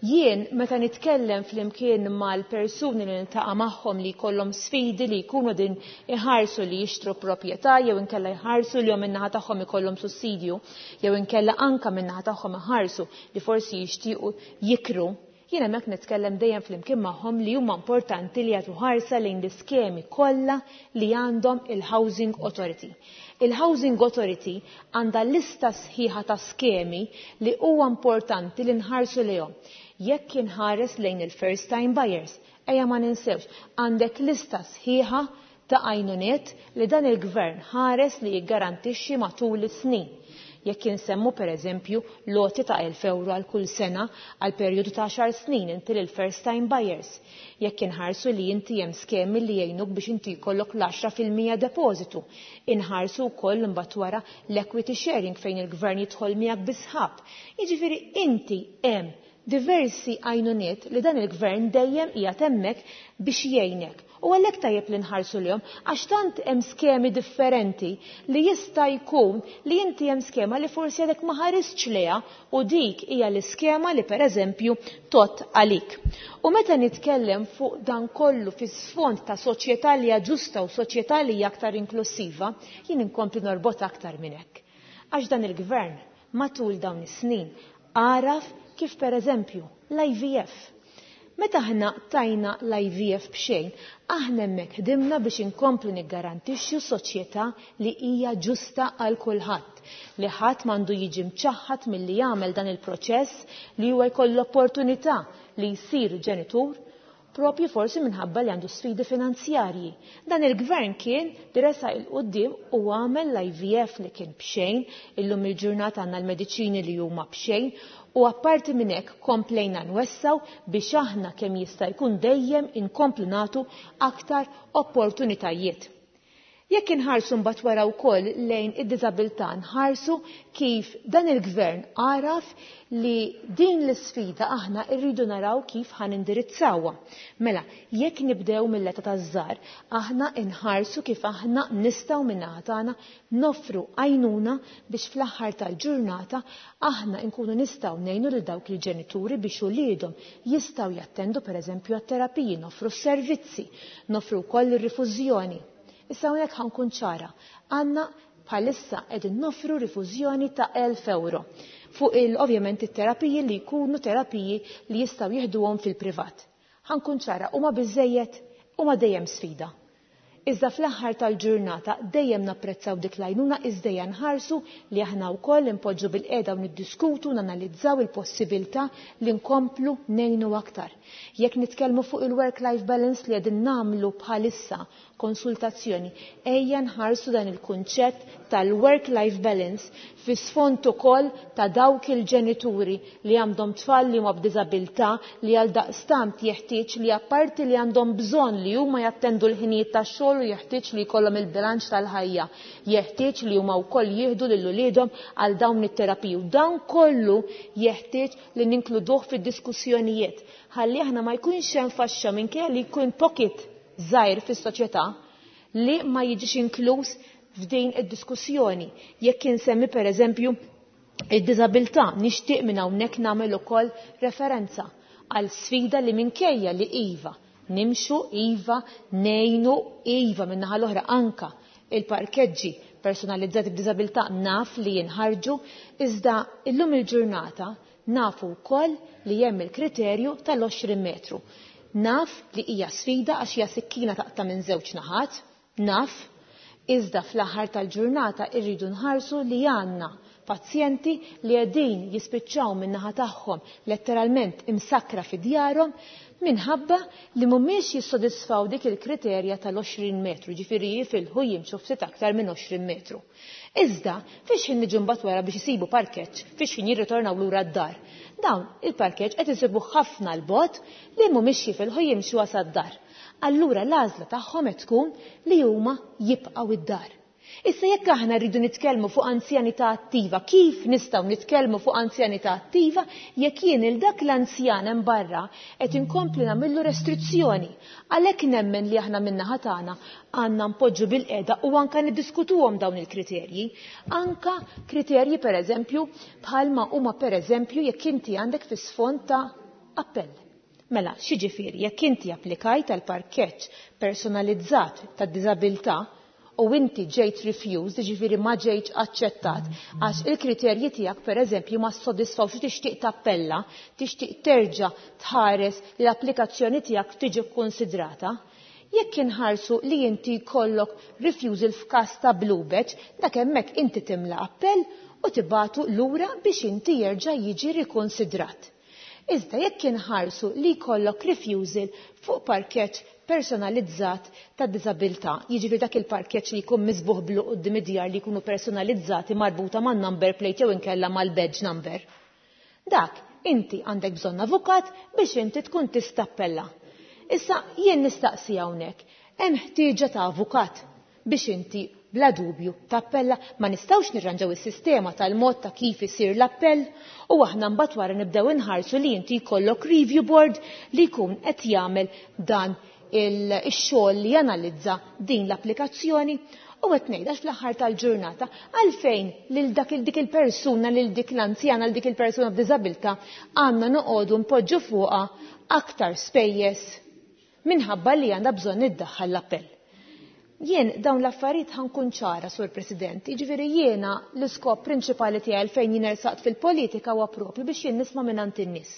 Jien meta nitkellem flimkien mal-persuni li niltaqa' magħhom li jkollhom sfidi li jkunu din iħarsu li jixtru proprjetà jew inkella jħarsu li jom min-naħa tagħhom ikollhom sussidju jew inkella anka min-naħa tagħhom iħarsu li forsi jixtiequ jikru, jien hemmhekk nitkellem dejjem flimkien magħhom li huma importanti li jagħtu ħarsa lejn l-iskemi kollha li għandhom il-Housing Authority. Il-Housing Authority għandha lista sħiħa ta' skemi li huwa importanti li nħarsu lejhom. Jekk inħares lejn il-first time buyers, ejja ma ninsewx, għandek lista sħiħa ta' għajnuniet li dan il-gvern ħares li jiggarantixxi matul is-snin. Jekk insemmu per eżempju loti ta' elf euro għal kull sena għal perjodu ta' għaxar snin inti lil first time buyers. Jekk inħarsu li inti hemm skemi li jgħinuk biex inti jkollok l-għaxra fil-mija depożitu. Inħarsu wkoll imbagħad wara l-equity sharing fejn il-gvern jidħol miegħek bi sħab. Jiġifieri inti hemm diversi għajnuniet li dan il-gvern dejjem qiegħed hemmhekk biex jgħinek. U għalhekk tajjeb li nħarsu lihom, għax tant hemm skemi differenti li jista' jkun li inti hemm skema li forsi għadek ma ħaristx lejha u dik hija l-iskema li pereżempju tot għalik. U meta nitkellem fuq dan kollu fis-sfond ta' soċjetà li hija ġusta u soċjetà li hija aktar inklusiva, jien inkompli norbot aktar minn hekk. Għax dan il-gvern matul dawn is-snin għaraf kif pereżempju l-I V F. Meta aħna tajna l-I V F b'xejn, aħna hemmhekk ħdimna biex inkomplu niggarantixxu soċjetà li hija ġusta għal kulħadd, li ħadd m'għandu jiġi mċaħħad milli jagħmel dan il-proċess li huwa jkollu l-opportunità li jsir ġenitur, propju forsi minħabba li għandu sfidi finanzjarji. Dan il-gvern kien li resaq il-qoddim u għamel l-I V F li kien b'xejn, illum il-ġurnata għandna l-mediċini li huma b'xejn, u apparti minn hekk komplejna nwessaw biex aħna kemm jista' jkun dejjem inkomplu nagħtu aktar opportunitajiet. Jekk inħarsu mbagħad wara wkoll lejn id-diżabilità, nħarsu kif dan il-gvern għaraf li din l-isfida aħna rridu naraw kif ħanindirizzawha. Mela, jekk nibdew mill-età taż-żgħar, aħna nħarsu kif aħna nistgħu min-naħa tagħna noffru għajnuna biex fl-aħħar tal-ġurnata aħna nkunu nistgħu ngħinu lil dawk il-ġenituri biex uliedhom jistgħu jattendu pereżempju għat-terapiji, noffru s-servizzi, noffru wkoll ir-rifużjoni. Issa hawnhekk ħankun ċara, għandna bħalissa qegħdin noffru rifużjoni ta' elf euro fuq il, ovvjament it-terapiji li jkunu terapiji li jistgħu jieħduhom fil-privat. Ħankun ċara, huma biżejjed, huma dejjem sfida. Iżda fl-aħħar tal-ġurnata dejjem napprezzaw dik l-għajnuna, iżda nħarsu li aħna wkoll impoġġu bil-qiegħda u niddiskutu, nanalizzaw il-possibilità li nkomplu ngħinu aktar. Jekk nitkellmu fuq il-work-life balance li qegħdin nagħmlu bħalissa konsultazzjoni, ejja nħarsu dan il-kunċett tal-work-life balance fi sfond ukoll ta' dawk il-ġenituri li għandhom tfal li huma b'diżabilità, li għal daqstant jeħtieġ li apparti li għandhom bżonn li huma jattendu l-ħinijiet tax-xogħol u jeħtieġ li jkollhom il-bilanċ tal-ħajja, jeħtieġ li huma wkoll jieħdu lil uliedhom għal dawn it-terapiji. U dan kollu jeħtieġ li ninkluduh fid-diskussjonijiet ħalli aħna ma jkunx hemm faxxa minkejja li jkun pocket żgħir fis-soċjetà li ma jiġix inkluż f'din id-diskussjoni. Jekk insemmi pereżempju id-diżabilità, nixtieq minn hawnhekk nagħmel ukoll referenza għal sfida li minkejja li iva nimxu, iva ngħinu, iva min-naħa l-oħra anka il-parkeġġi personalizzati b'diżabilità naf li jinħarġu, iżda illum il-ġurnata nafu wkoll li hemm il-kriterju tal-għoxrin metru. Naf li hija sfida għax hija sikkina taqta' minn żewġ naħat, naf, iżda fl-aħħar tal-ġurnata irridu nħarsu li għandna pazjenti li qegħdin jispiċċaw min-naħa tagħhom letteralment imsakra fi djarhom minħabba li mhumiex jissodisfaw dik il-kriterja tal-għoxrin metru, ġifieri jifilħu jimxu ftit aktar minn għoxrin metru. Iżda, fiex ħin niġu mbagħad wara biex isibu parkeġġ, fiex ħin jirritornaw lura d-dar. Dawn il-parkeġġ qed isibu ħafna l-bogħod li mhumiex jifilħu jimxu għas-dar. Allura l-għażla tagħhom qed tkun li huma jibqgħu id-dar. Issa jekk aħna rridu nitkellmu fuq anzjanità attiva, kif nistgħu nitkellmu fuq anzjanità attiva jekk jien il dak l-anzjan hemm barra qed inkompli nagħmillu restrizzjoni? Għalhekk nemmen li aħna min-naħa tagħna għandna npoġġu bil-qiegħda u anke niddiskutuhom dawn il-kriterji. Anka kriterji pereżempju bħalma huma pereżempju jekk inti għandek fi sfond ta' appell. Mela, x'jiġifieri jekk inti applikajt għal parkeġġ personalizzat tad-diżabilità u inti ġejt refused, ġifieri ma ġejtx aċċettat, għax il-kriterji tiegħek pereżempju ma ssodisfawx u tixtieq tappella, tixtieq terġa' tħares li l-applikazzjoni tiegħek tiġi kkonsidrata. Jekk inħarsu li inti jkollok refusal f'każ ta' blue badge, dak hemmhekk inti timla appell u tibatu lura biex inti jerġa' jiġi rikonsidrat. Iżda jekk inħarsu li jkollok refusal fuq parkeġġ personalizzat ta' diżabilità, jiġifieri dak il-parkeġġ li jkun miżbuħ blu quddiem id-djar li jkunu personalizzati marbuta man number plate jew inkella mal-badge number. Dak inti għandek bżonn avukat biex inti tkun tista' tappella. Issa jien nistaqsi hawnhekk, hemm ħtieġa ta' avukat biex inti bla dubju tappella? Ma nistgħux nirranġaw is-sistema tal-mod ta' kif isir l-appell u aħna mbagħad wara nibdew inħarsu li inti jkollok review board li jkun qed jagħmel dan il-xogħol li janalizza din l-applikazzjoni. U qed ngħid għax fl-aħħar tal-ġurnata għalfejn lil dak dik il-persuna, lil dik l-anzjana, lil dik il-persuna b'diżabilità għandna noqogħdu npoġġu fuqha aktar spejjeż minħabba li għandha bżonn iddaħħal l-appell. Jien dawn l-affarijiet ħankun ċara, Sur President, jiġifieri jiena l-iskop prinċipali tiegħi għalfejn jien ersaqt fil-politika huwa propju biex jien nisma' mingħand in-nies.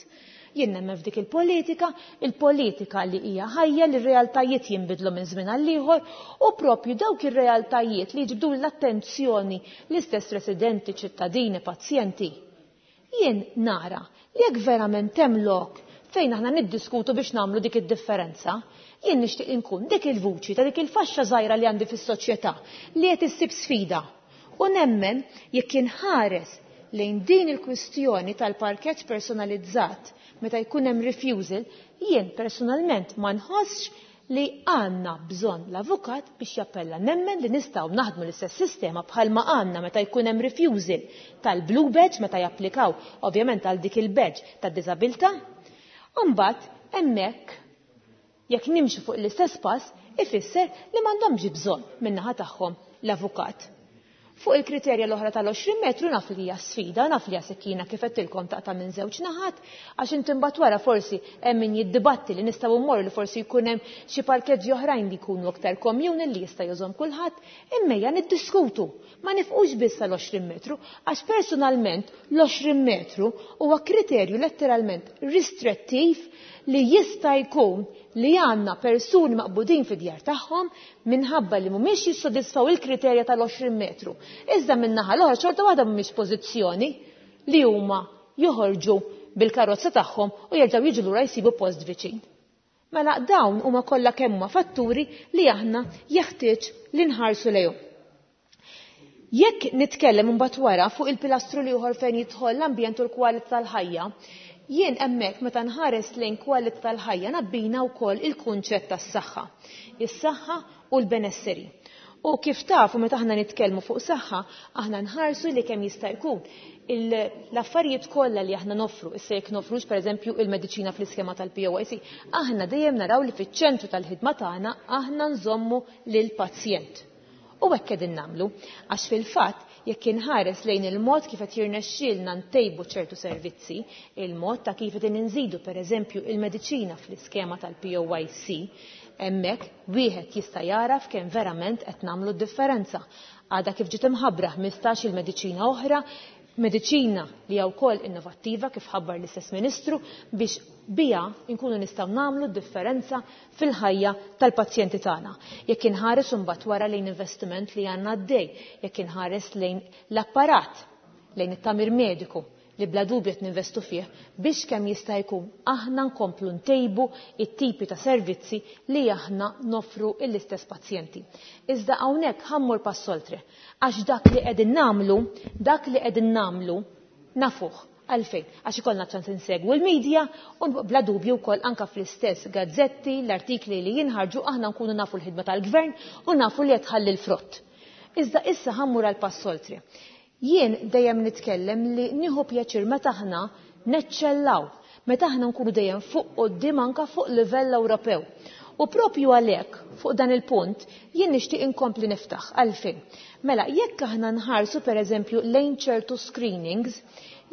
Jien nemmen f'dik il-politika, il-politika li hija ħajja, li r-realtajiet jinbidlu minn żmien għal ieħor u propju dawk ir-realtajiet li jiġbdu l-attenzjoni l-istess residenti, ċittadini, pazjenti. Jien nara li jekk verament hemm lok fejn aħna niddiskutu biex nagħmlu dik id-differenza, jien nixtieq inkun dik il-vuċi ta' dik il-faxxa żgħira li għandi fis-soċjetà li qed issib sfida. U nemmen jekk inħares lejn din il-kwistjoni tal-parkeġġ personalizzat meta jkun hemm refusal, jien personalment ma nħossx li għandna bżonn l-avukat biex jappella. Nemmen li nistgħu naħdmu l-istess sistema bħalma għandna meta jkun hemm refusal tal-blue badge meta japplikaw ovvjament għal dik il-badge tad-diżabilità. Imbagħad hemmhekk jekk nimxu fuq l-istess pass ifisser li m'għandhomx bżonn min-naħa tagħhom l-avukat. Fuq il-kriterja l-oħra tal-għoxrin metru naf li hija sfida, naf li hija sikkina kif għedtilkom taqta' minn żewġ naħat, għax inti mbagħad wara forsi hemm min jiddibatti li nistgħu mmorru li forsi jkun hemm xi parkeġġi oħrajn li jkunu aktar komuni li jista' jużhom kulħadd, imma ejja niddiskutu. Ma nifqux biss għal-għoxrin metru, għax personalment l-għoxrin metru huwa kriterju letteralment ristrettiv li jista' jkun li għandna persuni maqbudin fid-djar tagħhom minħabba li mhumiex jissodisfaw il-kriterja tal-għoxrin metru. Iżda min-naħa l-oħra xorta waħda mhumiex pożizzjoni li huma joħorġu bil-karozza tagħhom u jerġgħu jiġu lura jsibu post viċin. Mela dawn huma kollha kemm huma fatturi li aħna jeħtieġ li nħarsu lejhom. Jekk nitkellem imbagħad wara fuq il-pilastru li ieħor fejn jidħol l-ambjent u l-kwalità tal-ħajja, jien hemmhekk meta nħares lejn kwalità tal-ħajja nabbina wkoll il-kunċett tas-saħħa, is-saħħa u l-benesseri. U kif tafu meta aħna nitkellmu fuq saħħa, aħna nħarsu li kemm jista' jkun l-affarijiet kollha li aħna noffru, issa jekk nofrux pereżempju il-mediċina fl-iskema tal-P O I C, aħna dejjem naraw li fiċ-ċentru tal-ħidma tagħna aħna nżommu lill-pazjent. U hekk qegħdin nagħmlu, għax fil-fatt jekk inħares lejn il-mod kif qed jirnexxielna ntejbu ċertu servizzi, il-mod ta' kif qegħdin inżidu pereżempju il-mediċina fl-iskema tal-P O I C, hemmhekk wieħed jista' jaraf kemm verament qed nagħmlu d-differenza. Għadha kif ġiet imħabbra ħmistax il-mediċina oħra, mediċina li hija wkoll innovattiva kif ħabbar l-istess Ministru biex biha nkunu nistgħu nagħmlu d-differenza fil-ħajja tal-pazjenti tagħna. Jekk inħares imbagħad wara lejn investiment li għandna għaddej, jekk inħares lejn l-apparat, lejn it-tagħmir mediku li bla dubju qed ninvestu fih biex kemm jista' jkun aħna nkomplu ntejbu it-tipi ta' servizzi li aħna noffru l-istess pazjenti. Iżda hawnhekk ħammur pass oltre, għax dak li qegħdin nagħmlu, dak li qegħdin nagħmlu nafuh. Għalfejn, għax ikollna ċans insegwu l-medja u bla dubju wkoll anka fl-istess gazzetti, l-artikli li jinħarġu aħna nkunu nafu l-ħidma tal-gvern u nafu li qed tħalli l-frott. Iżda issa ħammur għal pass oltre. Jien dejjem nitkellem li nieħu pjaċir meta aħna neċċellaw, meta aħna nkunu dejjem fuq quddiem anka fuq livell Ewropew. U propju għalhekk fuq dan il-punt jien nixtieq inkompli niftaħ għalfejn. Mela jekk aħna nħarsu pereżempju lejn ċertu screenings,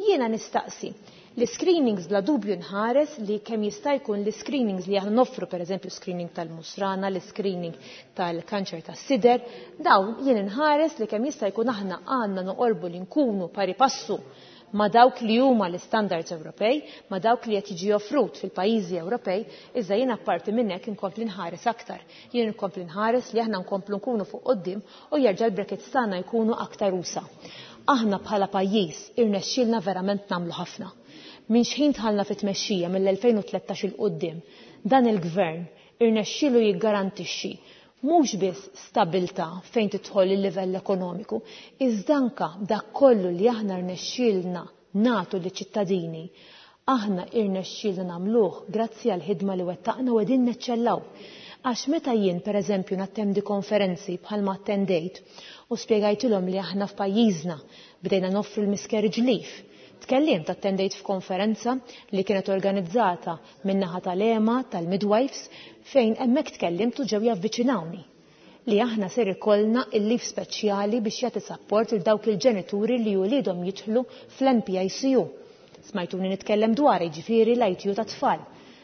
jiena nistaqsi. L-screenings bla dubju nħares li kemm jista' jkun l-screenings li aħna noffru pereżempju screening tal-musrana, l-screening tal-kanċer tas-sider, dawn jien inħares li kemm jista' jkun aħna għandna noqorbu li nkunu pari passu ma' dawk li huma l-istandards Ewropej, ma' dawk li qed jiġi offrut fil-pajjiżi Ewropej, iżda jien apparti minn hekk inkompli nħares aktar. Jien inkompli nħares li aħna nkomplu nkunu fuq quddiem u jerġa' l-brackets tagħna jkunu aktar usa. Aħna bħala pajjiż irnexxielna verament nagħmlu ħafna. Minn xħin tħallna fit-tmexxija mill-elfejn u tlettax il quddiem, dan il-gvern irnexxielu jiggarantixxi mhux biss stabilta fejn tidħol il-livell ekonomiku, iżda anke dak kollu li aħna rnexxielna nagħtu liċ-ċittadini, aħna irnexxielna nagħmluh grazzi għall-ħidma li wettaqna u qegħdin neċċellaw. Għax meta jien pereżempju nattendi konferenzi bħalma attendejt u spjegajtilhom li aħna f'pajjiżna bdejna noffru l-miscarriage leave, tkellimt attendejt f'konferenza li kienet organizzata min-naħa tal-E M A tal-midwives fejn hemmhekk tkellimt u ġew javviċinawni li aħna ser ikollna il-leave speċjali biex jagħti sapport lil dawk il-ġenituri li wliedhom jidħlu fl-N P I C U. Smajtuni nitkellem dwar jiġifieri l-I T U ta' tfal.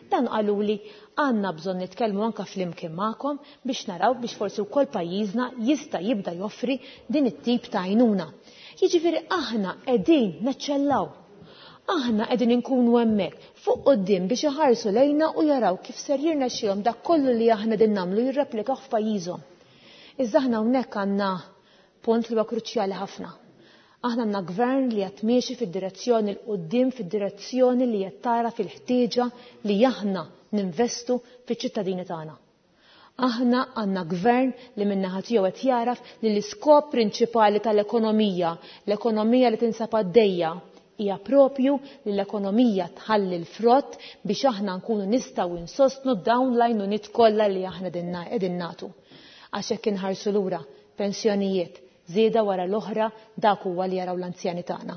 Dan qalu li għandna bżonn nitkellmu anke flimkien magħkom biex naraw biex forsi wkoll pajjiżna jista' jibda joffri din it-tip ta' għajnuna. Jiġifieri aħna qegħdin neċċellaw. Aħna qegħdin inkunu hemmhekk fuq quddiem biex iħarsu lejna u jaraw kif ser jirnexxihom dak kollu li aħna qegħdin nagħmlu jirreplikaw f'pajjiżhom. Iżda aħna hawnhekk għandna punt li huwa kruċjali ħafna. Aħna għandna gvern li qed miexi fid-direzzjoni l quddiem, fid-direzzjoni li qed tara fil-ħtieġa li aħna ninvestu fiċ-ċittadini tagħna. Aħna għandna gvern li min-naħa tiegħu qed jaraf li l-iskop prinċipali tal-ekonomija, l-ekonomija li tinsab għaddejja, hija propju li l-ekonomija tħalli l-frott biex aħna nkunu nistgħu insostnu dawn l-għajnuniet kollha li aħna qegħdin nagħtu. Għax hekk inħarsu lura pensjonijiet, żieda wara l-oħra, dak huwa li jaraw l-anzjani tagħna.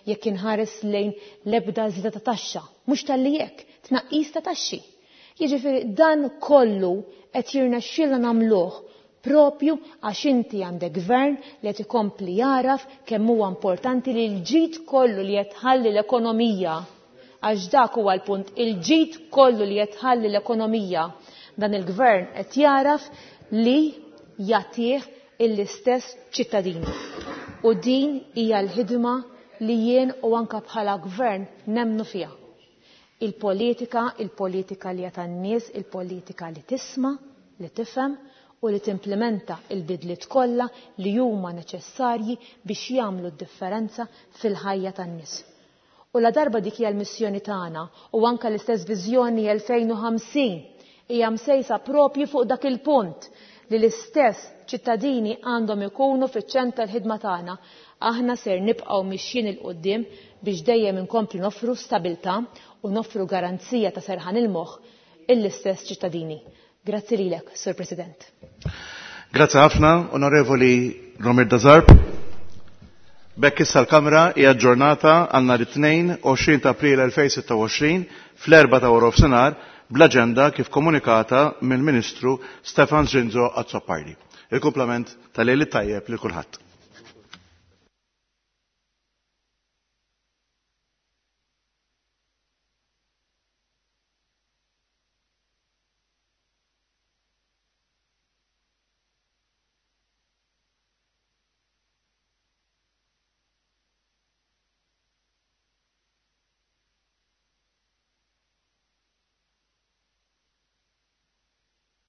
Jekk inħares lejn l-ebda żieda ta' taxxa, mhux talli hekk, tnaqqis ta' taxxi. Jiġifieri dan kollu qed jirnexxielna nagħmluh Propju għax inti għandek gvern li qed ikompli jaraf kemm huwa importanti li l-ġid kollu li qed tħalli l-ekonomija, għax dak huwa l-punt, il-ġid kollu li qed tħalli l-ekonomija, dan il-gvern qed jaraf li jagħtih l-istess ċittadini. U din hija l-ħidma li jien u anka bħala gvern nemnu fiha. Il-politika, il-politika li hija tan-nies, il-politika li tisma', li tifhem u li timplementa il-bidliet kollha li huma neċessarji biex jagħmlu d-differenza fil-ħajja tan-nies. U la darba dik hija l-missjoni tagħna u anke l-istess viżjoni elfejn u ħamsin hija msejsa propju fuq dak il-punt li l-istess ċittadini għandhom ikunu fiċ-ċentru tal-ħidma tagħna. Aħna ser nibqgħu mixjin il quddiem biex dejjem inkomplu noffru stabilità u noffru garanzija ta' serħan il-moħħ l-istess ċittadini. Grazzi lilek, Sur President. Grazzi ħafna, Onorevoli Romirda Zarb. B'hekk issa l-Kamra hija aġġornata għal nhar it-tnejn għoxrin ta' April elfejn sitta u għoxrin fl-erba' ta' wara nofsinhar bl-aġenda kif komunikata mill-Ministru Stefan Zrinzo Azzopardi. Il-kumplament tal-lejl it-tajjeb lil kulħadd.